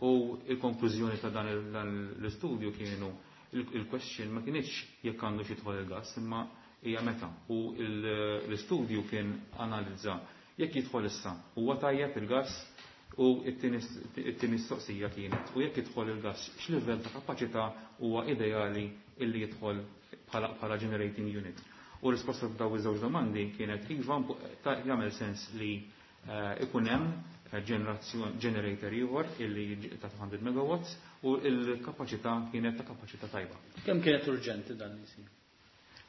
u il-konklużjoni ta' dan l-istudju kienu il-question ma kienx jekk għandu xi jidħol il-gas, imma hija meta. U l-istudju kien analizza jekk jidħol issa huwa tajjeb il-gas u it-tieni mistoqsija kienet u jekk jidħol il-gas x'livell ta' kapaċità huwa ideali illi jidħol bħala generating unit. U risposta ta' dawn iż-żewġ domandi kienet iva jagħmel sens li ikun hemm generator ieħor illi ta' two hundred megawatts u l-kapaċità kienet ta' kapaċità tajba. Kemm kienet urġenti dan li jsir?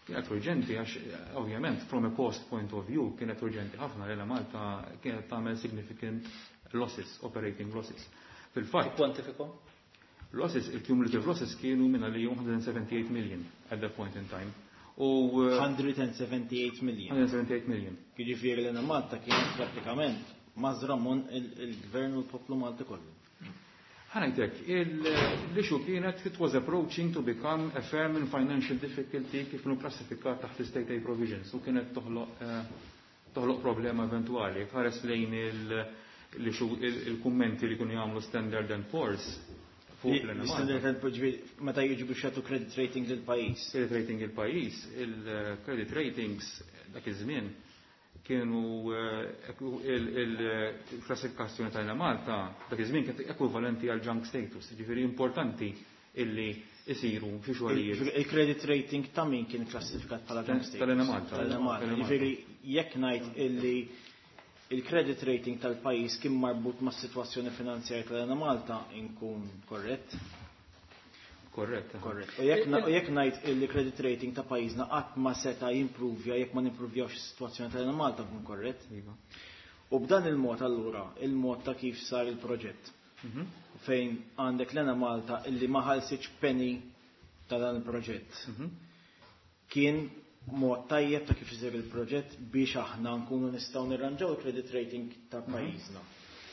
Kienet urġenti għax ovvjament from a cost point of view kienet urġenti ħafna li Malta kienet tagħmel significant losses, operating losses. Fil-fatt. Kwantifiko? Losses, il-cumulative losses kienu minna li one hundred seventy-eight million at that point in time. U one hundred seventy-eight million. one hundred seventy-eight million. Jiġifieri l Malta kienet prattikament mażra minn il-gvern u l-poplu Malti kollu. Ħa ngħidlek, l-issue kienet it was approaching to become a firm in financial difficulty kif nu klassifikat taħt state aid provisions u kienet toħloq toħloq problema eventuali. Ħares lejn il-kummenti li kienu jagħmlu Standard and Poor's fuq Standard and Poor's meta jiġu biex jagħtu credit rating lil pajjiż. Credit rating il-pajjiż, il-credit ratings dak iż-żmien kienu il-klassifikazzjoni ta' Malta dak iż-żmien kienet ekwivalenti għal junk status, ġifieri importanti illi isiru xi xogħlijiet. Il-credit rating ta' min kien klassifikat bħala junk status? Tal-Enemalta. Tal-Enemalta. Ġifieri jekk ngħid illi il-credit rating tal-pajjiż kien marbut mas-sitwazzjoni finanzjarja tal-Enemalta inkun korrett? Korrett. Korrett. U jekk ngħid illi credit rating ta' pajjiżna qatt ma seta' jimprovja jekk ma nimprovjawx is-sitwazzjoni tal-Enemalta nkun korrett? Iva. U b'dan il-mod allura, il-mod ta' kif sar il-proġett, fejn għandek l-Enemalta illi ma ħallsitx penny ta' dan il-proġett. Kien mod tajjeb ta' kif isir il-proġett biex aħna nkunu nistgħu nirranġaw il-credit rating ta' pajjiżna.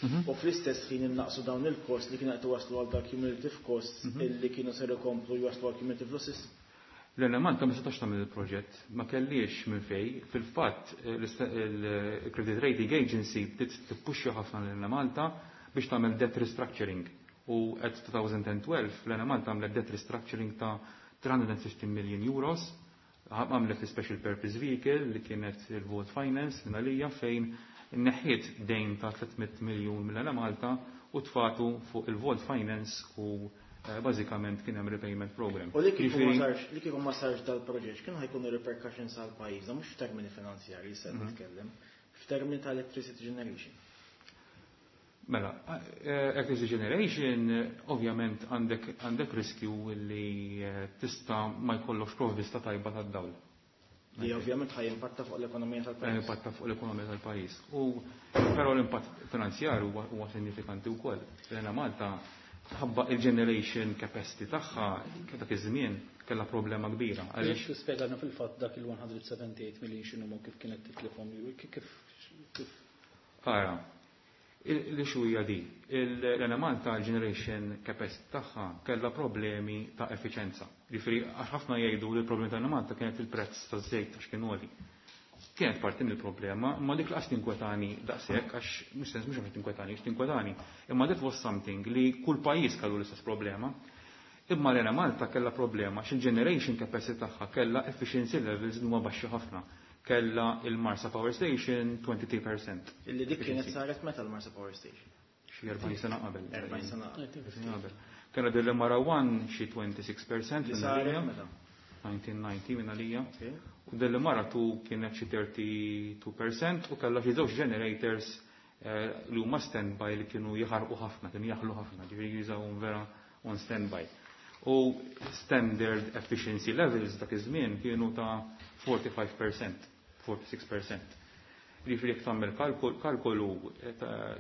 U fl-istess ħin innaqsu dawn il-cost li kienu qed waslu għal dak cumulative costs illi kienu ser ikomplu jwaslu għal cumulative losses. L-Enemalta ma setax tagħmel il-proġett, ma kellix minn fej. Fil-fatt il-Credit Rating Agency bdiet tippuxxa ħafna l-Enemalta biex tagħmel debt restructuring. U at twenty twelve l-Enemalta għamlet debt restructuring ta' three hundred fifty million euros, għamlet special purpose vehicle li kienet il-Vault Finance minn għalija fejn Neħħiet dejn ta' tliet mitt miljun mill-Enemalta u tfatu fuq il-Vault Finance u eh, bażikament kien hemm repayment program. U li kieku ma sarx, li kieku ma sarx dal-proġett, kienu ħa jkunu repercussions għal pajjiżna, mhux f'termini finanzjarji se mhm. nitkellem, f'termini ta' electricity generation. Mela, eh, electricity generation, ovvjament għandek għandek riskju li eh, tista' ma jkollokx provvista tajba tad-dawl. Li ovvjament ħaj impatta fuq l-ekonomija tal-pajjiż. Impatta fuq l-ekonomija tal-pajjiż. U però l-impatt finanzjarju huwa sinifikanti wkoll. L-Enemalta ħabba il-generation capacity tagħha dak iż-żmien kellha problema kbira. Għaliex tispjegana fil-fatt dak il-one hundred seventy-eight million x'inhu, kif kienet titlifhom, kif kif Ara, l-issue hija di. L-Enemalta generation capacity tagħha kellha problemi ta' effiċenza. Jiġifieri għax ħafna jgħidu li l-problemi ta' Malta kienet il-prezz taż-żejt għax kien għoli. Kienet parti mill-problema, ma dik laqas tinkwetani daqshekk, għax mhux sens, mhux għax tinkwetani, għax tinkwetani. Imma that was something li kull pajjiż kellu l-istess problema. Imma l-Enemalta kellha problema għax il-generation capacity tagħha kellha efficiency levels li huma baxxi ħafna. Kella il-Marsa Power Station twenty-three percent. Illi dik kienet saret meta, l-Marsa Power Station? Xi erbgħin sena qabel. erbgħin sena qabel. Kena Delimara one xi twenty-six percent. Li saret meta? elf disa' mija u disgħin minn għalija. U Delimara two kienet xi thirty-two percent u kellha xi żewġ generators eh, li huma standby li kienu jaħarqu ħafna, kienu jaħlu ħafna, ġifieri jużawhom vera on standby. U standard efficiency levels dak iż-żmien kienu ta' forty-five percent, forty-six percent. Ġifieri jekk tagħmel kalkolu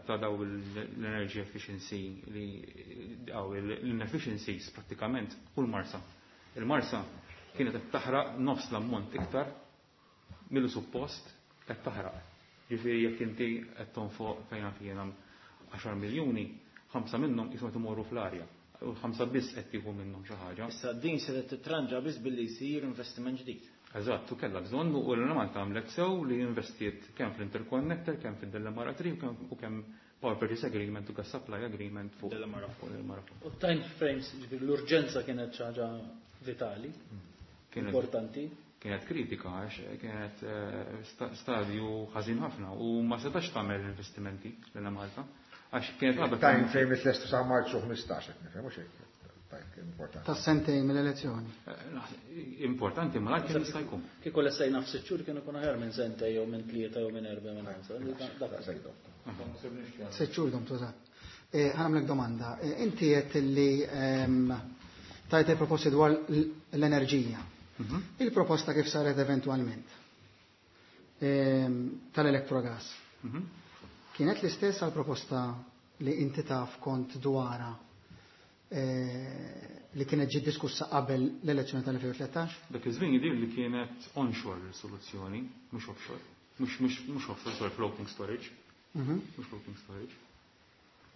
ta' daw l-energy efficiency li daw l-inefficiencies prattikament kull Marsa. Il-Marsa kienet qed taħraq nofs l-ammont iktar millu suppost qed taħraq. Ġifieri jekk inti qed tonfoq fejn jiena għaxar miljuni, ħamsa minnhom qishom qed imorru fl-arja. U ħamsa biss qed tieħu minnhom xi ħaġa. Issa din se titranġa biss billi jsir investiment ġdid. Eżatt, u kellha bżonn u l-Malta għamlet sew li investiet kemm fl-interconnector, kemm fid-Delimara three u kemm Power Purchase Agreement u Gas Supply Agreement fuq Delimara. Delimara. U time frames, ġifieri l-urġenza kienet xi ħaġa vitali, importanti. Kienet kritika għax kienet eh, stadju ħażin ħafna u ma setax tagħmel investimenti l Malta. Għax kienet għadha. Time frame it-lestu sa' Marzu ħmistax, qed nifhem, mhux hekk? Importanti. Ta' sentejn mill-elezzjoni. Eh, importanti, ma lajk jista' jkun. Kieku lestejna f'sitt xhur kien ikun aħjar minn sentej jew minn tlieta jew minn erba' minn ħamsa. Sitt xhur dom tużat. Eh, ħa nagħmlek domanda. Eh, inti qed li ehm, tajt il-proposti dwar l-enerġija. Mhm. Il-proposta kif saret eventualment ehm, tal-electrogas. Mhm. Kienet l-istess għal-proposta li inti taf kont dwara Eh, li kienet ġiet diskussa qabel l-elezzjoni tal-elfejn u tlettax? Dak iż-żmien jidir li kienet onshore soluzzjoni, mhux offshore. Mhux mhux offshore, sorry, floating storage. Mhm. Mhux floating storage.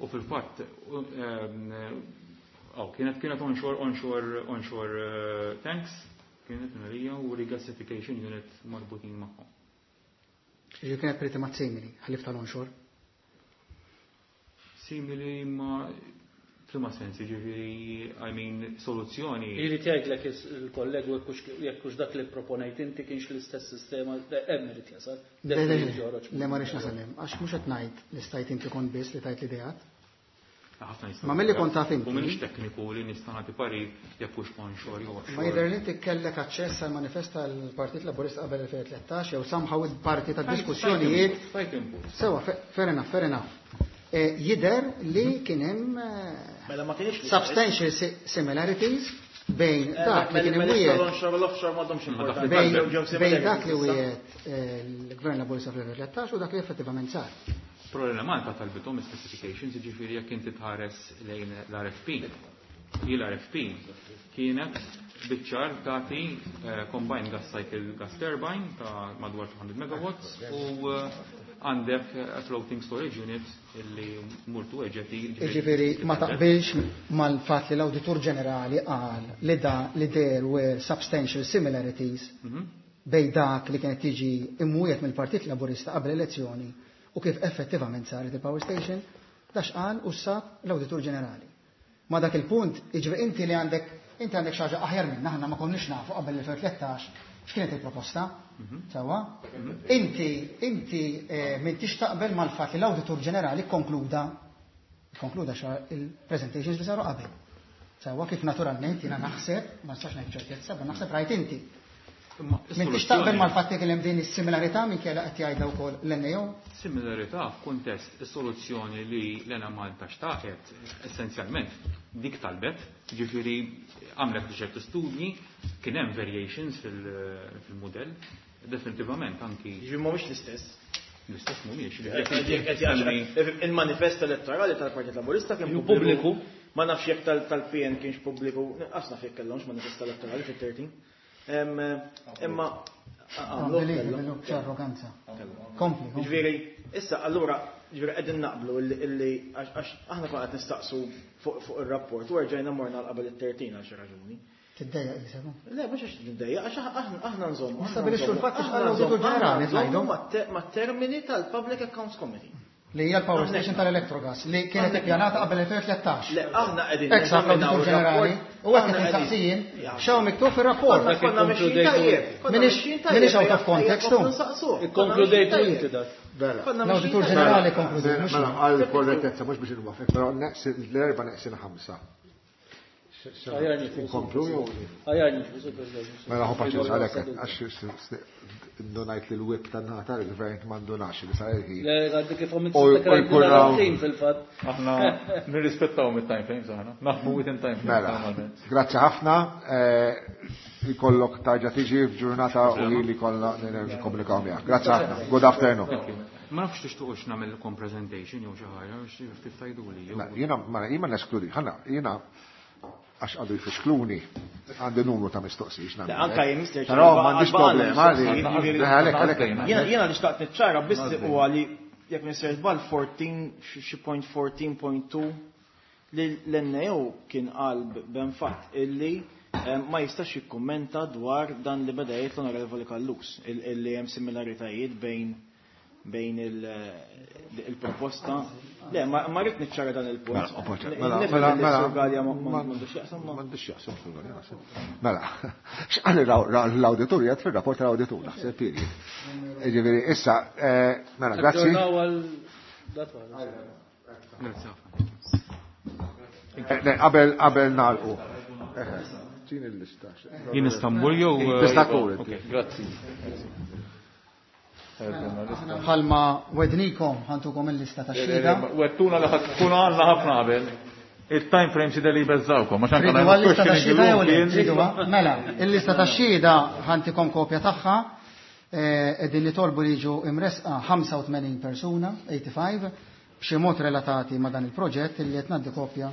U fil-fatt, oh, kienet kienet onshore onshore onshore eh, tanks, kienet nerija u regasification unit marbutin magħhom. Ġi kienet pretty much simili, ħalif tal-onshore. Simili ma f'liema sens, ġifieri, I mean, soluzzjoni. Irid jgħidlek il-kollegu jekk hux dak li proponejt inti kienx l-istess sistema, hemm irid jasal. Le, ma rridx nasal hemm, għax mhux qed ngħid li stajt inti kont biss li tajt l-ideat. Ma milli kont taf inti. U minix tekniku li nista' nagħti parir jekk hux onshore jew offshore. Ma jidher li inti kellek aċċess għal manifest tal-Partit Laburista qabel elfejn u tlettax jew somehow parti tad-diskussjonijiet. Sewa, fair enough, fair enough. Eh, jider li kien hemm eh, mela substantial similarities bejn eh, dak li kien imwiegħed bejn dak li wiegħed l-Gvern Laburista fl-elfejn u tlettax u dak li effettivament sar. Problema Malta talbithom specifications, ġifieri jekk inti tħares lejn l-R F P. L-R F P kienet biċ-ċar tagħti combined gas cycle gas turbine ta' madwar two hundred megawatts u għandek floating storage unit illi murtu eġeti. Ġifieri ma taqbilx mal-fatt li l-Awditur Ġenerali qal li da li there were substantial similarities mhm. bej dak li kienet tiġi imwiegħed mill-Partit Laburista qabel elezzjoni u kif effettivament saret il-power station, dax qal u sab l-Awditur Ġenerali. Ma dak il-punt, iġifieri inti li għandek Inti għandek xi ħaġa aħjar minna, aħna ma konniex nafu qabel elfejn u tlettax x'kienet il-proposta. Sewwa? Inti inti m'intix taqbel mal-fatt li l-Awditur Ġenerali kkonkluda konkluda xa il-presentations li saru qabel. Sewwa kif naturalment jiena naħseb, ma nistax ngħid ċertezza, ma naħseb rajt inti. M'intix taqbel mal-fatt li kien hemm din is-similarità minkejja qed jgħidha wkoll l-N A O? Similarità f'kuntest is-soluzzjoni li l-Enemalta xtaqet essenzjalment dik talbet, ġifieri għamlet ċertu studji, kien hemm variations fil-mudell, definitivament anki. Ġifieri mhumiex l-istess. L-istess mhumiex. Il-manifest elettorali tal-Partit Laburista kien pubbliku. Ma nafx jekk tal-P N kienx pubbliku, nqas naf jekk kellhomx manifest elettorali fit-thirteen. Imma għamlu arroganza. Kompli. Ġifieri, issa allura ġifieri qegħdin naqblu illi għax aħna konna qed nistaqsu fuq ir-rapport u rġajna morna l qabel it-thirteen għal xi raġuni. Tiddejjaq jisemu? Le, mhux għax tiddejjaq, għax aħna nżommu. Nistabilixxu l-fatt għax l-Awditur Ġenerali tgħidu. Mat-termini tal-Public Accounts Committee. Li hija l-power station tal-Electrogas li kienet ippjanata qabel elfejn u tlettax. Le, aħna qegħdin Ex l-Awditur Ġenerali u hekk qed insaqsijin x'hawn miktub fir-rapport. Konna mexjin tajjeb. Minix out of context tu. Ikkonkludejtu inti dak. L-Awditur Ġenerali konkludejt. Mela, għal korrettezza mhux biex inwafek, però l-erba' neqsin ħamsa. Inkomplu jew? Mela ħu paċenza għalhekk għax ndunajt li l-whip tan-naħa tal-gvern ma ndunax li sar il-ħin. Le, għaddi kif għamilt sil fil-fatt. Aħna nirrispettaw mit-time frames aħna. Naħdmu within time frames. Mela, grazzi ħafna. Ikollok tarġa' tiġi f'ġurnata u li kollha nikkomunikaw miegħek. Grazzi ħafna. Good afternoon. Ma nafx tixtuqux nagħmilkom presentation jew xi ħaġa biex ftit tgħiduli. Jiena ma neskludi, ħana jiena għax għadu jfixkluni, għandi numru ta' mistoqsijiet nagħmel. Anka jien Mister Però m'għandix problema li għalhekk għalhekk. Jiena li xtaqt niċċara biss huwa li jekk Mister Żball fourteen xi point fourteen point two li l-N A O kien qal b'enfatt illi ma jistax jikkummenta dwar dan li beda jgħid l-Onorevoli Callus illi hemm similaritajiet bejn bejn il-proposta. Le, ma rrid niċċara dan il-punt. Mela, mela, mela, m'għandux x'jaqsam. M'għandux x'jaqsam Sur Galea, naħseb. Mela, x'qal l-awditur jgħid fir-rapport tal-awditur, naħseb period. Ġifieri, issa, mela, grazzi. Qabel qabel nagħlqu. Tini l-lista. Jien Istanbul jew Tista' tkun. Grazzi. Bħalma wednikom ħantukom il-lista ta' xhieda. Wettuna li ħadd tkun għandna ħafna qabel. Il-time frame xi li beżawkom, għax anke Tridu għal-lista ta' xhieda jew le? Triduha? Mela, il-lista ta' xhieda ħantikom kopja tagħha. Qegħdin nitolbu li jiġu imresqa ħamsa u tmenin persuna, eighty-five, b'xi mod relatati ma' dan il-proġett illi qed ngħaddi kopja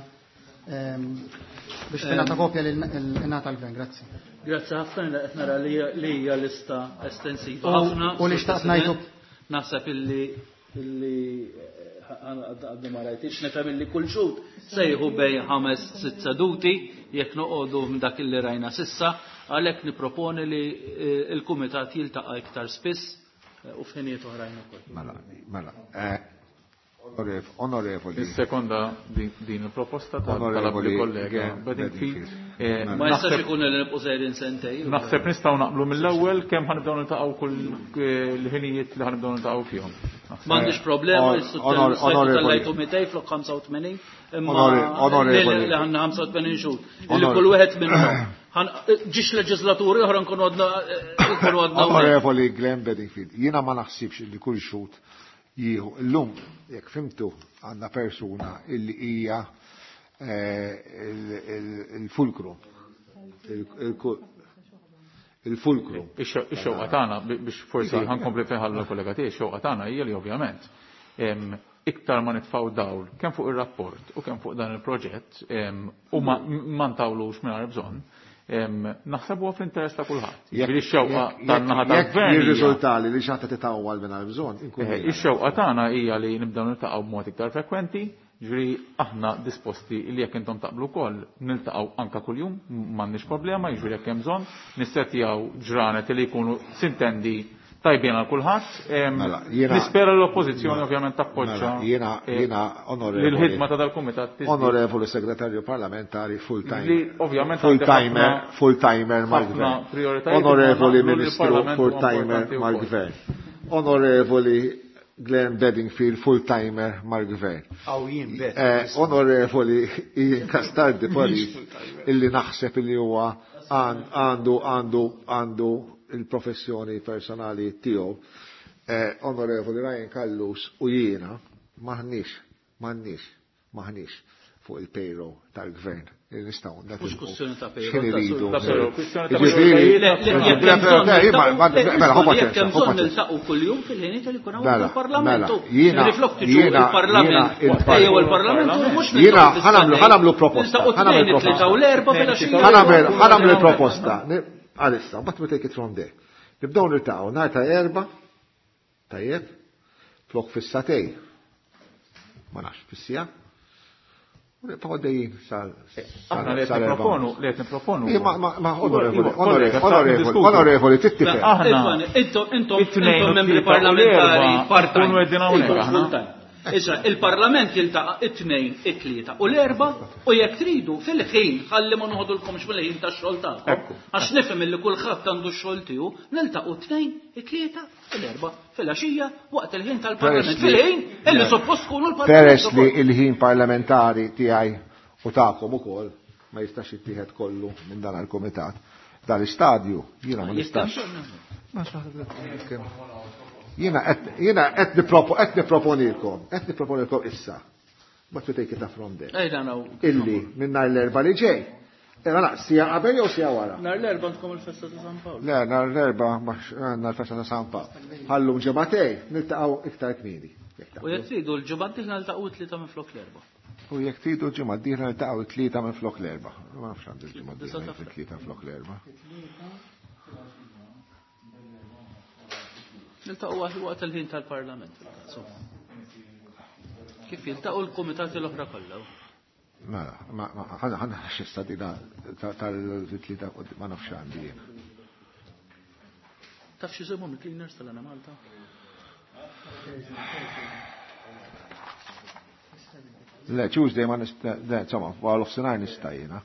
biex tingħata kopja lil ingħata l-gvern. Grazzi. Grazzi ħafna, li qed nara li hija lista estensiva ħafna. U li xtaqt ngħidu. Naħseb illi illi għaddi ma rajtix, nifhem illi kull xhud sejħu bejn ħames sitt seduti jekk noqogħdu minn dak illi rajna sissa, għalhekk nipproponi li l-kumitat jiltaqa' iktar spiss u f'ħinijiet oħrajn ukoll. Mela, mela. Onorevoli. Is-sekonda din il-proposta tal-onorevoli kollega Bedingfield. Ma jistax ikun li nibqgħu sejrin sentej. Naħseb nistgħu naqblu mill-ewwel kemm ħanibdew niltaqgħu kull l-ħinijiet li ħanibdew niltaqgħu fihom. M'għandix problema, tellajtu mitej flok ħamsa u tmenin, imma li ħanna ħamsa u tmenin xhur. Illi kull wieħed minnhom. Ġiex leġislaturi oħra nkunu għadna nkunu għadna. Onorevoli Glenn Bedingfield, jiena ma naħsibx li kull xhud jieħu. Illum, jekk fimtu, għandna persuna illi hija il-fulkru. Il-fulkru. Ix-xewqa tagħna biex forsi ħankompli fejn ħallu l-kollega tiegħi, ix-xewqa tagħna hija li ovvjament iktar ma nitfgħu dawl kemm fuq ir-rapport u kemm fuq dan il-proġett u ma ntawlux mingħajr bżonn, naħseb huwa fl-interess ta' kulħadd. Ġifieri x-xewqa tan-naħa tal-gvern. Jirriżultali li xi ħadd titawwal mingħajr bżonn, inkun Eh, Ix-xewqa tagħna hija li nibdew niltaqgħu b'mod iktar frekwenti, ġifieri aħna disposti li jekk intom taqblu wkoll niltaqgħu anke kuljum, m'għandniex problema, jiġifieri jekk hemm bżonn, nissettjaw ġranet li jkunu sintendi tajbin għal kulħadd. Mela, jiena- Nispera l-oppożizzjoni ovvjament tappoġġa Mela, jiena eh, jiena onorevoli. l-ħidma ta' dal-kumitat tiżdied. Onorevoli segretarju parlamentari full time. Li ovvjament full għandi timer, ħafna- full timer ħafna mal-gvern. prioritajiet, Onorevoli imma naqblu li Ministru l-Parlament full huwa timer importanti wkoll. mal-gvern. Onorevoli Glenn Bedingfield full timer mal-gvern. Aw jien bet. Eh, Onorevoli Ian Castaldi Paris illi naħseb illi huwa għan- għandu għandu għandu il-professjoni personali tiegħu. Eh, Onorevoli Ryan Callus u jiena maħniex maħniex maħniex fuq il-payroll tal-gvern li nistgħu Mhux kwestjoni ta' payroll, X'in ta' iridu. Ta' payroll, kwestjoni ta' Jiġifieri- Le, le, jekk Le, hemm bżonn le, ma- ma- niltaqgħu- mela, ħu jekk paċenzja, hemm ħu bżonn paċenzja. niltaqgħu kuljum fil-ħiniet li jkun hawn Mela, il-Parlament. mela, jiena- Riflok tiġu jiena- il-Parlament, jiena il- ejjew il-Parlament u mhux Jiena niltaqgħu ħanamlu fis-Sunday. ħanamlu proposta. Niltaqgħu ħanamlu tnejn, it-tlieta u l-erba' filgħaxija. Ħanamel ħanamlu proposta. Ni- Għalissa, but we take it from there. Nibdew niltaqgħu nhar ta' erba' tajjeb, flok fis-satej. Ma nafx fis-sija. U nibqgħu għaddejjin sal Aħna li qed sal- nipproponu, li qed nipproponu. Ija, ma- ma- ma onorevoli, Iva, onorevoli, kollega, onorevoli, diskutu. onorevoli, tittifhem. Aħna Ivan, Intom intom it-tnejn intom u membri t-tlieta u parlamentari l-erba' part-time. nkunu qegħdin hawnhekk Intom aħna. full-time. Issa, il-Parlament jiltaqa' it-tnejn, it-tlieta u l-erba' u jekk tridu fil-ħin ħalli ma noħodulkomx mill-ħin tax-xogħol tagħkom. Ekku. Għax nifhem illi kulħadd għandu x-xogħol tiegħu, niltaqgħu t-tnejn, it-tlieta u l-erba' fil-għaxija waqt il-ħin tal-Parlament. Peress li- Fil-ħin illi suppost tkunu l-Parlament. Peress li ukoll. il-ħin parlamentari tiegħi u tagħkom ukoll ma jistax jittieħed kollu minn dan il-kumitat. Dan l-istadju jiena ma Jekk hemm nistax. bżonn. Jiena qed jiena qed nippropo qed nipproponilkom, qed nipproponilkom issa. But we take it up from there. Ejda naw. Illi minn nhar l-erba' li ġej. Era naqs sija qabel jew sija wara? Nhar l-erba' għandkom il-festa ta' San Pawl. Le, nhar l-erba' għandna l-festa ta' San Pawl. Ħallum ġematej, niltaqgħu iktar kmieni. Jekk U taqblu. jekk tridu l-ġimgħa d-dieħla niltaqgħu t-tlieta minn flok l-erba'. U jekk tridu ġimgħa d-dieħla niltaqgħu t-tlieta minn flok l-erba'. Ma nafx għandi l-ġimgħa d-dieħla t-tlieta minn flok l-erba'. Niltaqgħu waqt waqt il-ħin tal-Parlament. Insomma. Kif jiltaqgħu l-kumitati l-oħra kollha. Mela, ma ma ħana ħana xista dina tal-tlieta ma nafx għandi jien. Taf x'isimhom il-cleaners tal-Ana Malta? Le, Tuesday ma nista, le, insomma, għal offsinar nista jiena.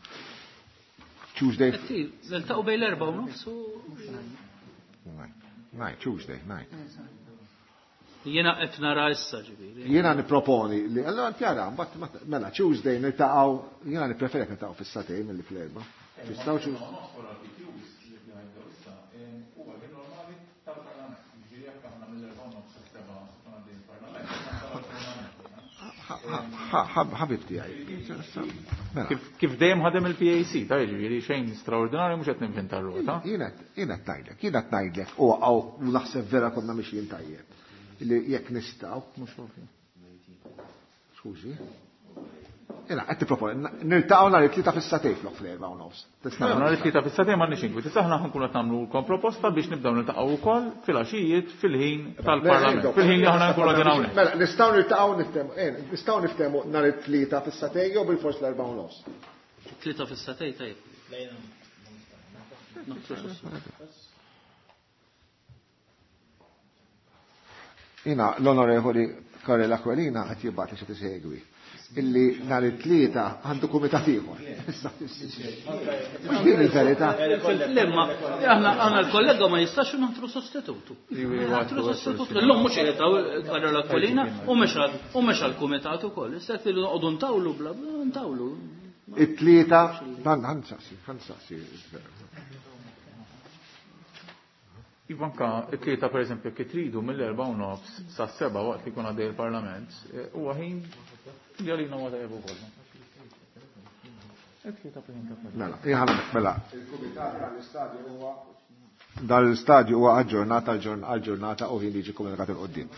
Tuesday, Qed niltaqgħu bejn l-erba' u nofs u nine, nine, Tuesday, nine. jiena qed nara issa ġifieri. Jiena niproponi li, allora tjara, mbagħad ma- mela Tuesday niltaqgħu, jiena nippreferi niltaqgħu fis-satej milli fl-erba'. Tistgħu Tuesday. Ħabib tiegħi. Mela, Kif kif dejjem ħadem il-PAC, ta' jiġifieri xejn straordinarju mhux qed ninventa r-rota. Jiena jiena qed ngħidlek, jiena qed ngħidlek u għaw u naħseb vera konna mixjin tajjeb. Li jekk nistgħu, skużi. Jiena qed tipproponi niltaqgħu nhar it-tlieta fis-satej flok fl-erba' u nofs. Tista' Nhar it-tlieta fis-satej m'għandniex inkwiet. Issa aħna ħankunu qed nagħmlu proposta biex nibdew niltaqgħu wkoll fil-għaxijiet fil-ħin tal-Parlament. Fil-ħin li aħna nkunu qegħdin hawnhekk. Mela, nistgħu niltaqgħu niftehmu, eh, nistgħu niftehmu nhar it-tlieta fis-satej jew bil-fors l-erba' u nofs. Tlieta fis-satej tajjeb. Noħtru sostitut. Jina l-onorevoli Karel Aquilina qed jibgħat li xi tisegwi. Illi nhar it-tlieta għandu kumitat ieħor. Issa, Mhux din il-verità. Lemma, aħna aħna l-kollega ma jistax naħtru sostitutu. Naħtru sostitutu. Illum mhux qiegħed hawn Karol Aquilina u mhux għal- u mhux għall-kumitat ukoll. Issa qed noqogħdu ntawlu bla bla ntawlu. It-tlieta, dan ħansaqsi, ħansaqsi. Ivanka, it-tlieta per eżempju, jekk tridu mill-erba' u nofs sa seba' waqt li jkun għaddej il-Parlament, eh, huwa ħin li għalina huwa tajjeb ukoll. It-tlieta per eżempju. Mela, jħana, mela. Il-kumitat tal-istadju huwa dal-istadju huwa aġġornata għal-ġurnata u ħin liġi komunikat il-qoddim.